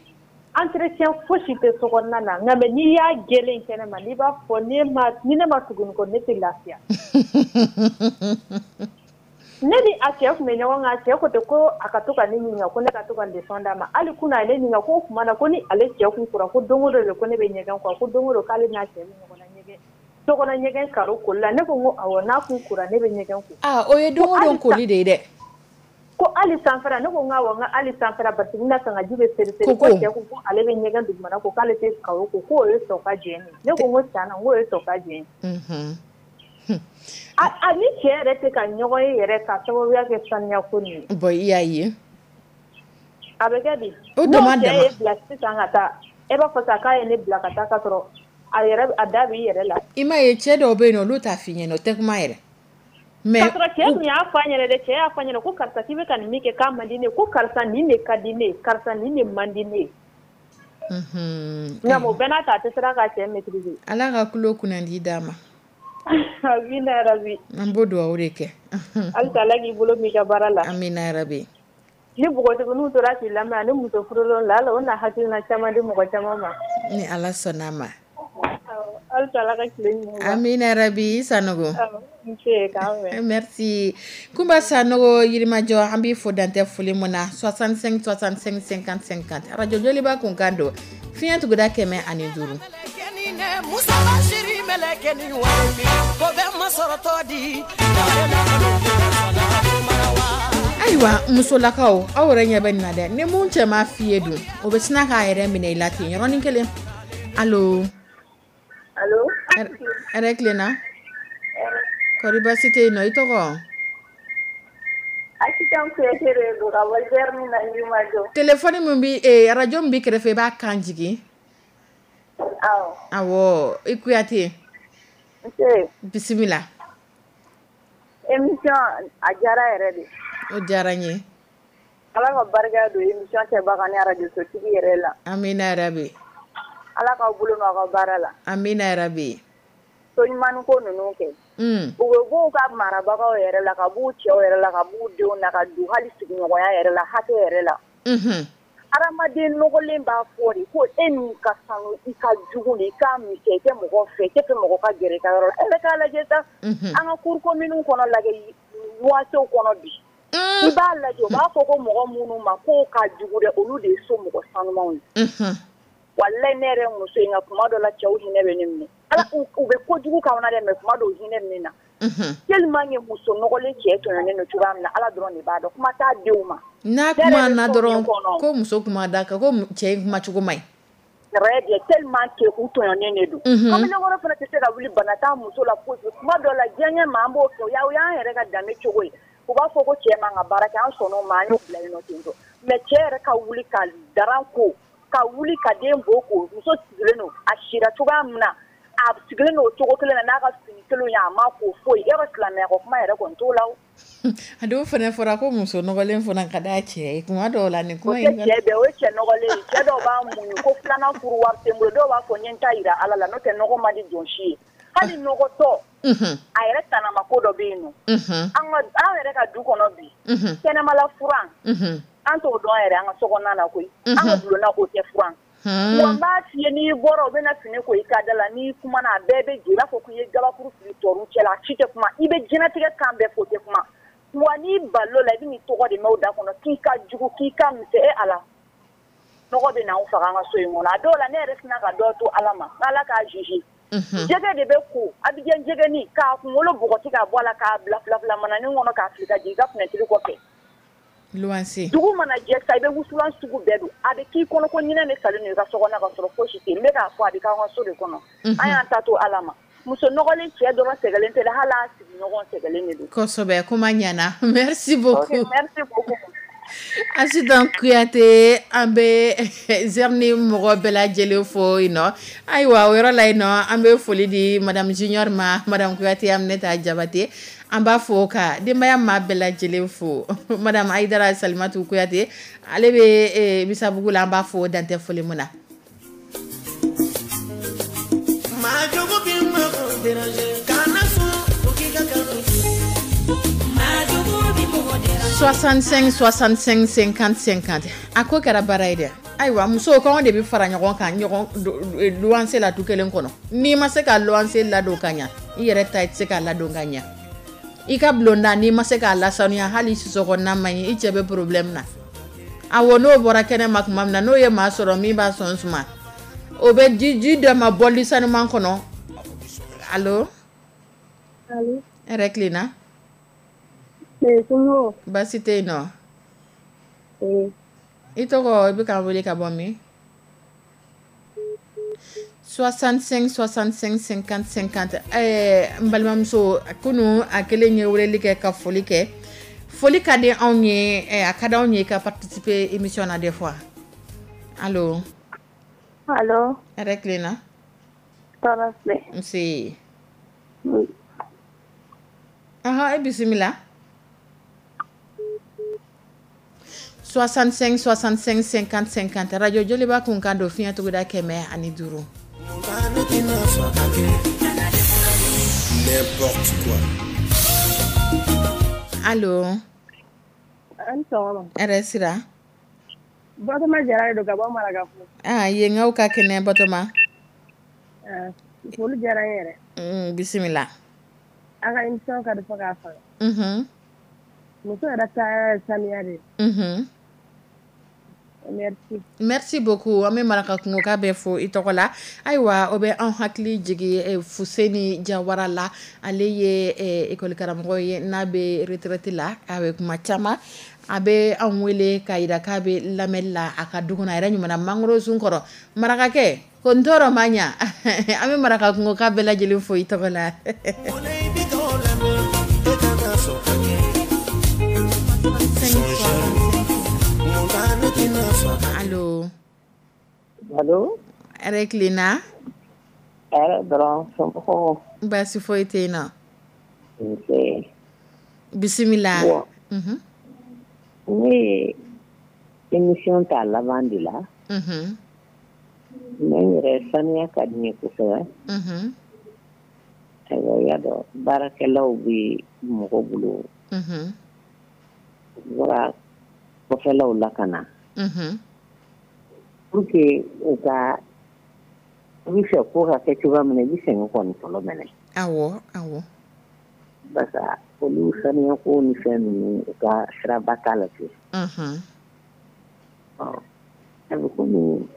Entretien fosi tɛ so kɔnɔna na, nka mais n'i y'a gɛlɛn kɛnɛ ma, n'i b'a fɔ ni ne ma tugu nin kɔ, ne tɛ lafiya. Ne ni a cɛ tun bɛ ɲɔgɔn kan, a cɛ ko ten ko a ka to ka ne ɲininka, ko ne ka to ka leçon d'a ma. Hali kunun a ye ne ɲininka ko o tuma na ko ni ale cɛ kun kora, ko don o don de ko ne bɛ ɲɛgɛn kɔ, ko don o don k'ale n'a cɛ bɛ ɲɔgɔn na ɲɛgɛn, sokɔnɔ ɲɛgɛn karo koli la. Ne ko n ko awɔ, n'a kun kora ne bɛ ɲɛgɛn ko. Ah, o ye don o don koli de ye dɛ. Ko hali sanfɛla? Ne ko n ko awɔ, n ko hali sanfɛla, parce que n bɛna kan ka ji bɛ seri seri. Ko Ko cɛ ko ko ale bɛ ɲɛgɛn dugumana ko, k'ale tɛ karo ko, k'o ye sɔn ka jɛn de. Ne ko n ko tiɲɛ na, n k'o ye sɔn ka jɛn. A ni cɛ yɛrɛ tɛ ka ɲɔgɔn ye yɛrɛ ka sababuya kɛ saniya ko nin ye. Bon, i y'a ye. A bɛ kɛ di? O N'o dama cɛ dama. ye bila sisan ka taa, e b'a fɔ sa k'a ye ne bila ka taa ka sɔrɔ a yɛrɛ a da b'i yɛrɛ la. I m'a ye, cɛ dɔw bɛ yen nɔ, olu t'a f'i ɲɛna, o tɛ kuma yɛrɛ. Mais K'a sɔrɔ cɛ tun y'a fɔ a ɲɛna dɛ, cɛ y'a fɔ a ɲɛna ko karisa, k'i bɛ ka nin min kɛ k'a man di ne ye, ko karisa nin de ka di ne ye, karisa nin de man di ne ye. Nka o bɛɛ n'a ta, a tɛ siran k'a cɛ maîtriser. Ala ka tulo kunnandi d'a ma. Amina yarabi. An b'o dugawu de kɛ. Halisa Ala k'i bolo mɛn i ka baara la. Amina yarabi. Ni npogotigininw tora k'i lamɛn ani muso furulenw la, o na hakilina caman di mɔgɔ caman ma. Ni Ala sɔnn'a ma. Halisa Ala ka tile ɲuman ban. Amina yarabi, Sanogo. Awɔ, nse k'an bɛn. Merci. Kunba Sanogo Yirimajɔ, an b'i fo dantɛ foli mun na. 65 65 50 50, Radio Joliba kunkan don, fiɲɛ tuguda 105. Musa Bashiri mɛlɛkɛnin wari ko bɛ masɔrɔtɔ di. Ayiwa, musolakaw, aw yɛrɛ ɲɛ bɛ nin na dɛ. Ni mun cɛ ma f'i ye dun, o bɛ sina k'a yɛrɛ minɛ i la ten yɔrɔnin kelen. Allo? Allo? Hɛrɛ tilenna? Kɔri, baasi tɛ yen nɔ? I tɔgɔ? Asitan Kuyate de don ka bɔ Zɛrni na Yirimajɔ. Téléphone min bi eh, radio min b'i kɛrɛfɛ, i b'a kan jigin. Awɔ. Awɔ, i Kuyate. Nse. Bisimila. Émission a diyara yɛrɛ de. O diyara n ye. Ala ka barika don émission kɛbaga ni radio sotigi yɛrɛ la. Amina yarabi. Ala k'aw bolo mɛn aw ka baara la. Amina yarabi. So ɲuman ko ninnu kɛ. U bɛ b'u ka marabagaw yɛrɛ la, ka b'u cɛw yɛrɛ la, ka b'u denw na, ka don hali sigiɲɔgɔnya yɛrɛ la, hakɛ yɛrɛ la. Hadamaden nɔgɔlen b'a fɔ de ko e min ka sanu, i ka jugu de, i ka misɛn, i tɛ mɔgɔ fɛ, i tɛ fɛ mɔgɔ ka gɛrɛ i ka yɔrɔ la. E bɛ k'a lajɛ sa, an ka cour commune kɔnɔ lajɛ, luwansew kɔnɔ bi. I b'a lajɛ, u b'a fɔ ko mɔgɔ minnu ma k'o ka jugu dɛ, olu de ye so mɔgɔ sanumanw ye. Walayi, ne yɛrɛ muso in, nka kuma dɔ la cɛw hinɛ bɛ ne minɛ. Ala, u bɛ kojugu k'anw na dɛ, mais kuma dɔw hinɛ bɛ ne na. Tellement que muso nɔgɔlen cɛ tɔɲɔnen don cogoya min na, Ala dɔrɔn de b'a dɔn. Kuma t'a denw ma. N'a kuma na dɔrɔn ko muso kuma da kan ko cɛ in kuma cogo man ɲi. Très bien, tellement que u tɔɲɔnen de don. Kamalenkɔrɔ fana tɛ se ka wuli, bana t'a muso la foyi. Kuma dɔ la diyaɲɛ ma, an b'o kɛ, o y'an yɛrɛ ka danbe cogo ye. U b'a fɔ ko cɛ man ka baara kɛ, an sɔnn'o ma, an y'o bila yen nɔ ten tɔ. Mais cɛ yɛrɛ ka wuli ka daran ko, ka wuli ka den bo ko, muso sigilen don, a sira cogoya min na, a sigilen don o cogo kelen na n'a ka fini kelenw ye, a ma ko foyi. Yɔrɔ silamɛya ko kuma yɛrɛ kɔni t'o la o. A dɔw fana fɔra ko muso nɔgɔlen fana ka d'a cɛ ye kuma dɔw la nin O kuma tɛ in cɛ bɛɛ, o ye cɛ nɔgɔlen ye. Cɛ dɔw b'a muɲu ko filanan furu wari tɛ n bolo, dɔw b'a fɔ n ye n ta jira Ala la, n'o tɛ nɔgɔ man di jɔn si ye. Hali nɔgɔtɔ, a yɛrɛ tanama ko dɔ bɛ yen nɔ. An ka an yɛrɛ ka du kɔnɔ bi, kɛnɛmala furan, an t'o dɔn yɛrɛ an ka sokɔnɔna na koyi. An ka bulonna, o tɛ furan. Wa n b'a f'i ye, n'i bɔra, u bɛna fini ko i ka da la, n'i kumana, a bɛɛ bɛ jɛ, i b'a fɔ k'i ye gabakuru fili tɔɔrɔ cɛ la, a si tɛ kuma. I bɛ diɲɛnatigɛ kan bɛɛ fɔ, o tɛ kuma. Wa n'i balil'o la, i bɛ n'i tɔgɔ de mɛn o da kɔnɔ k'i ka jugu, k'i ka misɛn. E Ala, nɔgɔ bɛ n'anw faga an ka so in kɔnɔ. A dɔw la, ne yɛrɛ sina ka dɔ to Ala ma, n'Ala k'a juger. Jɛgɛ de bɛ ko Abidjan jɛgɛni, k'a kunkolo bɔgɔti k'a bɔ a la, k'a bila fila fila mananin kɔnɔ, k'a fili ka jigin i ka fenêtre kɔfɛ. Luwanse. Dugu mana jɛ sa, i bɛ wusulan sugu bɛɛ don, a bɛ k'i kɔnɔ ko ɲinɛ de salen don i ka so kɔnɔ, ka sɔrɔ fosi tɛ yen. N bɛ k'a fɔ, a bɛ k'an ka so de kɔnɔ. An y'an ta to Ala ma. Muso nɔgɔlen cɛ dɔrɔn sɛgɛlen tɛ dɛ, hali a sigiɲɔgɔn sɛgɛlen de don. Kosɛbɛ, kuma ɲɛna, merci beaucoup. Ok, merci beaucoup. Asitan Kuyate, an bɛ Zɛrni mɔgɔ bɛɛ lajɛlen fo yen nɔ. Ayiwa, o yɔrɔ la yen nɔ, an bɛ foli di madame Junior ma, madame Kuyate Aminata Jabate, an b'a fo ka denbaya maa bɛɛ lajɛlen fo. Madame Ayidara Salimatu Kuyate, ale bɛ Misabugu la, an b'a fo dantɛ foli min na. 65 65 50 50. A ko kɛra baara ye dɛ. Ayiwa, musow kɔngɔ de bɛ fara ɲɔgɔn kan ɲɔgɔn luwanse la du kelen kɔnɔ. N'i ma se ka luwanse ladon ka ɲa, i yɛrɛ ta i tɛ se k'a ladon ka ɲa. I ka bulonda, n'i ma se k'a lasanuya, hali sisɔkɔnɔna man ɲi, i cɛ bɛ problème na. Awɔ, n'o bɔra kɛnɛ ma tuma min na, n'o ye maa sɔrɔ min b'a sɔn suma, o bɛ ji dɔ ma bɔli sanuman kɔnɔ. Allo? Allo? Hɛrɛ tilenna? Baasi tɛ yen nɔ. I tɔgɔ, i bɛ k'an wele ka bɔ min? 65 65 50 50. Ɛɛ, n balimamuso, kunun a kelen ye weleli kɛ ka foli kɛ. Foli ka di anw ye, a ka di anw ye ka participer émission na des fois. Allo? Allo? Hɛrɛ tilenna? Tɔɔrɔ tɛ. Nse. Ɔhɔn, e bisimila. 65 65 50 50, radio Joliba kun kan don, fiɲɛ tuguda 105. N'importe quoi. Allo? An sɔgɔma. Hɛrɛ sira. Batoma Jara de don ka bɔ Marakakungo. Ah, yenkaw ka kɛnɛ Batoma? Ah, foli diyara n yɛrɛ. Bisimila. A ka émission ka di fo k'a faga. Muso yɛrɛ ta ye saniya de ye. Merci. Merci beaucoup. An bɛ Marakakungo ka bɛɛ fo i tɔgɔ la. Ayiwa, o bɛ an hakili jigin Fuseni Jawara la. Ale ye école karamɔgɔ ye, n'a bɛ retraite la. A bɛ kuma caman, a bɛ an wele k'a jira k'a bɛ lamɛnli la a ka du kɔnɔ, a yɛrɛ ɲuman mangoro sun kɔrɔ. Marakakɛ ko n tɔɔrɔ ma ɲa. An bɛ Marakakungo ka bɛɛ lajɛlen fo i tɔgɔ la. Allo. Hɛrɛ tilenna. Hɛrɛ dɔrɔn, somɔgɔw? Baasi foyi tɛ yen nɔ. Nse. Bisimila. Bon, ne ye émission ta laban de la. Mais n yɛrɛ, saniya ka di n ye kosɛbɛ. Ayiwa, i y'a dɔn, baarakɛlaw bɛ mɔgɔ bolo. U bɔra kɔfɛlaw la ka na. Pour que u ka, i bɛ fɛ ko ka kɛ cogoya min na, i bɛ sɛgɛn kɔni fɔlɔ minɛ. Awɔ awɔ. Parce que olu saniya ko ni fɛn ninnu, u ka siraba t'a la ten. Ɔ, a bɛ komi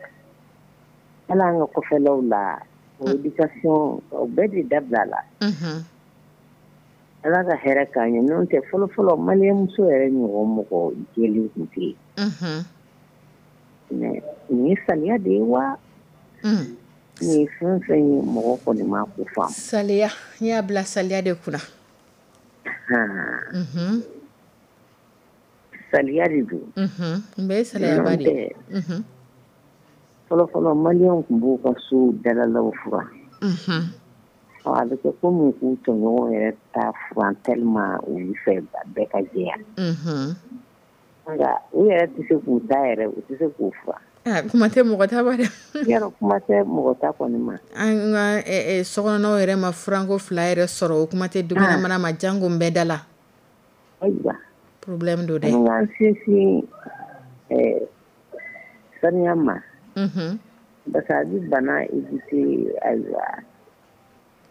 hali an ka kɔfɛlaw la, o éducation, o bɛɛ de dabila la. Ala ka hɛrɛ k'an ye, n'o tɛ, fɔlɔ fɔlɔ, maliyɛnmuso yɛrɛ ɲɔgɔn mɔgɔ jɛlen tun tɛ yen. Mais nin ye saliya de ye wa? Nin ye fɛn o fɛn ye, mɔgɔ kɔni ma ko faamu. Saliya, n y'a bila saliya de kunna. Saliya de don. N bɛ saliyaba N'o de tɛ, ye. Fɔlɔ fɔlɔ, maliyɛnw tun b'u ka so dalalaw furan. Ɔ, a bɛ kɛ komi k'u tɔɲɔgɔnw yɛrɛ ta furan, tellement u bɛ fɛ bɛɛ ka jɛya. Nka u yɛrɛ tɛ se k'u ta yɛrɛ, u tɛ se k'u furan. Ah, kuma tɛ mɔgɔ ta ma dɛ. Yarɔ, kuma tɛ mɔgɔ ta kɔni ma. An ka sokɔnɔnaw yɛrɛ ma furanko fila yɛrɛ sɔrɔ, o kuma tɛ dukɛnɛmana ma, jango n bɛɛ da la. Ayiwa. Problème don dɛ. An k'an sinsin saniya ma. Parce que a bɛ bana éviter, ayiwa.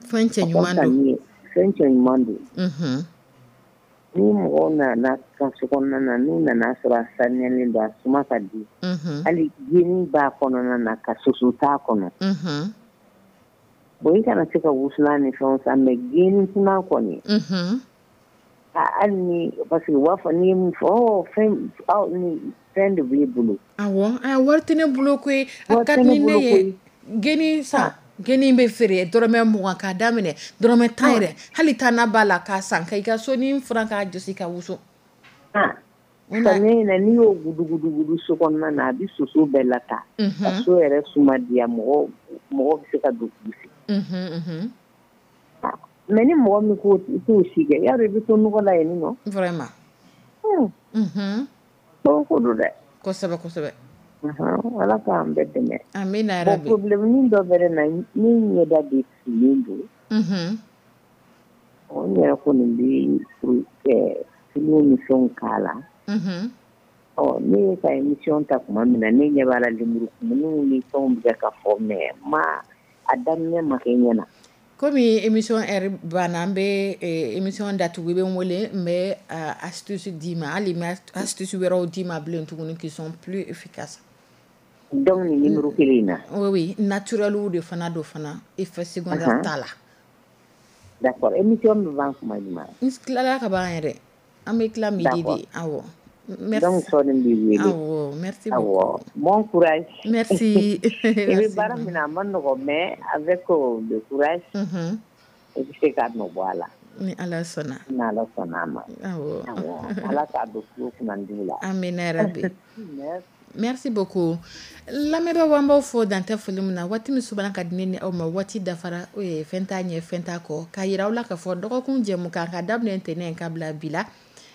Fɛn cɛ ɲuman don. Fɛn cɛ ɲuman don. Ni mɔgɔw nana ka so kɔnɔna na, n'u nana sɔrɔ a saniyalen don, a suma ka di. Hali geni b'a kɔnɔna na, ka soso t'a kɔnɔ. Bon, i kana se ka wusulan ni fɛnw san, mais geni kuma kɔni. Hali ni, parce que u b'a fɔ, n'i ye min fɔ, ɔ fɛn, aw ni fɛn de b'i bolo. Awɔ, a wari tɛ ne bolo koyi, a Wari ka tɛ di ne ne bolo ye. koyi. Geni san, geni bɛ feere dɔrɔmɛ 20 k'a daminɛ dɔrɔmɛ 10 yɛrɛ, hali taa na b'a la k'a san ka i ka sonin furan k'a jɔsi ka wusu. Samiya in na, n'i y'o gudugudugudu so kɔnɔna na, a bɛ soso bɛɛ lata. Ka so yɛrɛ suma diya, mɔgɔ mɔgɔ bɛ se ka don k'i sigi. Mais ni mɔgɔ min ko i t'o si kɛ, yarɔ, i bɛ to nɔgɔ la yen nɔ. Vraiment. Ko don dɛ. Kosɛbɛ kosɛbɛ. Ala k'an bɛɛ dɛmɛ. Amina. Bon, Yarabi. problème dɔ bɛ ne na, ne ɲɛda de finnen don. Ɔ, n yɛrɛ kɔni bɛ tulu ni fɛnw k'a la. Ɔ, ne ye ka émission ta tuma min na, ne ɲɛ b'a la, lemurukumuniw ni fɛnw bɛ ka fɔ, mais ma a daminɛ ma kɛ ɲɛ na. Komi émission heure banna, an bɛ émission datugu. I bɛ n wele, n bɛ astuce d'i ma, hali n bɛ astuce wɛrɛw d'i ma bilen tuguni qui sont plus efficaces. Donc nin numéro kelen in na? Oui, naturel de fana don fana, effet secondaire t'a la. D'accord, émission bɛ ban tuma jumɛn? N tilala ka ban yɛrɛ, an bɛ tila midi de, awɔ. Merci. Donc sɔɔni n b'i wele. Awɔ, merci Awɔ. Beaucoup. Bon courage. Merci. I bɛ baara min na, a ma nɔgɔn, mais avec le courage, i bɛ se ka nɔ bɔ a la. Ni Ala sɔnna. Ni Ala sɔnna a ma. Awɔ. Awɔ, Ala k'a don tulo kunnandi la. Amina yarabi. Merci beaucoup. Lamɛnbaaw, an b'aw fo dantɛ foli min na. Waati min subana ka di ne ni aw ma, waati dafara, fɛn t'a ɲɛ, fɛn t'a kɔ, k'a yira aw la k'a fɔ dɔgɔkun jɛmukan ka daminɛ ntɛnɛn ka bila bi la,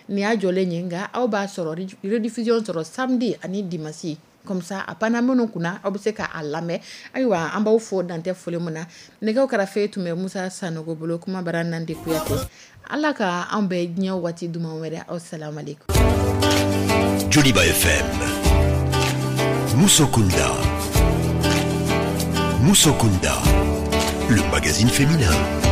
nin y'a jɔlen ye, nka aw b'a sɔrɔ rediffusion sɔrɔ samedi ani dimanche, comme ça a panna minnu kunna, aw bɛ se k'a lamɛn. Ayiwa, an b'aw fo dantɛ foli min na. Nɛgɛw karafe tun bɛ Musa Sanogo bolo, kuma bara Nandi Kuyate. Ala ka an bɛɛ diɲɛ waati duman wɛrɛ. Aw salamalekum. Joliba FM. Musokunda. Musokunda. Le magazine féminin.